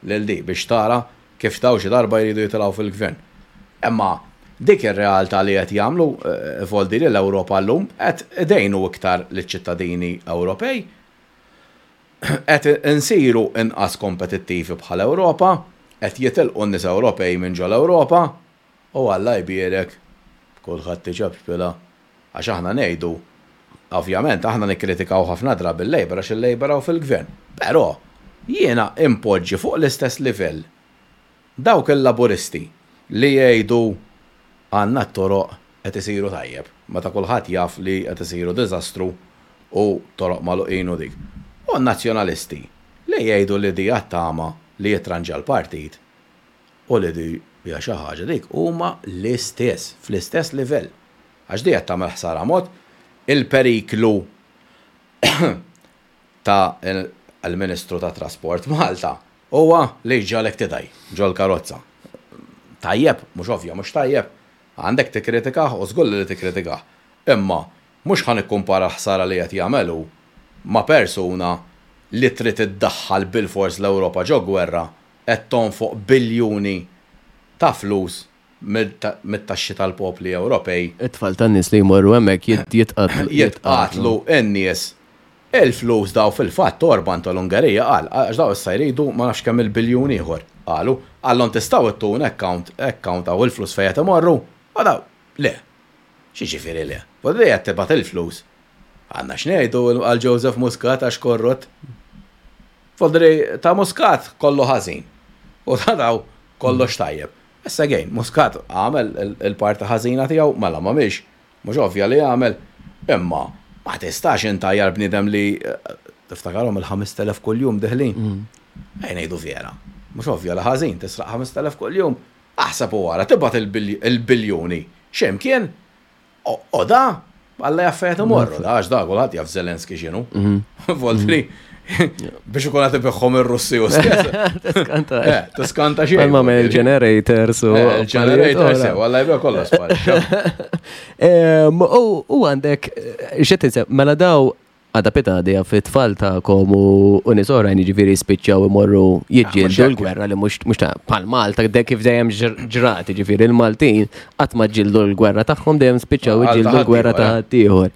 lil di biex tara kif daw xi darba jridu jitilgħu fil-gvern. Imma dik ir-realtà li qed jagħmlu eh, voldi li l-Ewropa llum qed idejnu iktar liċ-ċittadini Ewropej qed insiru inqas kompetittivi bħala Ewropa, qed jitilqu n-nies Ewropej minn ġol-Ewropa u Alla jbierek kulħadd iċapċpilha għax aħna ngħidu ovvjament aħna nikkritikaw ħafna drabi l-Labour għax il-Labour hawn fil-gvern. Però jiena inpoġġi fuq l-istess livell dawk il-Laburisti li jgħidu għandna t-toroq qed isiru tajjeb, meta kulħadd jaf li qed isiru diżastru u toroq magħluqin u dik. U n-Nazzjonalisti li jgħidu li di għat-tama li jitranġa l-partit u li di hija xi ħaġa dik huma l-istess, fl-istess livell. Għax di qed tagħmel ħsara mod il-periklu ta' l-Ministru tat-Trasport Malta huwa li jġagħlek tidgħi ġol-karozza. Tajjeb, mhux ovvja, mhux tajjeb. Għandek tikkritikah u żgur li tikkritikah. Imma mhux ħa nikkumpara l-ħsara li qed jagħmel hu ma' persuna li trid iddaħħal bilfors l-Ewropa ġo gwerra qed tonfoq biljuni ta' flus mit-taxxi tal-popli Ewropej. It-tfal tan-nies li jmorru hemmhekk jitqatlu. Jitqatlu n-nies. Il-flus daw fil-fatt Orban tal-Ungerija qal, għax daw issa jridu ma nafx kemm il-biljun ieħor. Qalu, qallhom tistgħu ittuna account, account hawn il-flus fejn qed imorru? U daw, le. X'jiġifieri le? U li qed tibgħat il-flus. Għandna x'ngħidu għal Joseph Muscat għax korrott. Fodri ta' Muscat kollu ħażin. U ta' daw kollox tajjeb. Issa again, Muscat għamel il-parti ħażina tiegħu, mela m'għamilx, mhux ovvja li għamel, imma ma tistax intajjar bniedem li tiftakarhom il-5000 kuljum deħlin. Ejja ngħidu vera, mhux ovvja li ħażin tisraq 5000 kuljum. Aħseb u ara, tibgħat il-biljuni x'imkien U da, Alla jaf fejn imorru, da għax da kulħadd jaf Zelenski x'inhu. Mhm. Voltri biex ikun qed ibiħħom ir-Russi u stess. Tiskanta. Eh, tiskanta xejn. Ma minn il-generators u. Eh, il-generators, eh, walla jibgħu kollox sparixxa. U għandek, x'qed mela daw Għada pitgħada jaf it-tfal tagħkom u nies oħrajn jiġifieri jispiċċaw imorru jiġġieldu l-gwerra li mhux mhux ta' bħal Malta de kif dejjem ġrat, jiġifieri l-Maltin qatt ma ġġieldu l-gwerra tagħhom dejjem spiċċaw jiġġieldu l-gwerra ta' ħaddieħor.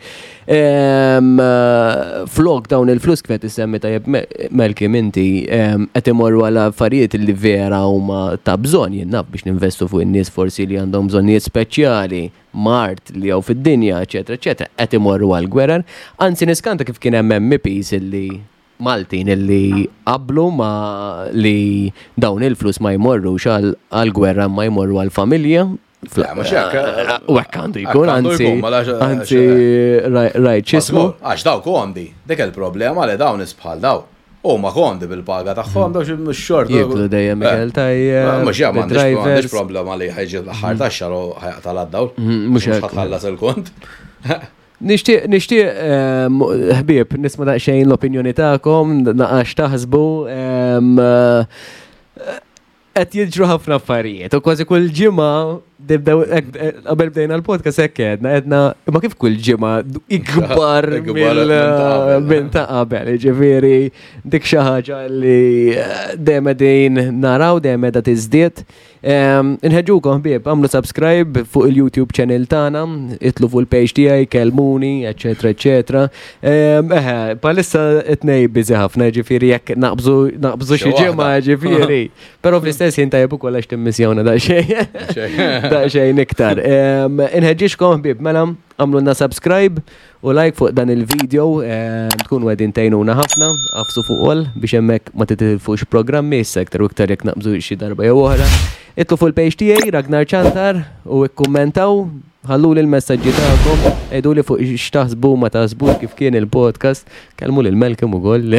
Flok dawn il-flus kif qed issemmi tajjeb Malcolm inti qed imorru għal affarijiet li vera huma ta' bżonn jien naf biex ninvestu fuq in-nies forsi li għandhom bżonnijiet speċjali mard li hawn fid-dinja, eċetera, eċetera, qed imorru għal gwerer. Anzi niskanta kif kien hemm MEPs illi Maltin illi qablu ma li dawn il-flus ma jmorrux għal gwerra ma jmorru għal familja. U hekk għandu jkun, anzi, mela anzi, rajt x'ismu. Għax daw komdi, dik il-problema li dawn isbħal daw. Huma komdi bil-paga tagħhom daw xi xort. Jiklu dejjem eh. ikel tajjeb. Mhux hemm m'għandix problema li ħajġi l-aħħar tax-xahar u ħajqta' l-dawl. Mhm, mhux hekk ħallas il-kont. Nixtieq, nixtieq, ehm, ħbieb, nisma' daqsxejn l-opinjoni tagħkom, naqax taħsbu. Ehm, Qed jiġru ħafna affarijiet u kważi kull ġimgħa nibdew qabel bdejna l-podcast hekk għedna għedna imma kif kull ġimgħa ikbar minn ta' qabel, ġifieri dik xi ħaġa li eh, dejjem qegħdin naraw dejjem qiegħda tiżdied. Inħeġġukom ħbieb, għamlu subscribe fuq il-YouTube channel tagħna, itlu fuq il-page tiegħi, kelmuni, eċetera, eċetera. Eħe, palissa it-nej busy ħafna, ġifieri jekk naqbżu naqbżu xi ġimgħa ġifieri. Però fl-istess ħin tajjeb ukoll għax timmissjawna daqsxejn. Daqsxejn iktar. Inħeġġixkom ħbieb, mela għamlulna subscribe u like fuq dan il-video, tkunu qegħdin tgħinuna ħafna, għafsu fuq all biex hemmhekk ma titilfux programmi issa iktar u iktar jekk naqbżu xi darba jew oħra. Itlu fuq il-page tiegħi Ragnar Ċantar u ikkummentaw. Ħalluli l-messaġġi tagħkom, għiduli fuq x'taħsbu ma taħsbux kif kien il-podcast, kellmu lil Malcolm ukoll.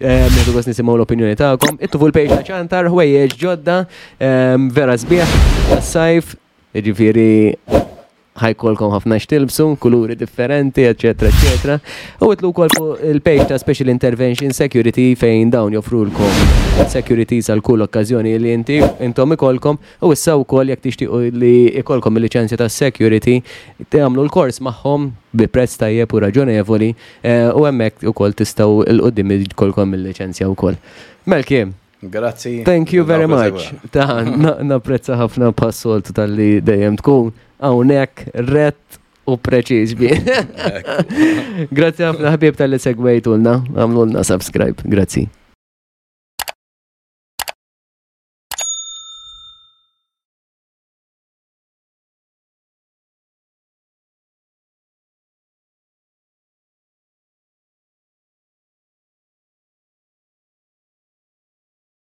Nieħdu gost nisimgħu l-opinjoni tagħkom. Ittu fuq il-page ta' Ċantar, ħwejjeġ ġodda, vera sbieħ, tas-sajf, jiġifieri ħajkolkom ħafna x'tilbsu, kuluri differenti, eċetera, eċetera. U itlu wkoll fuq il-page ta' Special Intervention Security fejn dawn joffrulkom securities għal kull okkażjoni li inti intom ikolkom u issa wkoll jekk tixtiequ li ikolkom il-liċenzja ta' security tagħmlu l-kors magħhom bi prezz tajjeb u raġonevoli eh, u hemmhekk ukoll tistgħu 'l quddiem ikolkom il-liċenzja wkoll. Melkim, Grazzi. Thank you very much. Ta' napprezza ħafna passoltu tal-li dejjem tkun hawnhekk rett u preċiż bi. Grazzi ħafna ħbieb tal-li segwejtulna, għamlulna subscribe. Grazzi.